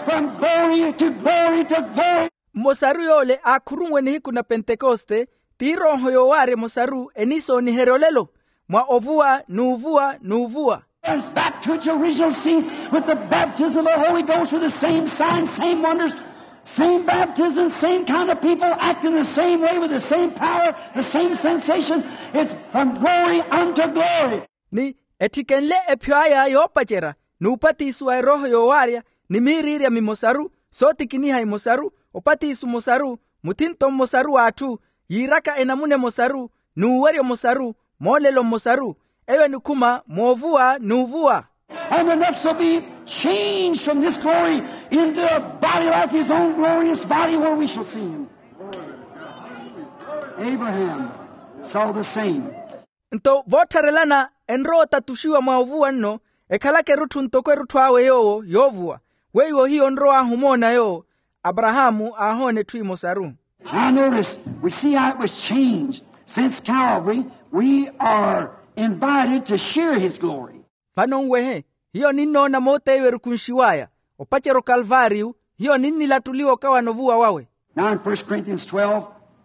From glory to glory to glory. Mmosaru yoole aakhurunwe nihiku na pentekoste, ti erooho yoowaarya emosaru eniisooniherya olelo mwa ovuwa n'uvuwa n'uvuwa. It's back to its original seed with the baptism of the Holy Ghost, with the same signs, same wonders, same baptism, same kind of people acting the same way with the same power, the same sensation. It's from glory unto glory. Ni ettikenle ephyo aya yoopacerya, n'upatisiwa erooho yoowaarya, ni miiriirya mimosaru, sootikiniha imosaru, opatiso mmosaru, muthinto mmosaru w'atthu, yiiraka enamuna emosaru, n'uwerya omosaru, moolelo mmosaru, eyo enikhuma moovuwa n'uvuwa. And the next will be changed from this glory into a body like his own glorious body where we shall see him. Abraham saw the same. Nto voottharelana enrowa otatuxiwa mwa ovuwa nno, ekhalaka erutthu ntoko erutthu awe yoowo yoovuwa, weiwo hiyo onrow'ahu omoona yoowo. Aparahaamu aahoona etthu emosaru. Now notice, we see how it was changed. Since Calvary, we are invited to share his glory. Vano nwehe, hiyo ninnoona mooteiwe erukunxiw'aya opacerya okalvaariyu, hiyo ninnilattuliwa okawana ovuwa wawe. Now in First Corinthians twelve,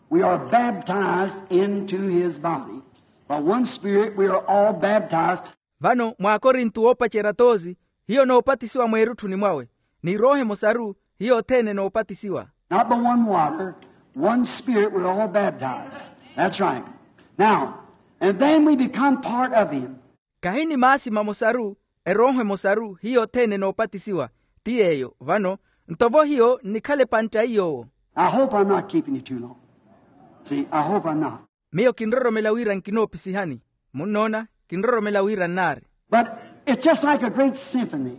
we are baptized into his body. By one Spirit we are all baptized. Vano mwaakorintu woopacerya toosi, hiyo noopatisiwa mweerutthuni mwawe, ni erooho emosaru hiyo othene noopatisiwa. Not by one water, one Spirit we're all baptized. That's right. Now, and then we become part of him. Khahi ni maasi mamosaru, erooho emosaru hiyo othene noopatisiwa. Ti yeeyo vano, nto vo hiyo nnikhala epantta iy'owo. I hope I'm not keeping you too long. See, I hope I'm not. Miyo kinroromela wira nkinoopisihani. Munnoona, kinroromela wira nnaari. But it's just like a great symphony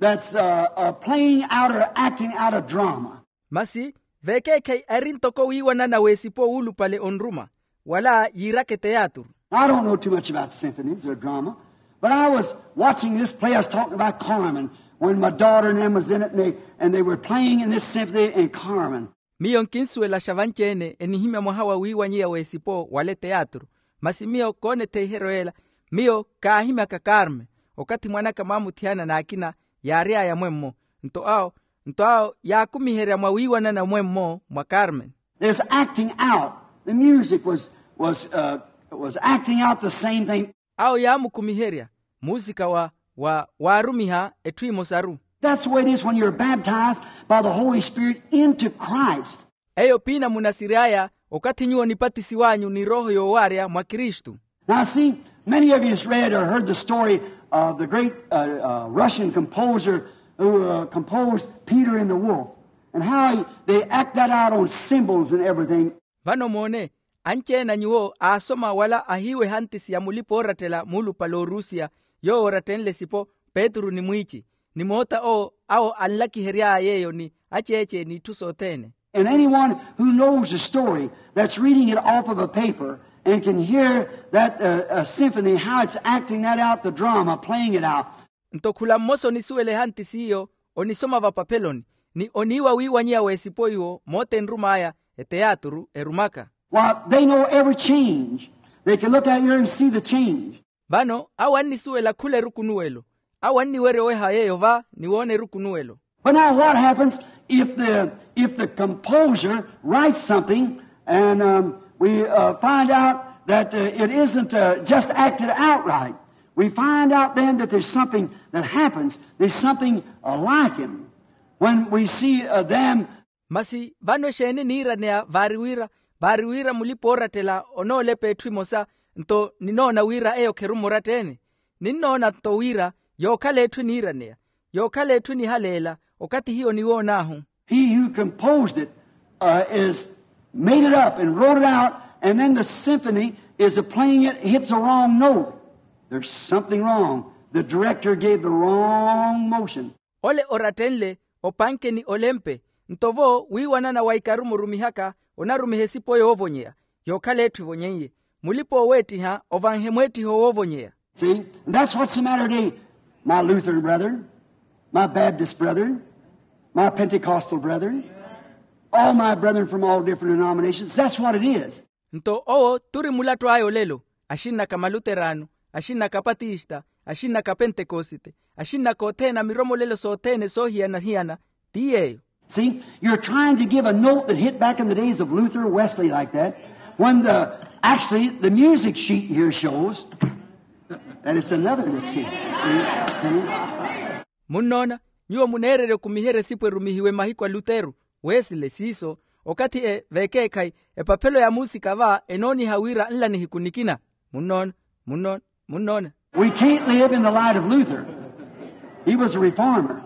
that's uh, uh, playing out or acting out a drama. Masi veekeekhayi eri ntoko wiiwanana w'esipo wuulupale onruma, wala yiiraka eteyaaturu. I don't know too much about symphonies or drama, but I was watching this play. I was talking about Carmen when my daughter and them was in it, and they, and they were playing in this symphony in Carmen. Miyo nkinsuwelaxa vanci-ene enihimya mwaha wa wiiwanyiya w'esipo wala eteyaaturu. Masi miyo koona etheiheryo ela, miyo kaahimyaka karme. Okathi mwanaka mwaamuthiyana n'akina yaary'aya mwemmo. Nto awo nto awo yaakumiherya mwa wiiwanana mwemmo mwa carmen. There's acting out. The music was was uh, was acting out the same thing. Awo yaamukumiherya muusika wa wa waarumiha etthu emosaru. That's the way it is when you're baptized by the Holy Spirit into Christ. Eyo piina munasiry'aya okathi nyuwo nipatisiw'anyu ni rooho yoowaarya mwa kristu. Now see, many of you has read or heard the story of the great uh, uh, Russian composer who uh, composed Peter and the Wolf, and how he, they act that out on cymbals and everything. Vano moone, anci-ene a nyuwo aasoma wala ahiiwa ehantisi ya mulipa oorattela muulupale orusiya, yoowo oratthenle esipo petru ni mwiici, ni moota owo awo anlakihery'aya yeeyo ni aceece n'itthu sothene. And anyone who knows the story that's reading it off of a paper and can hear that uh, uh, symphony, how it's acting that out, the drama, playing it out. Nto khula mmosa onisuwela ehantisi iyo, onisoma vapapeloni, ni oniiwa wiiwanyiya w'esipo iwo moota enrum'aya, eteyaturu erumaka. Why, they know every change. They can look out here and see the change. Vano awo annisuwela khula erukunuwelo. Awo anniwerya oweha yeeyo va ni woona erukunuwelo. But now what happens if the if the composer writes something and um, we uh, find out that uh, it isn't uh, just acted out right? We find out then that there's something that happens. There's something uh, like him when we see uh, them. Masi vano exeeni niiraneya vaari wira vaari wira mulipa-oorattela onoolepa etthu emosa, nto ninoona wira eyo kherumo oratta-ene. Ninnoona nto wira yookhala etthu eniiraneya, yookhala etthu enihaleela okathi hiyo niwoon'ahu. He who composed it uh, is made it up and wrote it out, and then the symphony is playing it, hits a wrong note. There's something wrong. The director gave the wrong motion. Ole oratthenle opanke ni olempe, nto vo wiiwanana wa ikari murumihaka onarumiha esipo yoovonyeya, yookhala etthu evonyen'ye. Mulipa-ooweettiha ovanhe mweettiho woovonyeya. See, and that's what's the matter today, my Lutheran brethren, my Baptist brethren, my Pentecostal brethren, all my brethren from all different denominations. That's what it is. Nto owo turi mulattu aya olelo, axinnaka maluterano, axinnaka apatista, axinnaka apentekosite, axinnaka othene a miromolelo sothene soohiyana-hiyana. Ti yeeyo. See, you're trying to give a note that hit back in the days of Luther, Wesley, like that, when the actually the music sheet here shows that it's another note. See? See? Munnoona, nyuwo muneererya okumiherya esipo erumihiwe mahiku a luteru, wesile siiso, okathi e vekeekhayi epaphelo ya muusika va enooniha wira nla nihiku nikina. Munnoona? Munnoona? Munnoona? We can't live in the light of Luther. He was a reformer.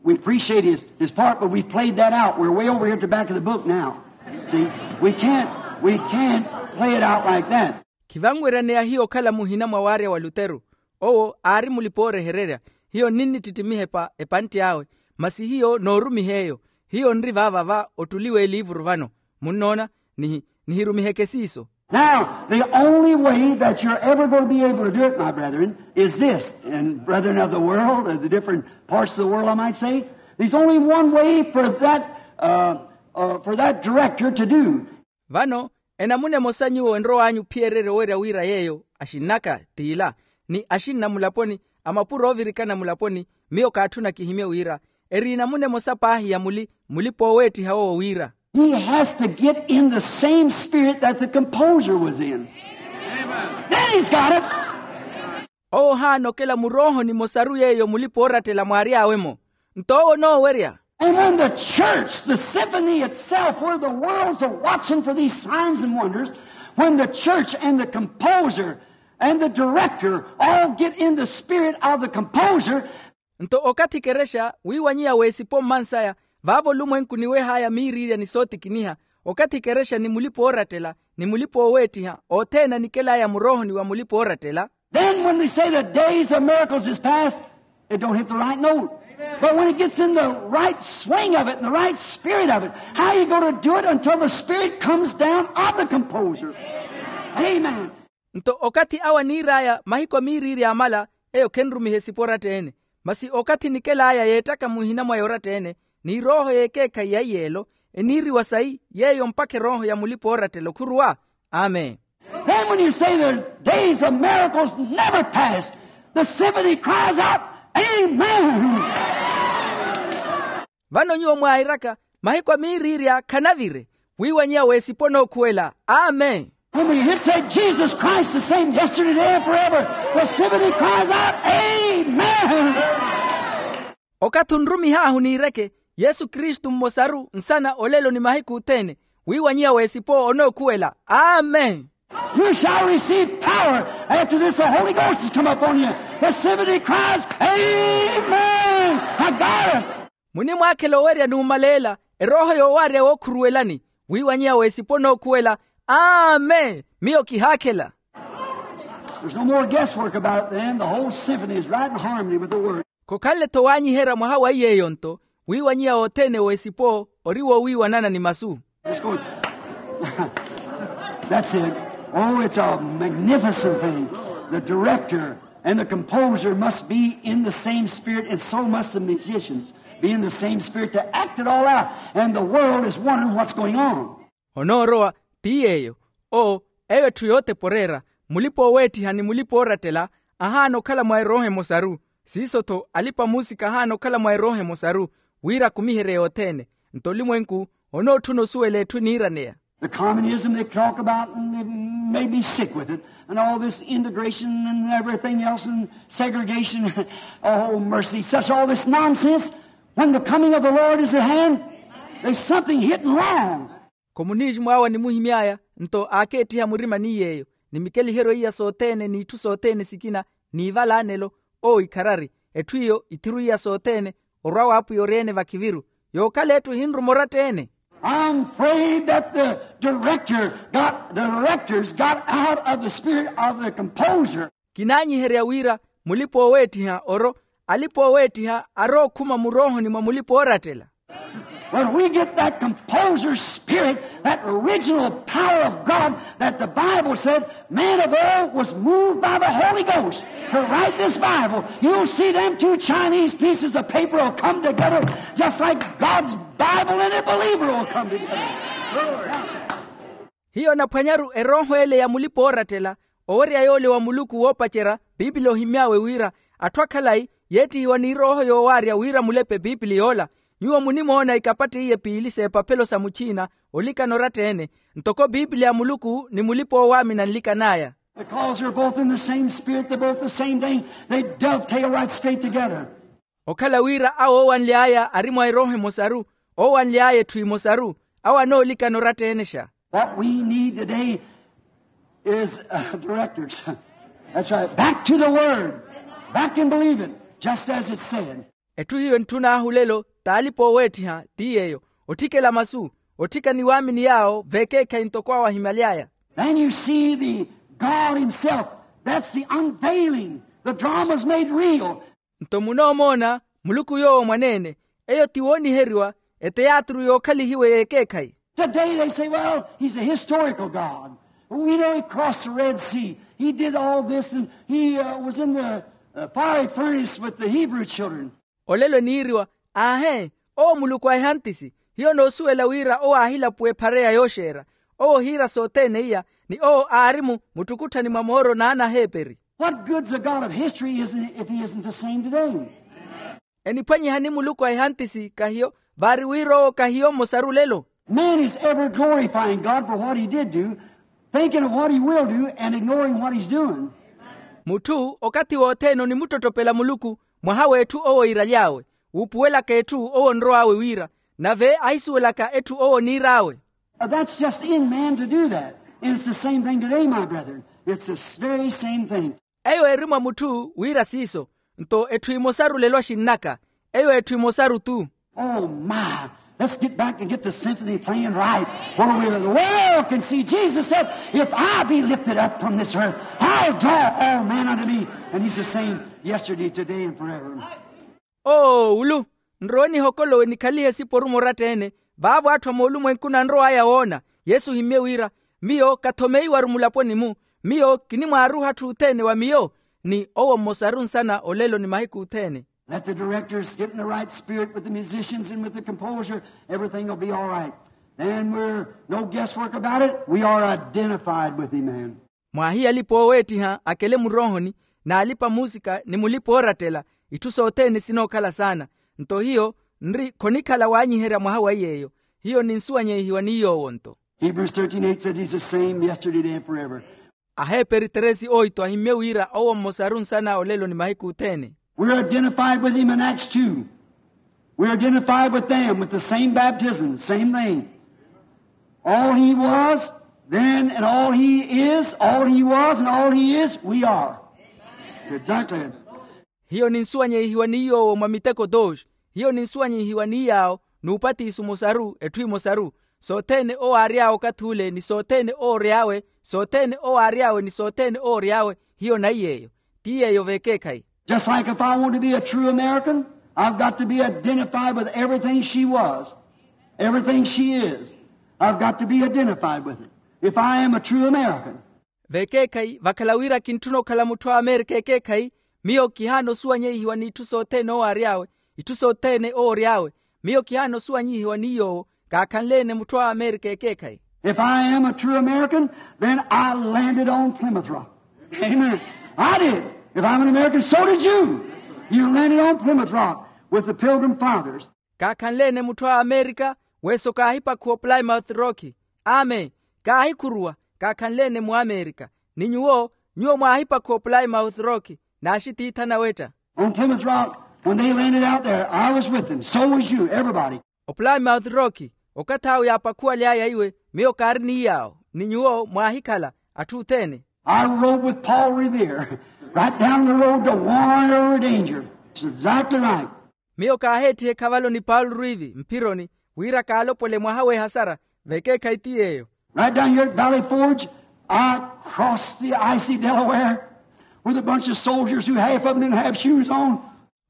We appreciate his, his part, but we've played that out. We're way over here at the back of the book now. See, we can't, we can't play it out like that. Khivanweryaneya hiyo okhala muhina mwa waarya wa luteru. Owo aari mulipa-oorehererya. Hiyo nninnittittimiha epantti awe. Masi hiyo noorumiha eyo. Hiyo nri vaava va ottuli w'eliivuru vano. Munnoona? Nihi nihirumiheke siiso. Now the only way that you're ever going to be able to do it, my brethren, is this, and brethren of the world, of the different parts of the world, I might say, there's only one way for that uh, uh, for that director to do. Vano enamuna emosa nyuwo enrow'anyu ophiyererya owerya wira yeeyo axinnaka t'ila, ni axinna mulaponi, a mapuro oovirikana mulaponi, miyo kaatthuna kihimye wira eri enamuna emosa paahi ya muli mulipa-ooweettiha owo wira. He has to get in the same spirit that the composer was in. Then he's got it. Owo ohaanokela murooho nimosaru yeeyo mulipa-oorattela mwaary'awe-mo. Nto owo onoowerya. And when the church, the symphony itself, where the worlds are watching for these signs and wonders, when the church and the composer and the director all get in the spirit of the composer. Nto okathi ekerexa wiiwanyiya w'esipo mmansaya, vaavo olumwenku niweh'aya miiriirya ni sootikiniha. Okathi ekerexa ni mulipa-oorattela ni mulipa-ooweettiha othene anikel'aya murohoni wa mulipa-oorattela. Then when they say the days of miracles is past, it don't hit the right note. But when it gets in the right swing of it and the right spirit of it, how you going to do it until the spirit comes down of the composer? Amen. Nto okathi awo aniir'aya mahiku a miiriiri amala, eyo khenrumiha esipo oratta-ene. Masi okathi enikel'aya yeettaka muhina mwa yoratta-ene, ni erooho y'ekeekhayi ya iyeelo eniiriwa sayi yeeyo mpakha erooho ya mulipa-oorattela okhuruwa. Amen. Then when you say the days of miracles never passed, The symphony cries out, "Amen." Vano nyuwo mwairaka, mahiku a miiriirya khanavire, wiiwanyiya w'esipo nookhuwela, amen. When we hit say, "Jesus Christ the same yesterday, today, and forever," the symphony cries out, "Amen." Okathi onrumih'ahu niireke, yesu kristu mmosaru nsana olelo ni mahiku othene, wiiwanyiya w'esipo onookhuwela, amen. You shall receive power after this, the Holy Ghost has come upon you. The symphony cries, "Amen." I got it. Munimwaakhela owerya numaleela, erooho yoowaarya wookhuruwelani, wiiwanyiya w'esipo nookhuwela, amen, miyo kihaakhela. There's no more guesswork about it then. The whole symphony is right in harmony with the word. Khokhanle-tho waanyiherya mwaha wa iy'eyo nto, wiiwanyiya othene w'esipo ori wowiiwanana ni masu. Let's go. That's it. Oh, it's a magnificent thing. The director and the composer must be in the same spirit, and so must the musicians be in the same spirit to act it all out. And the world is wondering what's going on. Onoorowa, ti yeeyo. Oo, eyo etthu yootepa oreera, mulipa-ooweettiha ni mulipa-oorattela ahaana okhala mwa erooho emosaru. Siiso-tho alipa-muusika ahaana okhala mwa erooho emosaru, wira akumiherye yothene. Nto olimwenku onootthuna osuwela etthu eniiraneya. The communism they talk about, and they've made me sick with it, and all this integration and everything else and segregation. Oh, mercy, such all this nonsense. When the coming of the Lord is at hand, there's something hitting wrong. Komunisimu awo animuhimy'aya nto aakeettiha murima ni yeeyo, ni mikeliheryo iya sothene n'itthu sothene sikina, n'ivala anelo. Oo ikharari, etthu iyo ithiru iya sothene, orwa w'apwiya ori-ene vakhiviru, yookhala etthu ehinruma oratta-ene. I'm afraid that the director got the directors got out of the spirit of the composer. Kinaanyiherya wira mulipa-ooweettiha oro alipa-ooweettiha arookhuma muroohoni mwa mulipa-oorattela. When we get that composer's spirit, that original power of God that the Bible said man of old was moved by the Holy Ghost to write this Bible, you'll see them two Chinese pieces of paper will come together just like God's Bible and a believer will come together. Hiyo onaphwanyaru erooho ele ya mulipa-oorattela, owerya yoole wa muluku woopacerya piipili ohimy'awe wira atthu a khalayi yeettihiwa n'irooho yoowaarya wira mulepe piipili yoola. Nyuwo munimoona ikapatta iye piili s'epaphelo sa muchiina olikana oratta-ene, ntoko piipili ya muluku ni mulipa-oowaamina nlikan'aya. Because they're both in the same spirit, they're both the same thing. They dovetail right straight together. Okhala wira awo oowanly'aya ari mwa erooho emosaru, oowanly'aya etthu emosaru, awo anoolikana oratta-ene xa. What we need today is directors. That's right. Back to the word. Back and believe it, just as it said. Etthu hiyo entthun'ahu lelo t'alipa-ooweettiha ti yeeyo, otthikela masu, otthika ni waamini yaawo v'ekeekhayi ntoko awo ahimaly'aya. Then you see the God himself. That's the unveiling. The drama's made real. Nto munoomoona muluku yoowo mwaneene, eyo ti wooniheriwa, eteyaaturu yookhalihiwe y'ekeekhayi. Today they say, well, he's a historical God. We know he crossed the Red Sea. He did all this, and he was in the fiery furnace with the Hebrew children. Olelo eniiriwa, aahe, owo muluku a ehantisi. Hiyo noosuwela wira owo aahilapuwa ephareya yooxeera. Owo ohiira sothene iya, ni owo aari-mu muttukutthani mwa mooro n'anaheeperi. What good's a God of history if he isn't the same today? Eniphwanyihani muluku a ehantisi kahiyo, vaari wira owo kahiyo mmosaru lelo. Man is ever glorifying God for what he did do, thinking of what he will do and ignoring what he's doing. Mutthu okathi wothene onimuttotopela muluku mwaha w'etthu owo iiraly'awe, wuupuwelaka etthu owo onrow'awe wira, nave ahisuwelaka etthu owo oniir'awe. That's just in man to do that. And it's the same thing today, my brethren. It's the very same thing. Eyo eri mwa mutthu wira siiso. Nto etthu emosaru lelo axinn'aka. Eyo etthu emosaru tu. Oh my. Let's get back and get the symphony playing right. Where we the world can see. Jesus said, if I be lifted up from this earth, I'll draw all men unto me. And he's the same yesterday, today, and forever. Oo ulu, nrowe nihokolowe nikhalihe esiporu moratta-ene. Vaavo atthu a moolumwenkuni anrow'aya woona. Yesu ohimmye wira, miyo kathomeiwaru mulaponi-mu. Miyo kinimwaaruha atthu othene wa miyo, ni owo mmosaru nsana olelo ni mahiku othene. Let the directors get in the right spirit with the musicians and with the composer. Everything will be all right. Then we're no guesswork about it. We are identified with him, man. Mwaahiye alipa-ooweettiha akele muroohoni, n'alipa-muusika ni mulipa-oorattela, itthu sothene sinookhala saana. Nto hiyo nri khonikhala waanyiherya mwaha wa iy'eyo. Hiyo ninsuwanyeihiwa ni yoowo nto. Hebrews thirteen eight said he's the same yesterday, today, and forever. Aheeperi tresi oito ahimmye wira owo mmosaru nsana olelo ni mahiku othene. We're identified with him in Acts two. We're identified with them with the same baptism, same thing. All he was then and all he is, all he was and all he is, we are. Exactly. Hiyo ninsuwanyeihiwa ni yoowo mwa miteko tooxi. Hiyo ninsuwanyeihiwa ni yaawo n'upatiso omosaru etthu emosaru. Sothene owo aary'awe okathi ule ni sothene owo ory'awe. Sothene owo aary'awe ni sothene owo ory'awe. Hiyo naiy'eyo. Ti yeeyo vekeekhayi. Just like if I want to be a true American, I've got to be identified with everything she was, everything she is. I've got to be identified with it if I am a true American. Vekeekhayi vakhala wira kintthuna okhala mutthu a amerika ekeekhayi. Miyo kihaana osuwanyeihiwa n'itthu sothene owo aary'awe, itthu sothene owo ory'awe. Miyo kihaana osuwanyihiwa ni yoowo kaakhanle-ene mutthu a amerika ekeekhayi. If I am a true American, then I landed on Plymouth Rock. Amen. I did. If I'm an American, so did you. You landed on Plymouth Rock with the Pilgrim Fathers. Kaakhanle-ene mutthu a amerika, weso kaahipakhuwa oplymouth rock. Amen. Kaahikhuruwa. Kaakhanle-ene muamerika. Ni nyuwo, nyuwo mwaahipakhuwa oplymouth rock. Naaxitiitha nawetta. On Plymouth Rock, when they landed out there, I was with them. So was you, everybody. Oplymouth rock, okathi awo yaapakhuwaly'aya iwe, miyo kaari ni yaawo. Ni nyuwo mwaahikhala atthu othene. I rode with Paul Revere right down the road to warn over danger. It's exactly right. Miyo kaaheettiha ekhavalo ni paulo rwivi mphironi, wira kaalopole mwaha w'ehasara. Vekeekhayi ti yeeyo. Right down here at Valley Forge, I crossed the icy Delaware with a bunch of soldiers who half of them didn't have shoes on.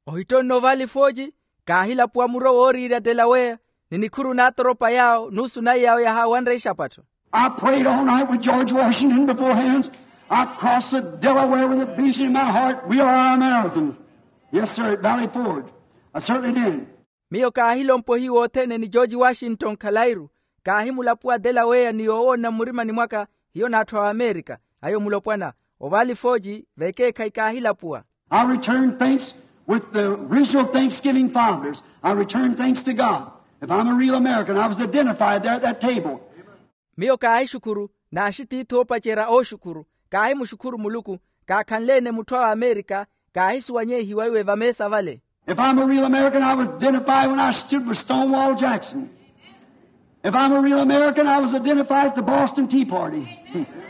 Ohittonno valley forge, kaahilapuwa muro wooriirya delaweya, ni nikhuru n'atoropa yaawo nusu nayi yaawo yahaawanre ixapatto. I prayed all night with George Washington before hands. I crossed the Delaware with a vision in my heart. We are Americans. Yes, sir, at Valley Forge. I certainly did. Miyo kaahilompa ohiyu othene ni george washington khalairu. Kaahimulapuwa delaweya ni yoowoona mmurimani mwaka, hiyo n'atthu a amerika. Ayo mulopwana. Ovalley forge, vekeekhayi kaahilapuwa. I return thanks with the original Thanksgiving fathers. I return thanks to God. If I'm a real American, I was identified there at that table. Miyo kaahixukhuru, naaxitiithi oopacerya ooxukhuru. Kaahimuxukhuru muluku. Kaakhanle-ene mutthu a amerika. Kaahisuwanyeihiwa iwe vameesa vale. If I'm a real American, I was identified when I stood with Stonewall Jackson. If I'm a real American, I was identified at the Boston Tea Party.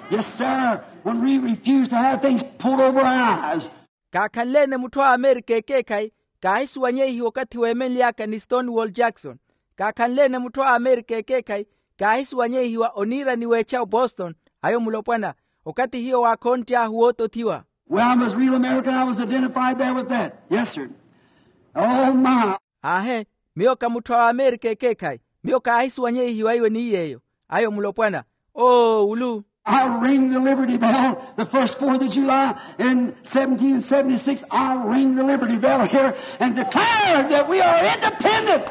Yes, sir. When we refused to have things pulled over our eyes. Kaakhanle-ene mutthu a amerika ekeekhayi. Kaahisuwanyeihiwa okathi weemenly'aka ni stonewall jackson. Kaakhanle-ene mutthu a amerika ekeekhayi. Kaahisuwanyeihiwa oniirani w'echa o boston. Ayo mulopwana. Okathi hiyo waakhonttyahu wootothiwa. Well, I was real American. I was identified there with that. Yes, sir. Oh, my. Aahe. Miyo ka mutthu a amerika ekeekhayi. Miyo kaahisuwanyeihiwa iwe ni yeeyo. Ayo mulopwana. Oo ulu. I rang the Liberty Bell the first fourth of July in seventeen seventy-six. I rang the Liberty Bell here and declared that we are independent.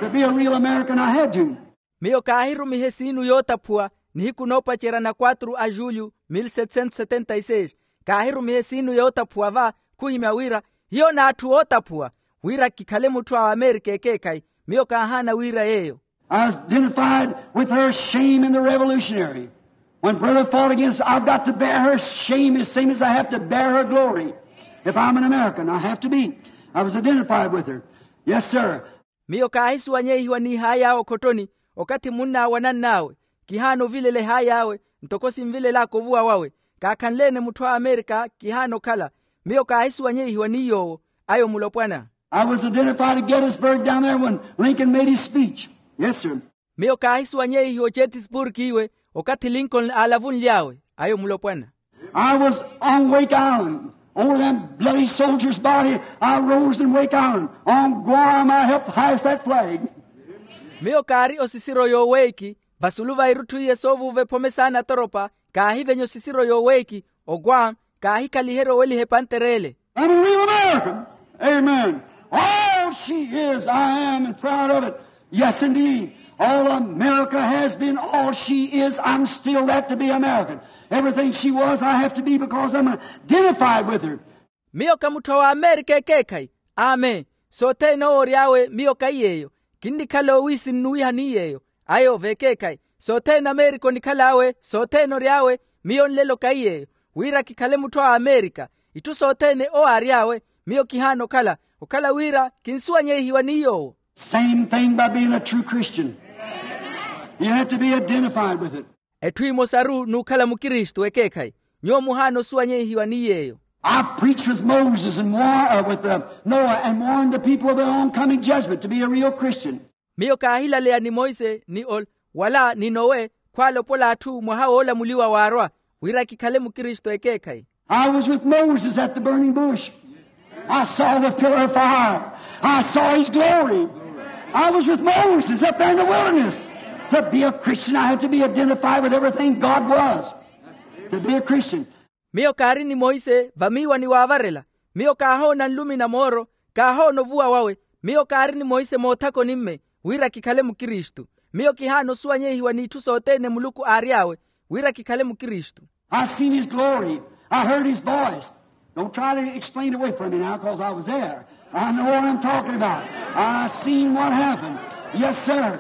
To be a real American, I had to. Miyo kaahirumiha esiinu yootaphuwa nihiku noopacerya na quatru a julho mil setecento setenta y seis. Kaahirumiha esiinu yootaphuwa va khuhimya wira hiyo n'atthu ootaphuwa, wira kikhale mutthu a amerika ekeekhayi. Miyo kaahaana wira yeeyo. I was identified with her shame in the revolutionary. When brother fought against, I've got to bear her shame as same as I have to bear her glory. If I'm an American, I have to be. I was identified with her. Yes, sir. Miyo kaahisuwanyeihiwa n'ihaayi awe okhottoni. Okathi munn'awe anann'awe, kihaana ovilela ehaayi awe ntoko sinvilel'aka ovuwa wawe. Kaakhanle-ene mutthu a amerika kihaana okhala. Miyo kaahisuwanyeihiwa ni yoowo. Ayo mulopwana. I was identified at Gettysburg down there when Lincoln made his speech. Yes, sir. Miyo kaahisuwanyeihiwa ogettysburg iwe okathi lincoln aalavunly'awe. Ayo mulopwana. I was on Wake Island. Over them bloody soldiers' body, I rose in Wake Island. On Guam, I helped hoist that flag. Miyo kaari osisiro y'oweiki vasulu va irutthu iye soovuuva ephome saana atoropa. Kaahivenya osisiro y'oweiki. Oguam. Kaahikhaliherya oweliha epantere ele. I'm a real American. Amen. All she is, I am, and proud of it. Yes, indeed. All America has been, all she is, I'm still that to be American. Everything she was, I have to be, because I'm identified with her. Miyo ka mutthu a w'amerika ekeekhayi. Amen. Sothene owo ory'awe miyo kahi yeeyo. Kinnikhala owiisi nnuwiha ni yeeyo. Ayo vekeekhayi. Sothene amerika onikhal'awe, sothene ory'awe, miyo nlelo kahi yeeyo. Wira kikhale mutthu a amerika. Itthu sothene owo aary'awe, miyo kihaana okhala. Okhala wira kinsuwanyehiwa ni yoowo. Same thing by being a true Christian. You have to be identified with it. Etthu emosaru n'ukhala mukristu ekeekhayi. Nyuwo muhaana osuwanyehiwa ni yeeyo. I preached with Moses and war, uh, with, uh, Noah, and warned the people of the oncoming judgment to be a real Christian. Miyo kaahilaleya ni monse ni ol wala ni nowe, khwaalopola atthu mwaha woolamuliwa waarwa, wira kikhale mukristu ekeekhayi. I was with Moses at the burning bush. I saw the pillar of fire. I saw his glory. I was with Moses up there in the wilderness. To be a Christian, I had to be identified with everything God was. To be a Christian. Miyo kaari ni monse vamiiwani waavarela. Miyo kaahoona nlumi na mooro. Kaahoona ovuwa wawe. Miyo kaari ni monse moothakoni-mme, wira kikhale mukristu. Miyo kihaana osuwanyehiwa n'itthu sothene muluku aary'awe, wira kikhale mukristu. I seen his glory. I heard his voice. Don't try to explain away from me now, 'cause I was there. I know what I'm talking about. I seen what happened. Yes, sir.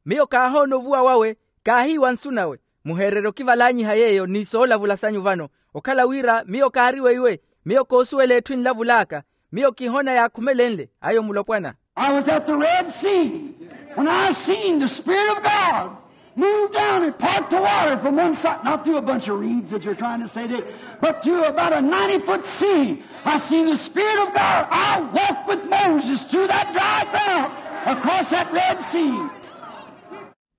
Miyo kaahoona ovuwa wawe. Kaahiiwa nsu nawe. Muheererye okivalaanyiha yeeyo ni soolavula sanyu vano. Okhala wira miyo kaari weiwe. Miyo koosuwela etthu enlavul'aka. Miyo kihoona yaakhumelenle ayo mulopwana. I was at the Red Sea when I seen the Spirit of God move down and part the water from one side, not through a bunch of reeds that you're trying to say today, but through about a ninety-foot sea. I seen the Spirit of God. I walked with Moses through that dry ground across that Red Sea.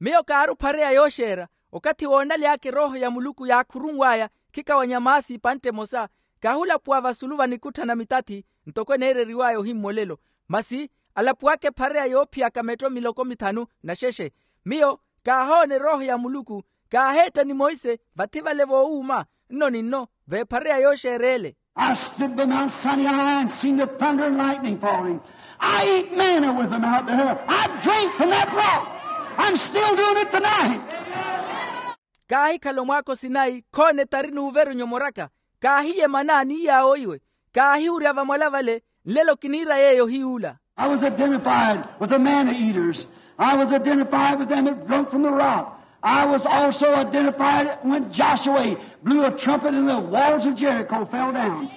Miyo kaari ophareya yooxeera okathi woonaly'aka erooho ya muluku yaakhurunw'aya khikawanya maasi epantte emosa. Kaahulapuwa vasulu va nikutthana mitathi ntoko eneereriw'aya ohimmolelo. Masi alapuwaka ephareya yoophiyaka metto miloko mithanu na xexe. Miyo kaahoona erooho ya muluku. Kaaheetta ni monse vathi vale voowuuma nno ni nno veephareya yooxeera ele. I stood by Mount Sinai and seen the thunder and lightning falling. I ate manna with them out there. I drank from that rock. I'm still doing it tonight. Kaahikhala omwaaka osinayi khoona etari n'uveru nyomoraka. Kaahiya emana ni yaawo iwe. Kaahiwurya vamwala vale. Nlelo kiniira yeeyo hiy'ula. I was identified with the manna eaters. I was identified with them that drunk from the rock. I was also identified when Joshua blew a trumpet and the walls of Jericho fell down.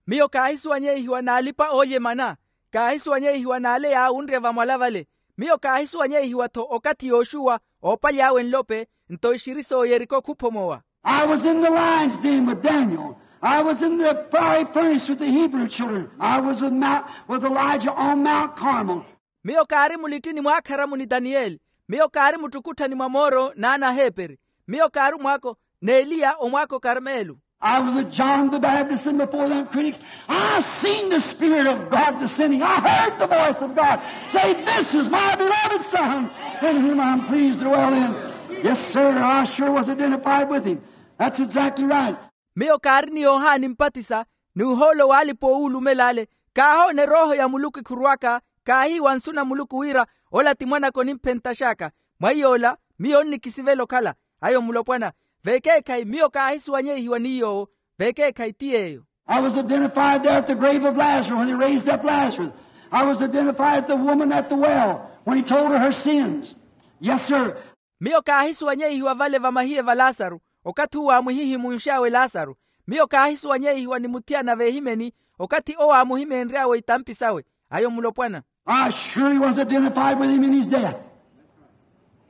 Miyo kaahisuwanyehiwa n'alipa-oolya emana. Kaahisuwanyehiwa n'ale yaawunrya vamwala vale. Miyo kaahisuwanyehiwa-tho okathi yooxuwa oopaly'awe nlope nto ixiri s'oyeriko khuphomowa. I was in the lion's den with Daniel. I was in the fiery furnace with the Hebrew children. I was with Mount, with Elijah on Mount Carmel. Miyo kaari mulittini mwaakharamu ni daniyeli. Miyo kaari muttukutthani mwa mooro n'anaheeperi. Miyo kaari omwaako n'eliya omwaako karmelu. I was with John the Baptist and before them critics. I seen the Spirit of God descending. I heard the voice of God say, "This is my beloved Son, in whom I'm pleased to dwell in." Yes, sir, I sure was identified with him. That's exactly right. Miyo kaari ni yohani mpatisa ni ohoolo w'alipa owuulumela ale. Kaahoona erooho ya muluku ekhurw'aka. Kaahiiwa nsu na muluku wira ola ti mwanaka onimphentax'aka. Mwa iy'ola miyo onnikisivela okhala ayo mulopwana. Vekeekhayi miyo kaahisuwanyehiwa ni yoowo. Vekeekhayi ti yeeyo. I was identified there at the grave of Lazarus when he raised up Lazarus. I was identified at the woman at the well when he told her her sins. Yes, sir. Miyo kaahisuwanyehiwa vale vamahiye va lasaru okathi uwo aamuhihimunx'awe lasaru. Miyo kaahisuwanyehiwa ni muthiyana veehimeni okathi owo aamuhimeenry'awe itampi sawe ayo mulopwana. I surely was identified with him in his death.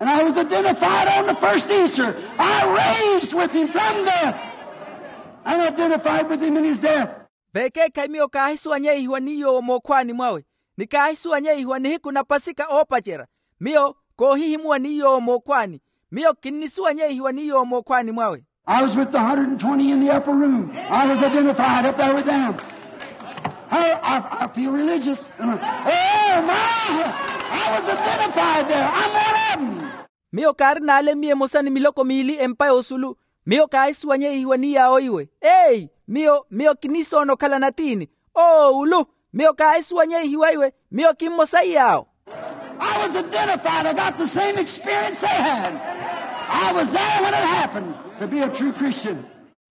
And I was identified on the first Easter. I raised with him from death and identified with him in his death. Vekeekhayi miyo kaahisuwanyehiwa ni yoowo mookhwaani mwawe. Ni kaahisuwanyehiwa nihiku na pasika oopacerya. Miyo koohihimuwa ni yoowo mookhwaani. Miyo kinnisuwanyehiwa ni yoowo mookhwaani mwawe. I was with the hundred and twenty in the upper room. I was identified up there with them. I, I, I feel religious. Oh, my! I was identified there. I'm one of them. Miyo kaari n'ale miya emosa ni miloko miili empa y'osulu. Miyo kaahisuwanyehiwa ni yaawo iwe. Eyi miyo miyo kinisoona okhala natiini. Oowulu. Miyo kaahisuwanyehiwa iwe. Miyo kimmosa iyaawo. I was identified. I got the same experience they had. I was there when it happened. To be a true Christian.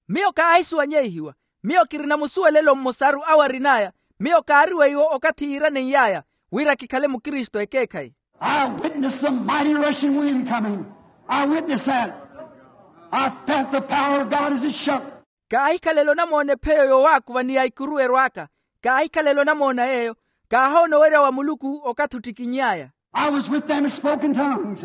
Miyo kaahisuwanyeihiwa. Miyo kirina musuwelelo mmosaru awo arin'aya. Miyo kaari weiwo okathi yiiranen'yaya wira kikhale mukristu ekeekhayi. I witnessed the mighty rushing wind coming. I witnessed that. I felt the power of God as it shook. Kaahikhalela onamoona epheyo yowaakuva ni ya ikuru erw'aka. Kaahikhalela onamoona yeeyo. Kaahoona owerya wa muluku okathi ottikinny'aya. I was with them and spoke in tongues.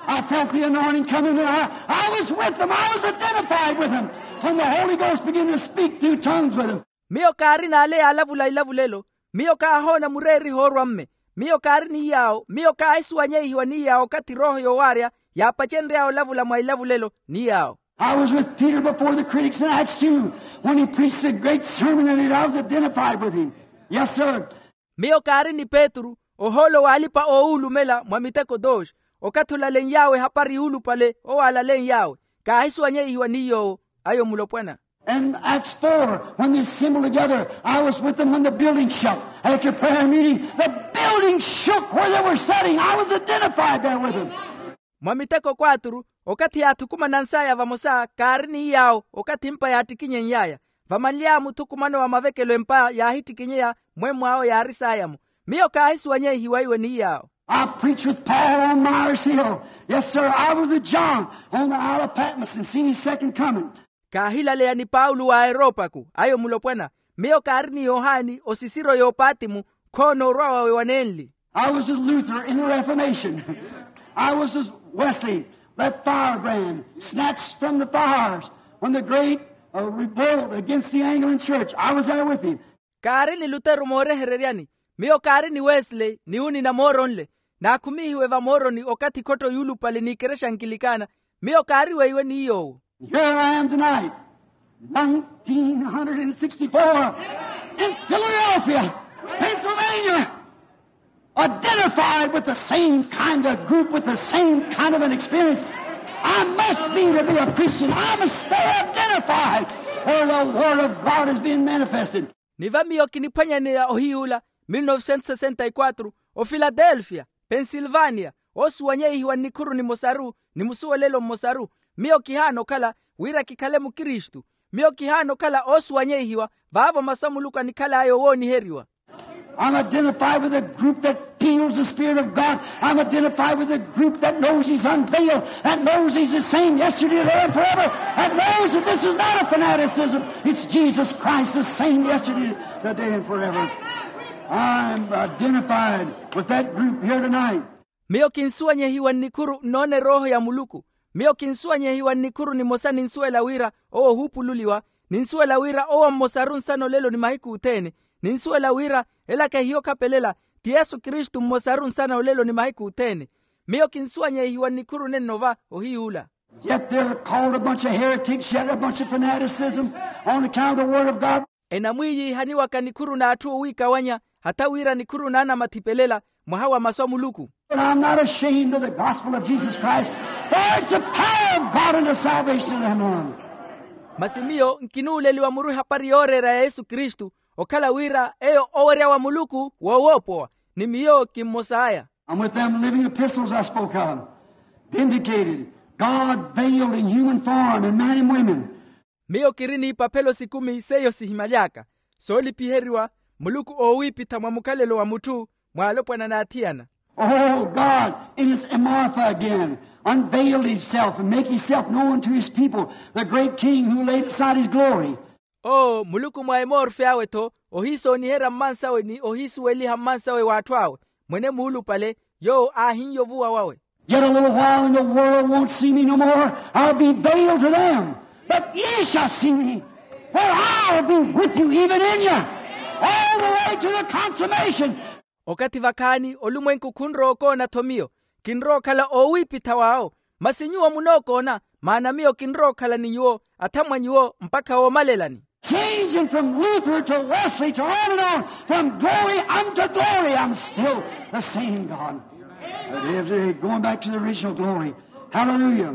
I felt the anointing coming, and I, I was with them. I was identified with them. When the Holy Ghost began to speak through tongues with them. Miyo kaarina ale yaalavula ilavulelo. Miyo kaahoona mureeriho orwa mme. Miyo kaari ni yaawo. Miyo kaahisuwanyeihiwa ni yaawo okathi erooho yowaarya yaapacenry'aya olavula mwa ilavulelo ni yaawo. I was with Peter before the critics in Acts two, when he preached a great sermon, and I was identified with him. Yes, sir. Miyo kaari ni petru ohoolo w'alipa-oowulumela mwa miteko dos, okathi olalen'y'awe ehapari yuulupale owo aalalen'y'awe. Kaahisuwanyeihiwa ni yoowo. Ayo mulopwana. And Acts four, when they assembled together, I was with them when the building shook. After prayer meeting, the building shook where they were sitting. I was identified there with them. Mwa miteko kwaturu, okathi yaathukumanans'aya vamosa kaari ni yaawo okathi empa yaattikinyeny'aya. Vamanly'aya muthukumano wa mavekelo empa yaahittikinyeya, mwemmw'awo yaari saaya-mo. Miyo kaahisuwanyeihiwa iwe ni yaawo. I preached with Paul on Mars Hill. Yes, sir. I was with John on the Isle of Patmos and seen his second coming. Kaahilaleya ni paulo wa aeropaku. Ayo mulopwana. Miyo kaari ni yohani osisiro y'opatimu, khoona orwa wawe wanenli. I was with Luther in the Reformation. I was with Wesley, that firebrand, snatched from the fires when the great, uh, revolt against the Anglican Church. I was there with him. Kaari ni lutero moorehereryani. Miyo kaari ni wesley ni unina mooronle. Naakhumihiwe vamooroni okathi khotto yuulupale n'ikerexa ankilikana. Miyo kaari weiwe ni yoowo. Here I am tonight, nineteen hundred and sixty-four, in Philadelphia, Pennsylvania, identified with the same kind of group, with the same kind of an experience. I must be to be a Christian. I must stay identified where the Word of God is being manifested. Ni va miyo kiniphwanyaneya ohiy'ula, mil novecentos sesenta y quatro, ofiladelfia, pensilvania, oosuwanyeihiwa nnikhuru nimosaru ni musuwelelo mmosaru. Miyo kihaana okhala wira kikhale mukristu. Miyo kihaana okhala oosuwanyeihiwa vaavo masu a muluku anikhal'aya owooniheriwa. I'm identified with a group that feels the Spirit of God. I'm identified with a group that knows He's unveiled, that knows He's the same yesterday, today, and forever, that knows that this is not a fanaticism. It's Jesus Christ, the same yesterday, today, and forever. I'm identified with that group here tonight. Miyo kinsuwanyehiwa nnikhuru nnoona erooho ya muluku. Miyo kinsuwanyehiwa nnikhuru nimosa ninsuwela wira owo ohuupululiwa. Ninsuwela wira owo mmosaru nsana olelo ni mahiku othene. Ninsuwela wira ela kahiyo okhapelela, ti yesu kristu mmosaru nsana olelo ni mahiku othene. Miyo kinsuwanyehiwa nnikhuru nenno va ohiy'ula. Yet they're called a bunch of heretics, yet a bunch of fanaticism on account of the Word of God. Enamwiiyiihaniwaka nikhuru n'atthu owiikawanya, hatha wira nikhuru n'anamathi pelela mwaha wa masu a muluku. But I'm not ashamed of the gospel of Jesus Christ, for it's the power of God unto salvation to them on. Masi miyo nkinuuleliwa muru ehapari yooreera ya yesu kristu, okhala wira eyo owerya wa muluku woowoopowa. Ni miyo kimmos'aya. I'm with them living epistles I spoke of, vindicated, God veiled in human form in men and women. Miyo kiri n'ipaphelo sikumi seiyo sihimaly'aka, soolipiheriwa, muluku oowiipitha mwa mukhalelo wa mutthu, mw'alopwana n'athiyana. Oh, God, in His Martha again, unveiled Himself and make Himself known to His people, the great King who laid aside His glory. Oo muluku mwa emorfe awe-tho, ohiisooniherya mmansawe ni ohiisuweliha mmansawe w'atthu awe, mwene muulupale, yoowo aahin'ya ovuwa wawe. Yet a little while and the world won't see me no more. I'll be veiled to them. But ye shall see me, for I'll be with you, even in you, all the way to the consummation. Okathi vakhaani olumwenku khunrowa okoona-tho miyo. Kinrowa okhala oowiipitha w'awo. Masi nyuwo munookoona, maana miyo kinrowa okhala ni nyuwo, atha mwa nyuwo mpakha woomalelani. Changing from Luther to Wesley to on and on, from glory unto glory, I'm still the same God. Going back to the original glory. Hallelujah.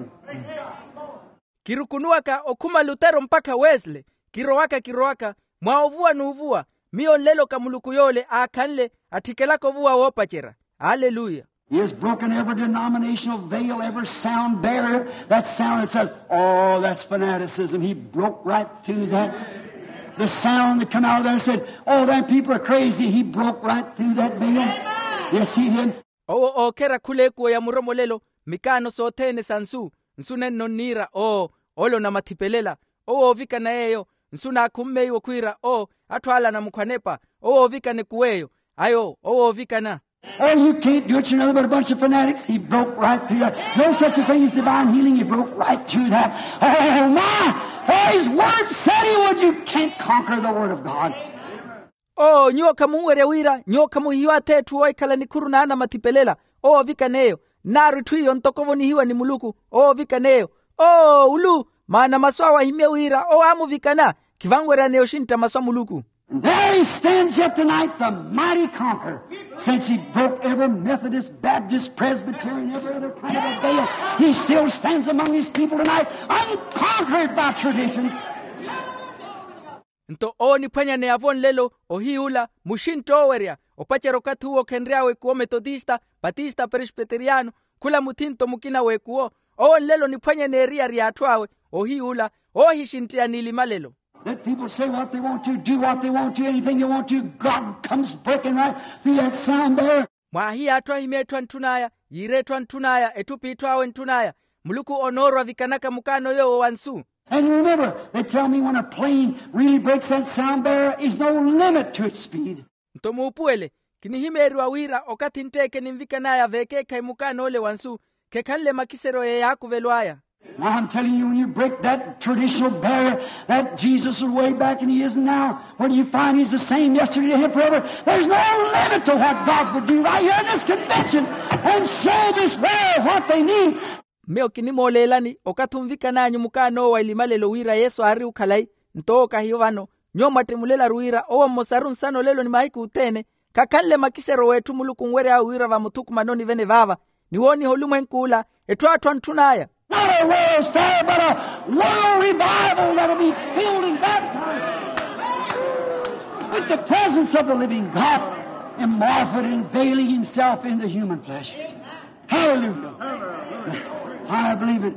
Kirukunuwaka okhuma lutero mpakha wesley, kirowaka kirowaka, mwa ovuwa n'uvuwa. Miyo nleloka muluku yoole aakhanle, atthikelaka ovuwa woopacerya. Aleluya. He has broken every denominational veil, every sound barrier. That sound that says, "Oh, that's fanaticism." He broke right through that. The sound that come out of there said, "Oh, them people are crazy." He broke right through that veil. Yes, he did. Owo ookhera khula ekuwo ya muromolelo, mikaano sothene sa nsu. Nsu nenno nniira oo, ole onamathiphelela. Owo oovikana yeeyo. Nsu naakhummeiwe khwiira oo, atthu ale anamukhwanepa. Owo oovikana ekuwo eyo. Ayo owo oovikana. Oh, you can't do it. You're nothing but a bunch of fanatics. He broke right through that. No such a thing as divine healing. He broke right through that. Oh, my. Oh, his word said he would. You can't conquer the word of God. Oo nyuwo khamunwerya wira nyuwo khamuhihiwa atheetthu oohikhala nikhuru naanamathipelela. Owo ovikana eyo. Nnaaru itthu iyo ntoko ovonihiwa ni muluku. Owo ovikana eyo. Oo ulu. Maana masu awo ahimye wira owo aamuvikana. Khivanweryaneya oxintta masu a muluku. And there he stands yet tonight, the mighty conqueror. Since he broke every Methodist, Baptist, Presbyterian, every other kind of a veil, he still stands among his people tonight, unconquered by traditions. Nto owo oniphwanyaneya-vo nlelo, ohiy'ula muxintta oowerya opacerya okathi uwo okhenry'awe ekuwo metotista, patista, prespeteriano, khula muthinto mukina w'ekuwo. Owo nlelo oniphwanyaneya eriyari y'atthu awe. Ohiy'ula oohixintteya n'ilimalelo. Let people say what they want to, do what they want to, anything they want to. God comes breaking right through that sound there. Mwaahiye atthu ahimye etthu antthun'aya, yiire etthu antthun'aya, etthu p'itthu awe ntthun'aya. Muluku onoorwa vikanaka mukaano yoowo wa nsu. And remember, they tell me when a plane really breaks that sound barrier, is no limit to its speed. Nto muupuwele, kinihimeeriwa wira okathi ntteeke ninvikan'aya veekeekhayi mukaan'ole wa nsu, khekhanle makiseryo yeeyaakuvelw'aya. Now I'm telling you, when you break that traditional barrier, that Jesus was way back and he is now, when you find he's the same yesterday, today, and forever, there's no limit to what God would do right here in this convention and show this world what they need. Miyo kinimooleelani okathi onvikan'anyu mukaan'owo wa ilimalelo wira yesu aari okhalayi, nto owo kahiyo vano. Nyuwo mwattimulelaru wira owo mmosaru nsana olelo ni mahiku othene, khakhanle makiseryo w'etthu muluku onwery'awe wira vamuthukumanoni vene vaava, ni wooniha olumwenk'ula, etthu atthu antthun'aya. Not a world's fair, but a world revival that'll be filled and baptized with the presence of the living God, immortal and veiling himself into human flesh. Hallelujah. I believe it.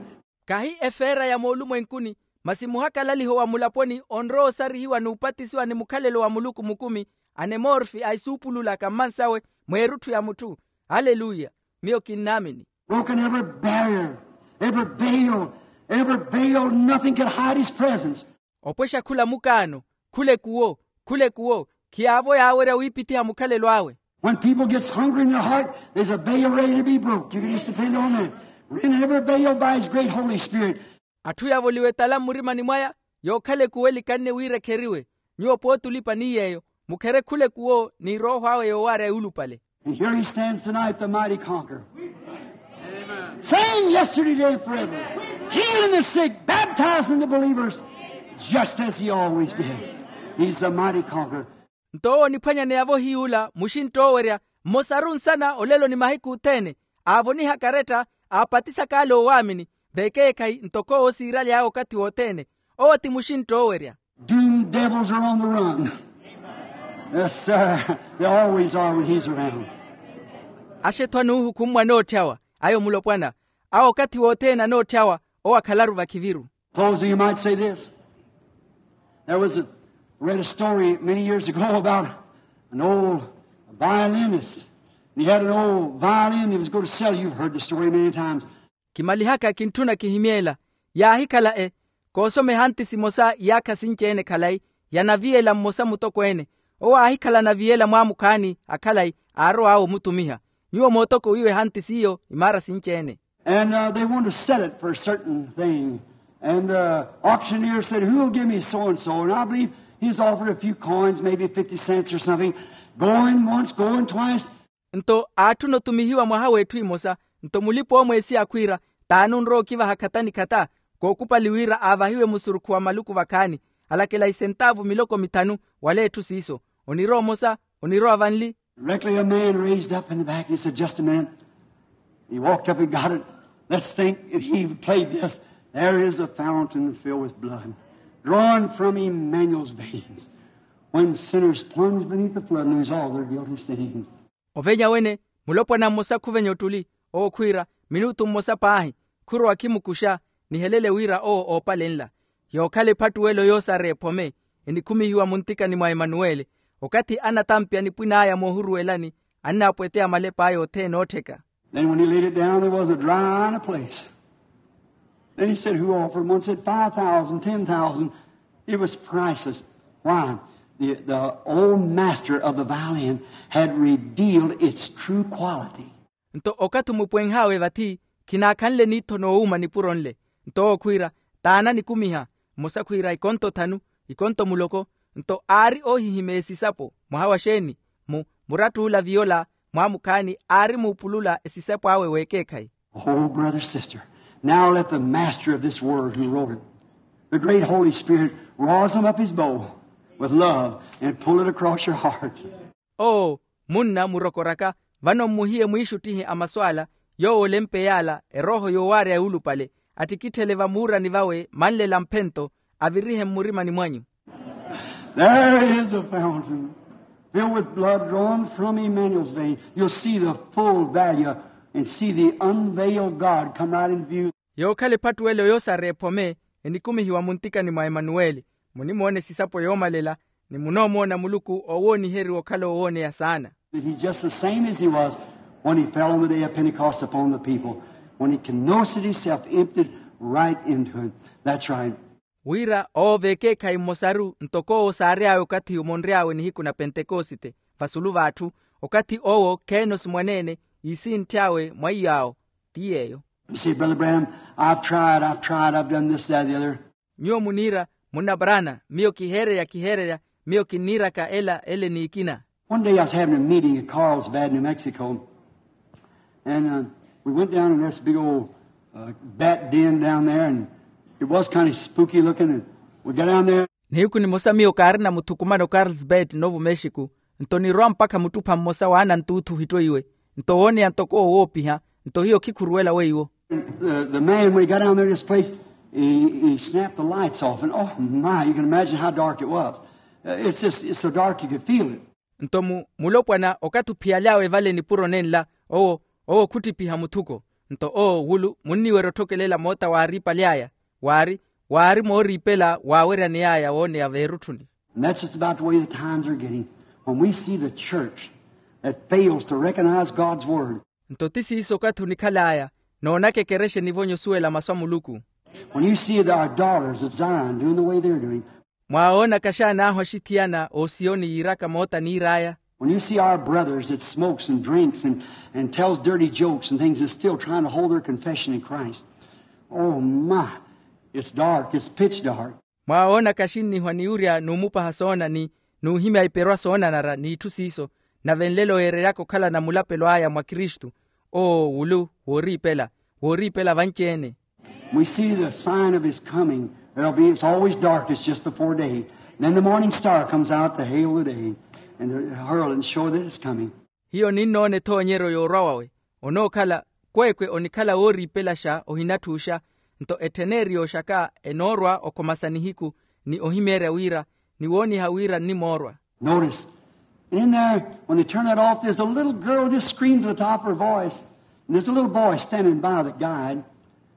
Kahi efeera ya moolumwenkuni, masi muhakalaliho wa mulaponi onrowa osarihiwa n'upatisiwa ni mukhalelo wa muluku mukumi, anemorfi a isuupulula ka mmansawe, mw'erutthu ya mutthu. Aleluya. Miyo kinnaamini. Broken every barrier, every veil, every veil, nothing could hide his presence. Opwexa khula mukaano, khula ekuwo, khula ekuwo, khiyaavo yaawerya wiipithiha mukhalelo awe. When people gets hungry in their heart, there's a veil ready to be broke. You can just depend on that. Rent every veil by his great Holy Spirit. Atthu yavoliwe etala mmurimani mwaya, yookhala ekuwo elikanne wira ekheriwe. Nyuwo pooti olipa ni yeeyo, mukhere khula ekuwo ni erooho awe yoowaarya yuulupale. And here he stands tonight, the mighty conqueror. Same yesterday, today, and forever. Healing the sick, baptizing the believers, just as he always did. He's the mighty conqueror. Nto owo oniphwanyaneya-vo hiy'ula muxintta oowerya, mmosaru nsana olelo ni mahiku othene, aavoniha karetta, aapatisaka ale oowaamini, veekeekhayi ntoko owo siiraly'awe okathi wothene. Owo ti muxintta oowerya. Doomed devils are on the run. Yes, sir. They always are when he's around. Axetthwa n'uhukhumwa anootthawa, ayo mulopwana, awo okathi wothene anootthawa, owo akhalaru vakhiviru. Closing, you might say this. There was a, read a story many years ago about an old violinist. And he had an old violin he was going to sell. You've heard the story many times. Kimalihaka kintthuna kihimyeela. Yaahikhala e, koosoma ehantisi emosa iyaakha sinci-ene khalayi, ya naviyela mmosa mutokweene. Owo aahikhala anaviyela mwaamukhaani akhalayi, aarow'awe omutumiha. Nyuwo mootokowiwe ehantisi iyo imaara sinci-ene. And they wanted to sell it for a certain thing. And the auctioneer said, "Who'll give me so and so?" And I believe he's offered a few coins, maybe fifty cents or something. Going once, going twice. Nto aatthuna otumihiwa mwaha w'etthu imosa. Nto mulipa-oomweesi akhwiira, t'ani onrowa okivaha khata ni khata? Kookupali wira aavahiwe musurukhu wa maluku vakhaani. Alakela isentaavu miloko mithanu. Wala etthu siiso. Onirowa omosa, onirowa vanli. Directly a man raised up in the back. He said, "Just a minute." He walked up and got it. "Let's think." And he played this. "There is a fountain filled with blood, drawn from Emmanuel's veins, when sinners plunge beneath the flood and lose all their guilty stains." Ovenya wene, Mulopwana mmosa khuvenya ottuli, owo khwiira, minutu mmosa paahi, khurowa khimukuxa, nihelele wira owo oopalenla. Yookhala ephattuwelo yoosareya ephome, enikhumihiwa muntikani mwa emanuweli. Okathi anatampya nipwin'aya moohuruwelani, annaapweteya malep'aya othene oottheka. Then when he laid it down, there was a dry eye in a place. Then he said, "Who offered?" One said, "Five thousand, ten thousand." It was priceless. Why? The, the old master of the violin had revealed its true quality. Nto okathi omupwenh'awe vathi, khinaakhanle niitho noowuuma nipuro nle. Nto owo khwiira, taana nikumiha. Mmosa khwiira, ikonto thanu, ikonto muloko. Nto aari oohihimeya esisapo. Mwaha wa xeeni? Mu muratt'ula viyola, mwaamukhaani aari muupulula esisapo awe w'ekeekhayi. Oh, brother, sister, now let the master of this word who wrote it, the great Holy Spirit, rosin up his bow with love and pull it across your heart. Oo, munna murokoraka, vano mmuhiye mwiixuttihe a masu ala, yoowo olempeya ala erooho yoowaarya yuulupale, attikitthele vamuurani vawe manlela mphento, avirihe mmurimani mwanyu. There is a fountain filled with blood drawn from Emmanuel's vein. You'll see the full value and see the unveiled God come right in view. Yookhala ephattuwelo yoosareya ephome, enikumihiwa muntikani mwa emanuweli. Munimoona esisapo yoomalela, ni munoomoona muluku oowooniheriwa okhala owooneya saana. That he's just the same as he was when he fell on the day of Pentecost upon the people, when he kenoted himself, emptied right into it. That's right. Wira owo v'ekeekhayi mmosaru ntoko owo saary'awe okathi omonry'awe nihiku na pentekosite, vasulu v'atthu, okathi owo kheenosi mwaneene, iisintth'awe mwa iy'awo. Ti yeeyo. You say, "Brother Branham, I've tried, I've tried, I've done this, that, the other." Nyuwo muniira, munna Brana, miyo kiheererya kiheererya, miyo kinniiraka ela ele n'ikina. One day I was having a meeting at Carlsbad, New Mexico, and uh, we went down in this big old uh, bat den down there, and it was kind of spooky looking, and we got down there. Nihiku nimosa miyo kaarina muthukumano Carlsbad novo mexico. Nto nirwa mpakha muttupha mmosa waanantuuthu ohittoiwe. Nto wooneya ntoko owo woopiha. Nto hiyo khikhuruwela weiwo. The, the man, when he got down there to this place, he, he snapped the lights off, and oh my, you can imagine how dark it was. Uh, it's just, it's so dark you could feel it. Nto mu mulopwana okathi ophiyaly'awe vale nipuro nenla, owo owo khuttipiha muthuko. Nto owo wulu munniwerya otthokelela moota waariipaly'aya, waari waari mooriipela waaweryaney'aya wooneya veerutthuni. And that's just about the way the times are getting. When we see the church that fails to recognize God's word. Nto ti siiso okathi onikhal'aya, noonaka ekerexa enivonye osuwela masu a muluku. When you see our daughters of Zion doing the way they're doing. Mwaawoonaka xaan'ahu axithiyana osiyoni yiiraka moota niir'aya. When you see our brothers that smokes and drinks and, and tells dirty jokes and things is still trying to hold their confession in Christ. Oh my, it's dark, it's pitch dark. Mwaawoonaka axinnihwa ni wurya n'umupaha soonani n'uhimya iperwa soonanara n'itthu siiso, nave nlelo yeereryaka okhalana mulapelo aya mwa kristu. Oo wulu wooriipela, wooriipela vanci-ene. We see the sign of his coming. There'll be, it's always darkest just before day. Then the morning star comes out to hail the day and to herald and show that it's coming. Hiyo ninnoona ethoonyeryo yoorwa wawe. Onookhala kweekwe onikhala wooriipelaxa ohinatthuuxa. Nto ettheneeri yooxaka enoorwa okhomasa nihiku ni ohimeerya wira ni wooniha wira nnimoorwa. Notice, in there, when they turn that off, there's a little girl just screamed to the top of her voice. And there's a little boy standing by the guide.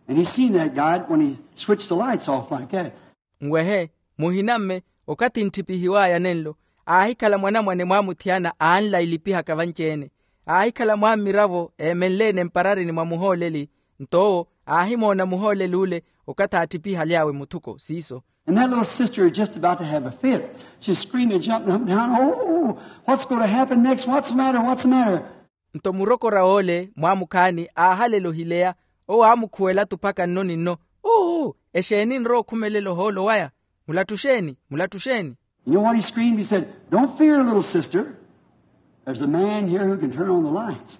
And he seen that guide when he switched the lights off like that. Nwehe, muhinamme, okathi ntthipihiw'aya nenlo, aahikhala mwanamwane mwaamuthiyana aanla ilipihaka vanci-ene. Aahikhala mwaammiravo eemenle-ene mpararini mwa muhooleli. Nto owo aahimoona muhooleli ule okathi aatthipihaly'awe muthuko siiso. And that little sister is just about to have a fit. She's screaming, jumping up and down, "Oh, what's going to happen next? What's the matter? What's the matter?" Nto murokor'awe ole mwaamukhaani aahalela ohileya. Owo aamukhuwela tuphaka nno ni nno, "Uu, exeeni nrowa okhumelela ohoolo waya? Mulattuxeeni, mulattuxeeni." You know what he screamed? He said, "Don't fear, little sister. There's a man here who can turn on the lights."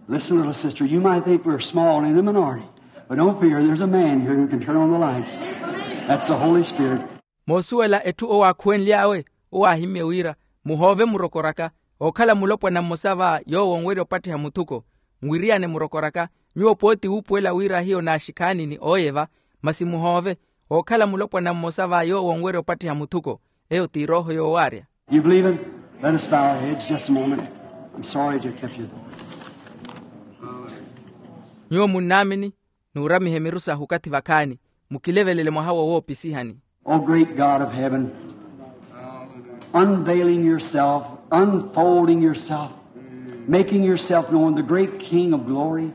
Listen, little sister, you might think we're small in the minority, but don't fear, there's a man here who can turn on the lights. That's the Holy Spirit. Moosuwela etthu owaakhuwenly'awe, owo aahimmye wira, muhoove murokor'aka. Ookhala mulopwana mmosa va yoowo onwerya opattiha muthuko. Nwiriyane murokor'aka, nyuwo pooti wuupuwela wira hiyo naaxikhaani ni ooyeva. Masi muhoove, ookhala mulopwana mmosa va yoowo onwerya opattiha muthuko. Eyo ti erooho yoowaarya. You believe it? Let us bow our heads just a moment. I'm sorry to have kept you. Nyuwo munnaamini, nuuramihe miru sahu okathi vakhaani, mukilevelele mwaha wo woopisihani. O great God of heaven, unveiling yourself, unfolding yourself, making yourself known, the great King of glory.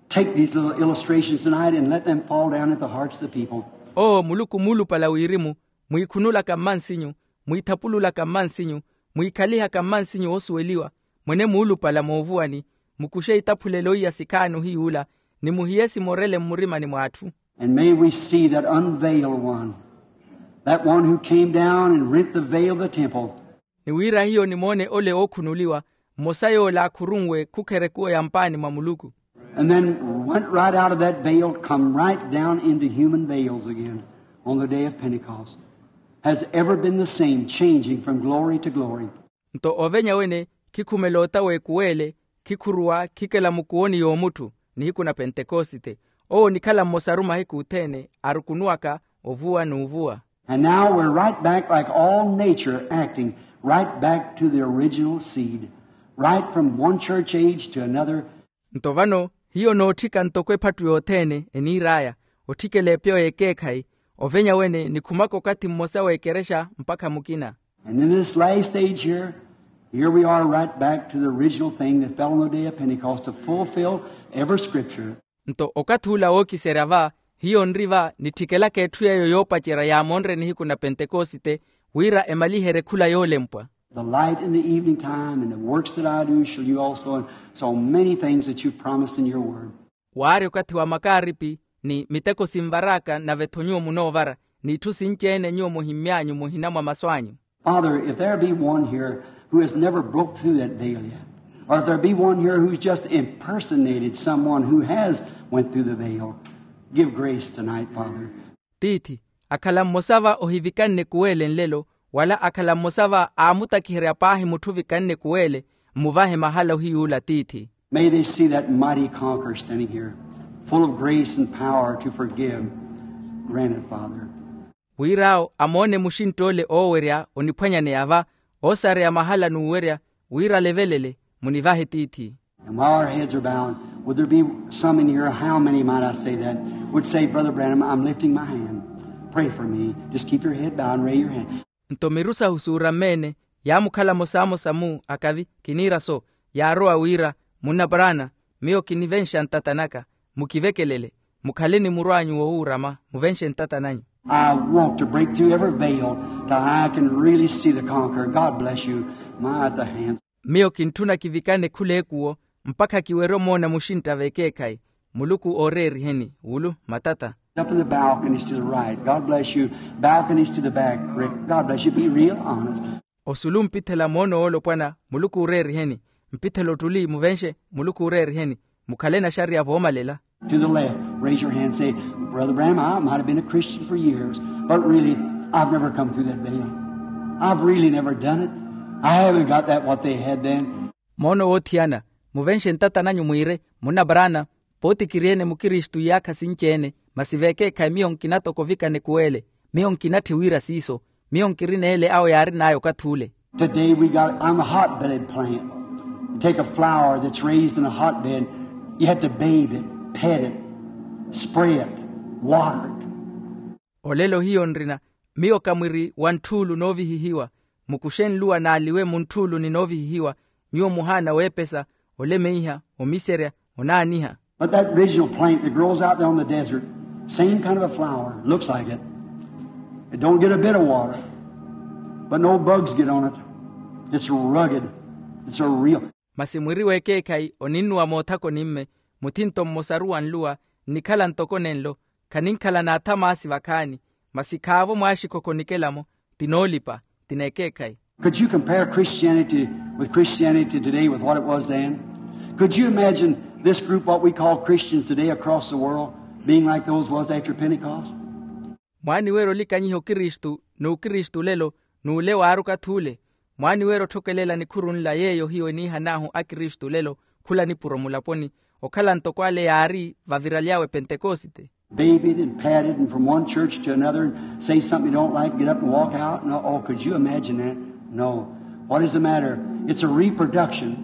Take these little illustrations tonight and let them fall down at the hearts of the people. Owo muluku muulupala wirimu, mwiikhunulaka mmansinyu, mwiithapululaka mmansinyu, mwiikhalihaka mmansinyu oosuweliwa, mwene muulupala moovuwani, mukuxe itaphulelo iya sikhaani ohiy'ula, ni muhiye simorele mmurimani mw'atthu. And may we see that unveiled one, that one who came down and rent the veil of the temple. Ni wira hiyo nimoone ole ookhunuliwa, mmosa yoola akhurunwe khukherekuwa ya mpaani mwa muluku. And then went right out of that veil, come right down into human veils again on the day of Pentecost. Has ever been the same, changing from glory to glory. Nto ovenya wene khikhumela ota w'ekuwele, khikhuruwa khikela mukuwoni y'omutthu. Nihiku na pentekosite, owo onikhala mmosaru mahiku othene arukunuwaka ovuwa n'uvuwa. And now we're right back like all nature acting, right back to the original seed, right from one church age to another. Nto vano hiyo nootthika ntoko ephatu yothene eniir'aya, otthikela epeyo y'ekeekhayi, ovenya wene nikhumaka okathi mmosa w'ekerexa mpakha mukina. And in this last age here, here we are right back to the original thing that fell on the day of Pentecost to fulfill every scripture. Nto okathi ula wookiserya va, hiyo nri va nitthikelaka etthu yeeyo yoopacerya yaamonre nihiku na pentekosite, wira emaliherye khula yoolempwa. The light in the evening time and the works that I do shall you also, and so many things that you've promised in your word. Waari okathi wa makaaripi, ni miteko sinvar'aka nave-tho nyuwo munoovara, n'itthu sinci-ene nyuwo muhimmy'anyu muhina mwa masu anyu. Father, if there be one here who has never broke through that veil yet, or if there be one here who's just impersonated someone who has went through the veil, give grace tonight, Father. Tiithi, akhala mmosa va ohivikanne kuwele nlelo, wala akhala mmosa va aamutakiherya paahi mutthu ovikanne kuwele, mmuvahe mahala ohiy'ula tiithi. May they see that mighty conqueror standing here, full of grace and power to forgive. Grant it, Father. Wir'awo amoone muxintt'ole oowerya oniphwanyaneya va, oosareya mahala n'uwerya, wira alevelele, munivahe tiithi. And while our heads are bowed, would there be some in here, how many might I say that, would say, "Brother Branham, I'm lifting my hand. Pray for me." Just keep your head bowed and raise your hand. Nto miru sahu suuramme-ene, yaamukhala mosaamosa-mu akavi kiniira so, yaarowa wira, "Munna Branham, miyo kinivenxa ntata naka, mukivekelele, mukhale ni muru anyu wowuurama, muvenxe ntata nanyu." I want to break through every veil till I can really see the conqueror. God bless you. My, the hands. Miyo kintthuna kivikane khul'ekuwo, mpakha kiwerye omoona muxintta v'ekeekhayi. Muluku ooreeriheni wulu matata. Up in the balconies to the right. God bless you. Balconies to the back, Rick. God bless you. Be real honest. Osulu mpithela moono woolopwana, Muluku ooreeriheni. Mpithela ottuli muvenxe, Muluku ooreeriheni. Mukhale naxariya voomalela. To the left, raise your hand, say, "Brother Branham, I might have been a Christian for years, but really, I've never come through that veil. I've really never done it. I haven't got that what they had then." Moono woothiyana, muvenxe ntata nanyu mwiire, "Munna Branham, pooti kiri-ene mukristu iyaakha sinci-ene, masi v'ekeekhayi miyo nkina toko ovikane kuwele. Miyo nkinatthi wira siiso. Miyo nkirina ele awo yaarin'aya okathi ule." Today we got, I'm a hotbed plant. Take a flower that's raised in a hotbed. You have to bathe it, pet it, spray it, water it. Olelo hiyo nrina, miyo ka mwiri wa ntthuulu noovihihiwa. Mukuxe nluwa n'aliwe mu ntthuulu ni noovihihiwa, nyuwo muhaana weepesa, olemeiha, omiserya, onaaniha. But that original plant that grows out there on the desert, same kind of a flower, looks like it. It don't get a bit of water, but no bugs get on it. It's rugged. It's a real. Masi mwiri w'ekeekhayi oninnuwa moothakoni-mme, muthinto mmosaru wa nluwa, nnikhala ntoko nenlo, khaninkhala n'athamaasi vakhaani, masi khaavo mwaaxikokho nikela-mo, ti noolipa, ti n'ekeekhayi. Could you compare Christianity with Christianity today with what it was then? Could you imagine this group, what we call Christians today across the world, being like those was after Pentecost? Mwaaniwerya olikanyiha okristu n'ukristu lelo, n'ule waari okathi ule? Mwaaniwerya otthokelela nikhuru nla yeeyo hiyo eniihan'ahu akristu lelo, khula nipuro mulaponi, okhala ntoko ale yaari vaviraly'awe pentekosite? Babied and patted and from one church to another and say something you don't like, get up and walk out. No, oh, could you imagine that? No. What is the matter? It's a reproduction.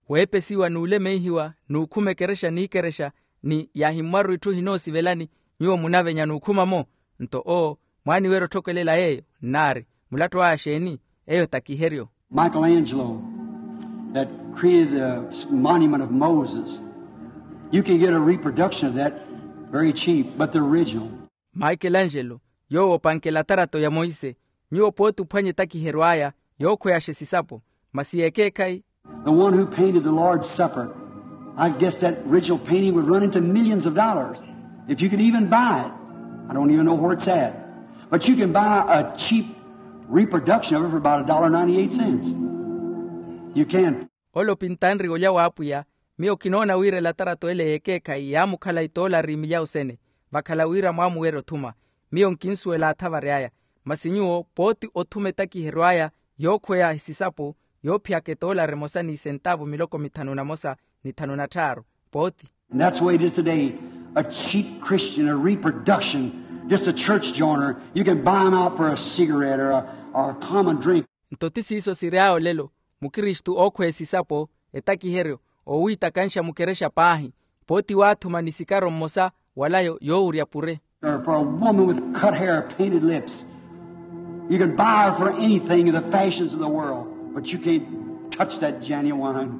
Weepesiwa n'ulemeihiwa n'ukhuma ekerexa n'ikerexa, ni yaahimmwaru itthu ehinoosivelani, nyuwo munavenya n'ukhuma-mo. Nto owo mwaaniwerya otthokelela yeeyo nnaari, mulattu aya xeeni? Eyo takiheryo. Michelangelo, that created the monument of Moses, you can get a reproduction of that very cheap, but the original. Michelangelo, yoowo opankela atarato ya monse, nyuwo pooti ophwanya etakiheryo aya yookhweyaxa esisapo, masi yeekeekhayi. The one who painted the Lord's Supper, I guess that original painting would run into millions of dollars if you could even buy it. I don't even know where it's at. But you can buy a cheap reproduction of it for about a dollar ninety-eight cents. You can. Ole opintanriwe olya w'apwiya, miyo kinoona wira elatarato ele yeekeekhayi yaamukhala itoolari milyawu sene, vakhala wira mwaamuwerya othuma. Miyo nkinsuwela athavari aya. Masi nyuwo pooti othuma etakiheryo aya yookhweya esisapo, yoophiyaka etoolari emosa n'isentaavu miloko mithanu na mosa ni thanu na tthaaru, pooti. And that's the way it is today. A cheap Christian, a reproduction, just a church joiner. You can buy him out for a cigarette or a, or a common drink. Nto ti siiso siry'awe olelo, mukristu ookhweya esisapo, etakiheryo, oowiitakanxa mukerexa paahi, pooti waathuma ni sikaro mmosa wala yo- yoowurya pure. Or for a woman with cut hair, painted lips. You can buy her for anything in the fashions of the world, but you can't touch that genuine.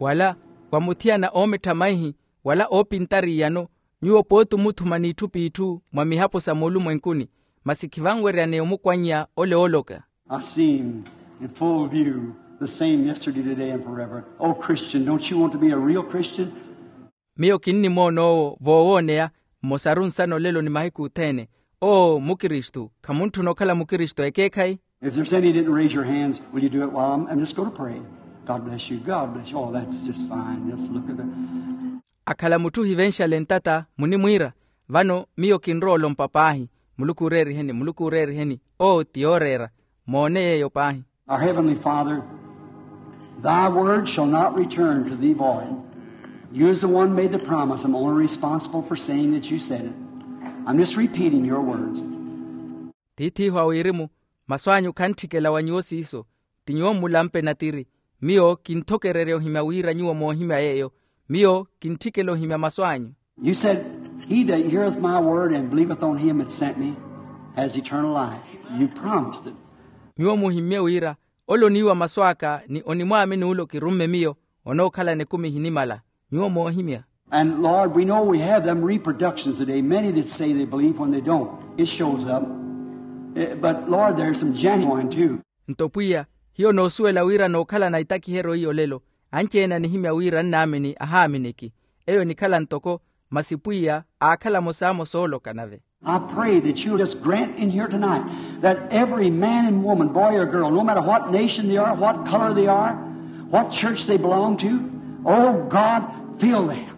Wala wa muthiyana oomettha maihi, wala oopintari iyano, nyuwo pooti omuthuma n'itthu p'itthu mwa mihapo sa moolumwenkuni, masi khivanweryaneya omukwannya ole ooloka. I see him in full view, the same yesterday, today, and forever. Oh, Christian, don't you want to be a real Christian? Miyo kinnimoona owo voowooneya, mmosaru nsana olelo ni mahiku othene. Oo mukristu, khamuntthuna okhala mukristu ekeekhayi? If there's any that didn't raise your hands, will you do it while I'm, I'm just going to pray? God bless you. God bless you. Oh, that's just fine. Just look at that. Akhala mutthu ohivenxale ntata, munimwiira, vano miyo kinrowa olompa paahi, muluku ooreeriheni, muluku ooreeriheni. Oo ti yooreera. Moone yeeyo paahi. Our Heavenly Father, thy word shall not return to thee void. You is the one made the promise. I'm only responsible for saying that you said it. I'm just repeating your words. Tiith'ihu a wirimu, masu anyu khantthikela wa nyuwo siiso. Ti nyuwo mmulampe natiri. Miyo kinthokererya ohimya wira nyuwo moohimya yeeyo. Miyo kintthikela ohimya masu anyu. You said, he that heareth my word and believeth on him that sent me has eternal life. You promised it. Nyuwo muhimmye wira, ole oniiwa masu aka ni onimwaamini ole okirumme miyo, onookhalana ekumi ehinimala. Nyuwo moohimya. And Lord, we know we have them reproductions today. Many that say they believe when they don't. It shows up. Eh, but Lord, there's some genuine too. Nto pwiya, hiyo noosuwela wira nookhalana etakiheryo iyo olelo. Anci-ene anihimya wira nnaamini ahaaminiki. Eyo enikhala ntoko, masi pwiya aakhala amosamosa ooloka nave. I pray that you'll just grant in here tonight that every man and woman, boy or girl, no matter what nation they are, what color they are, what church they belong to, oh God, fill them.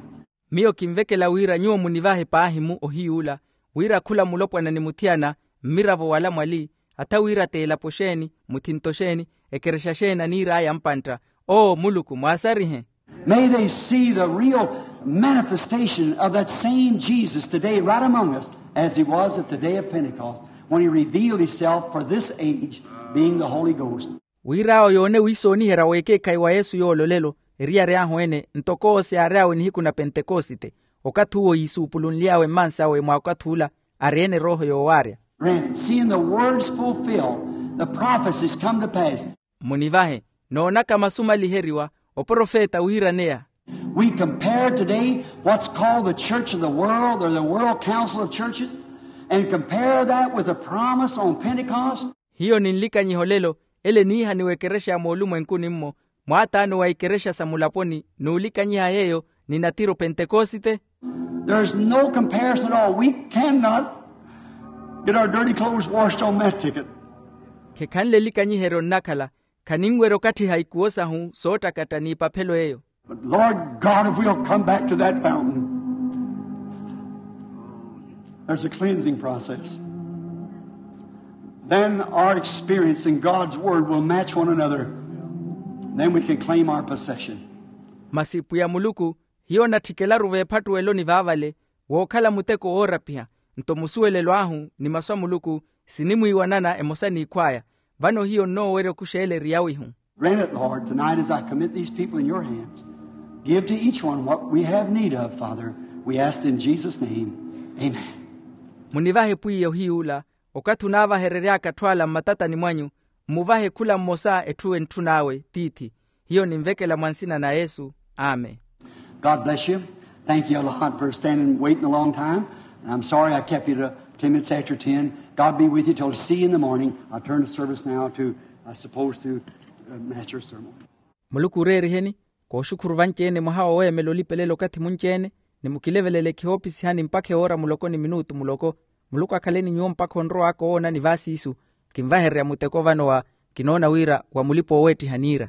Miyo kinvekela wira nyuwo munivahe paahi-mu ohiy'ula, wira khula mulopwana ni muthiyana, mmiravo wala mwali, hata wira t'elapo xeeni, muthinto xeeni, ekerexa xeeni aniir'aya mpantta. Oo muluku mwaasarihe. May they see the real manifestation of that same Jesus today right among us, as he was at the day of Pentecost, when he revealed himself for this age, being the Holy Ghost. Wir'awo yoone wiisooniherya w'ekeekhayi wa yesu yoole olelo, eriyari ahu ene ntoko owo siyaary'awe nihiku na pentekosite, okathi uwo yiisuupulunly'awe mmansi awe mwa okathi ula, ari-ene erooho yoowaarya. Granted, seeing the words fulfilled, the prophecies come to pass. Munivahe, noonaka masu maliheriwa, oprofeta wiiraneya. We compare today what's called the church of the world or the world council of churches, and compare that with the promise on Pentecost. Hiyo ninlikanyiha olelo, ele eniihaniwa ekerexa ya moolumwenkuni-mmo, mwaataano wa ikerexa sa mulaponi, n'ulikanyiha yeeyo ni natiri opentekosite. There's no comparison at all. We cannot get our dirty clothes washed on that ticket. Khekhanle elikanyiheryo nnakhala, khaninwerya okatthiha ikuwo sahu soottakatta n'ipaphelo eyo. But Lord God, if we'll come back to that fountain, there's a cleansing process. Then our experience in God's Word will match one another. Then we can claim our possession. Masi pwiya muluku, hiyo onatthikelaru veephattuweloni vaavale, wookhala muteko woorapiha, nto musuwelelo ahu ni masu a muluku sinimwiiwanana emosa n'ikhw'aya. Vano hiyo nnoowerya okuxeela eri yawihu. Grant it, Lord, tonight as I commit these people in your hands. Give to each one what we have need of, Father. We ask in Jesus' name. Amen. Munivahe pwiya ohiy'ula, okathi onaavaherery'aka atthu ala mmatatani mwanyu, mmuvahe khula mmosa etthu entthun'awe tiithi. Hiyo ninvekela mwa nsina na yesu. Amen. God bless you. Thank you a lot for standing waiting a long time. And I'm sorry I kept you to ten minutes after ten. God be with you till see you in the morning. I turn the service now to, I suppose, to uh, Master's sermon. Muluku oreeriheni. Kooxukhuru vanci-ene mwaha wa weemela olipelela okathi munci-ene, ni mukilevelele ekhihoopisihani mpakha ewoora muloko ni minuutu muloko. Muluku akhaleni nyuwo mpakha onrow'aka owoonani vaasiisu. Kinvahererya muteko vano wa kinoona wira wa mulipa ooweettiha niira.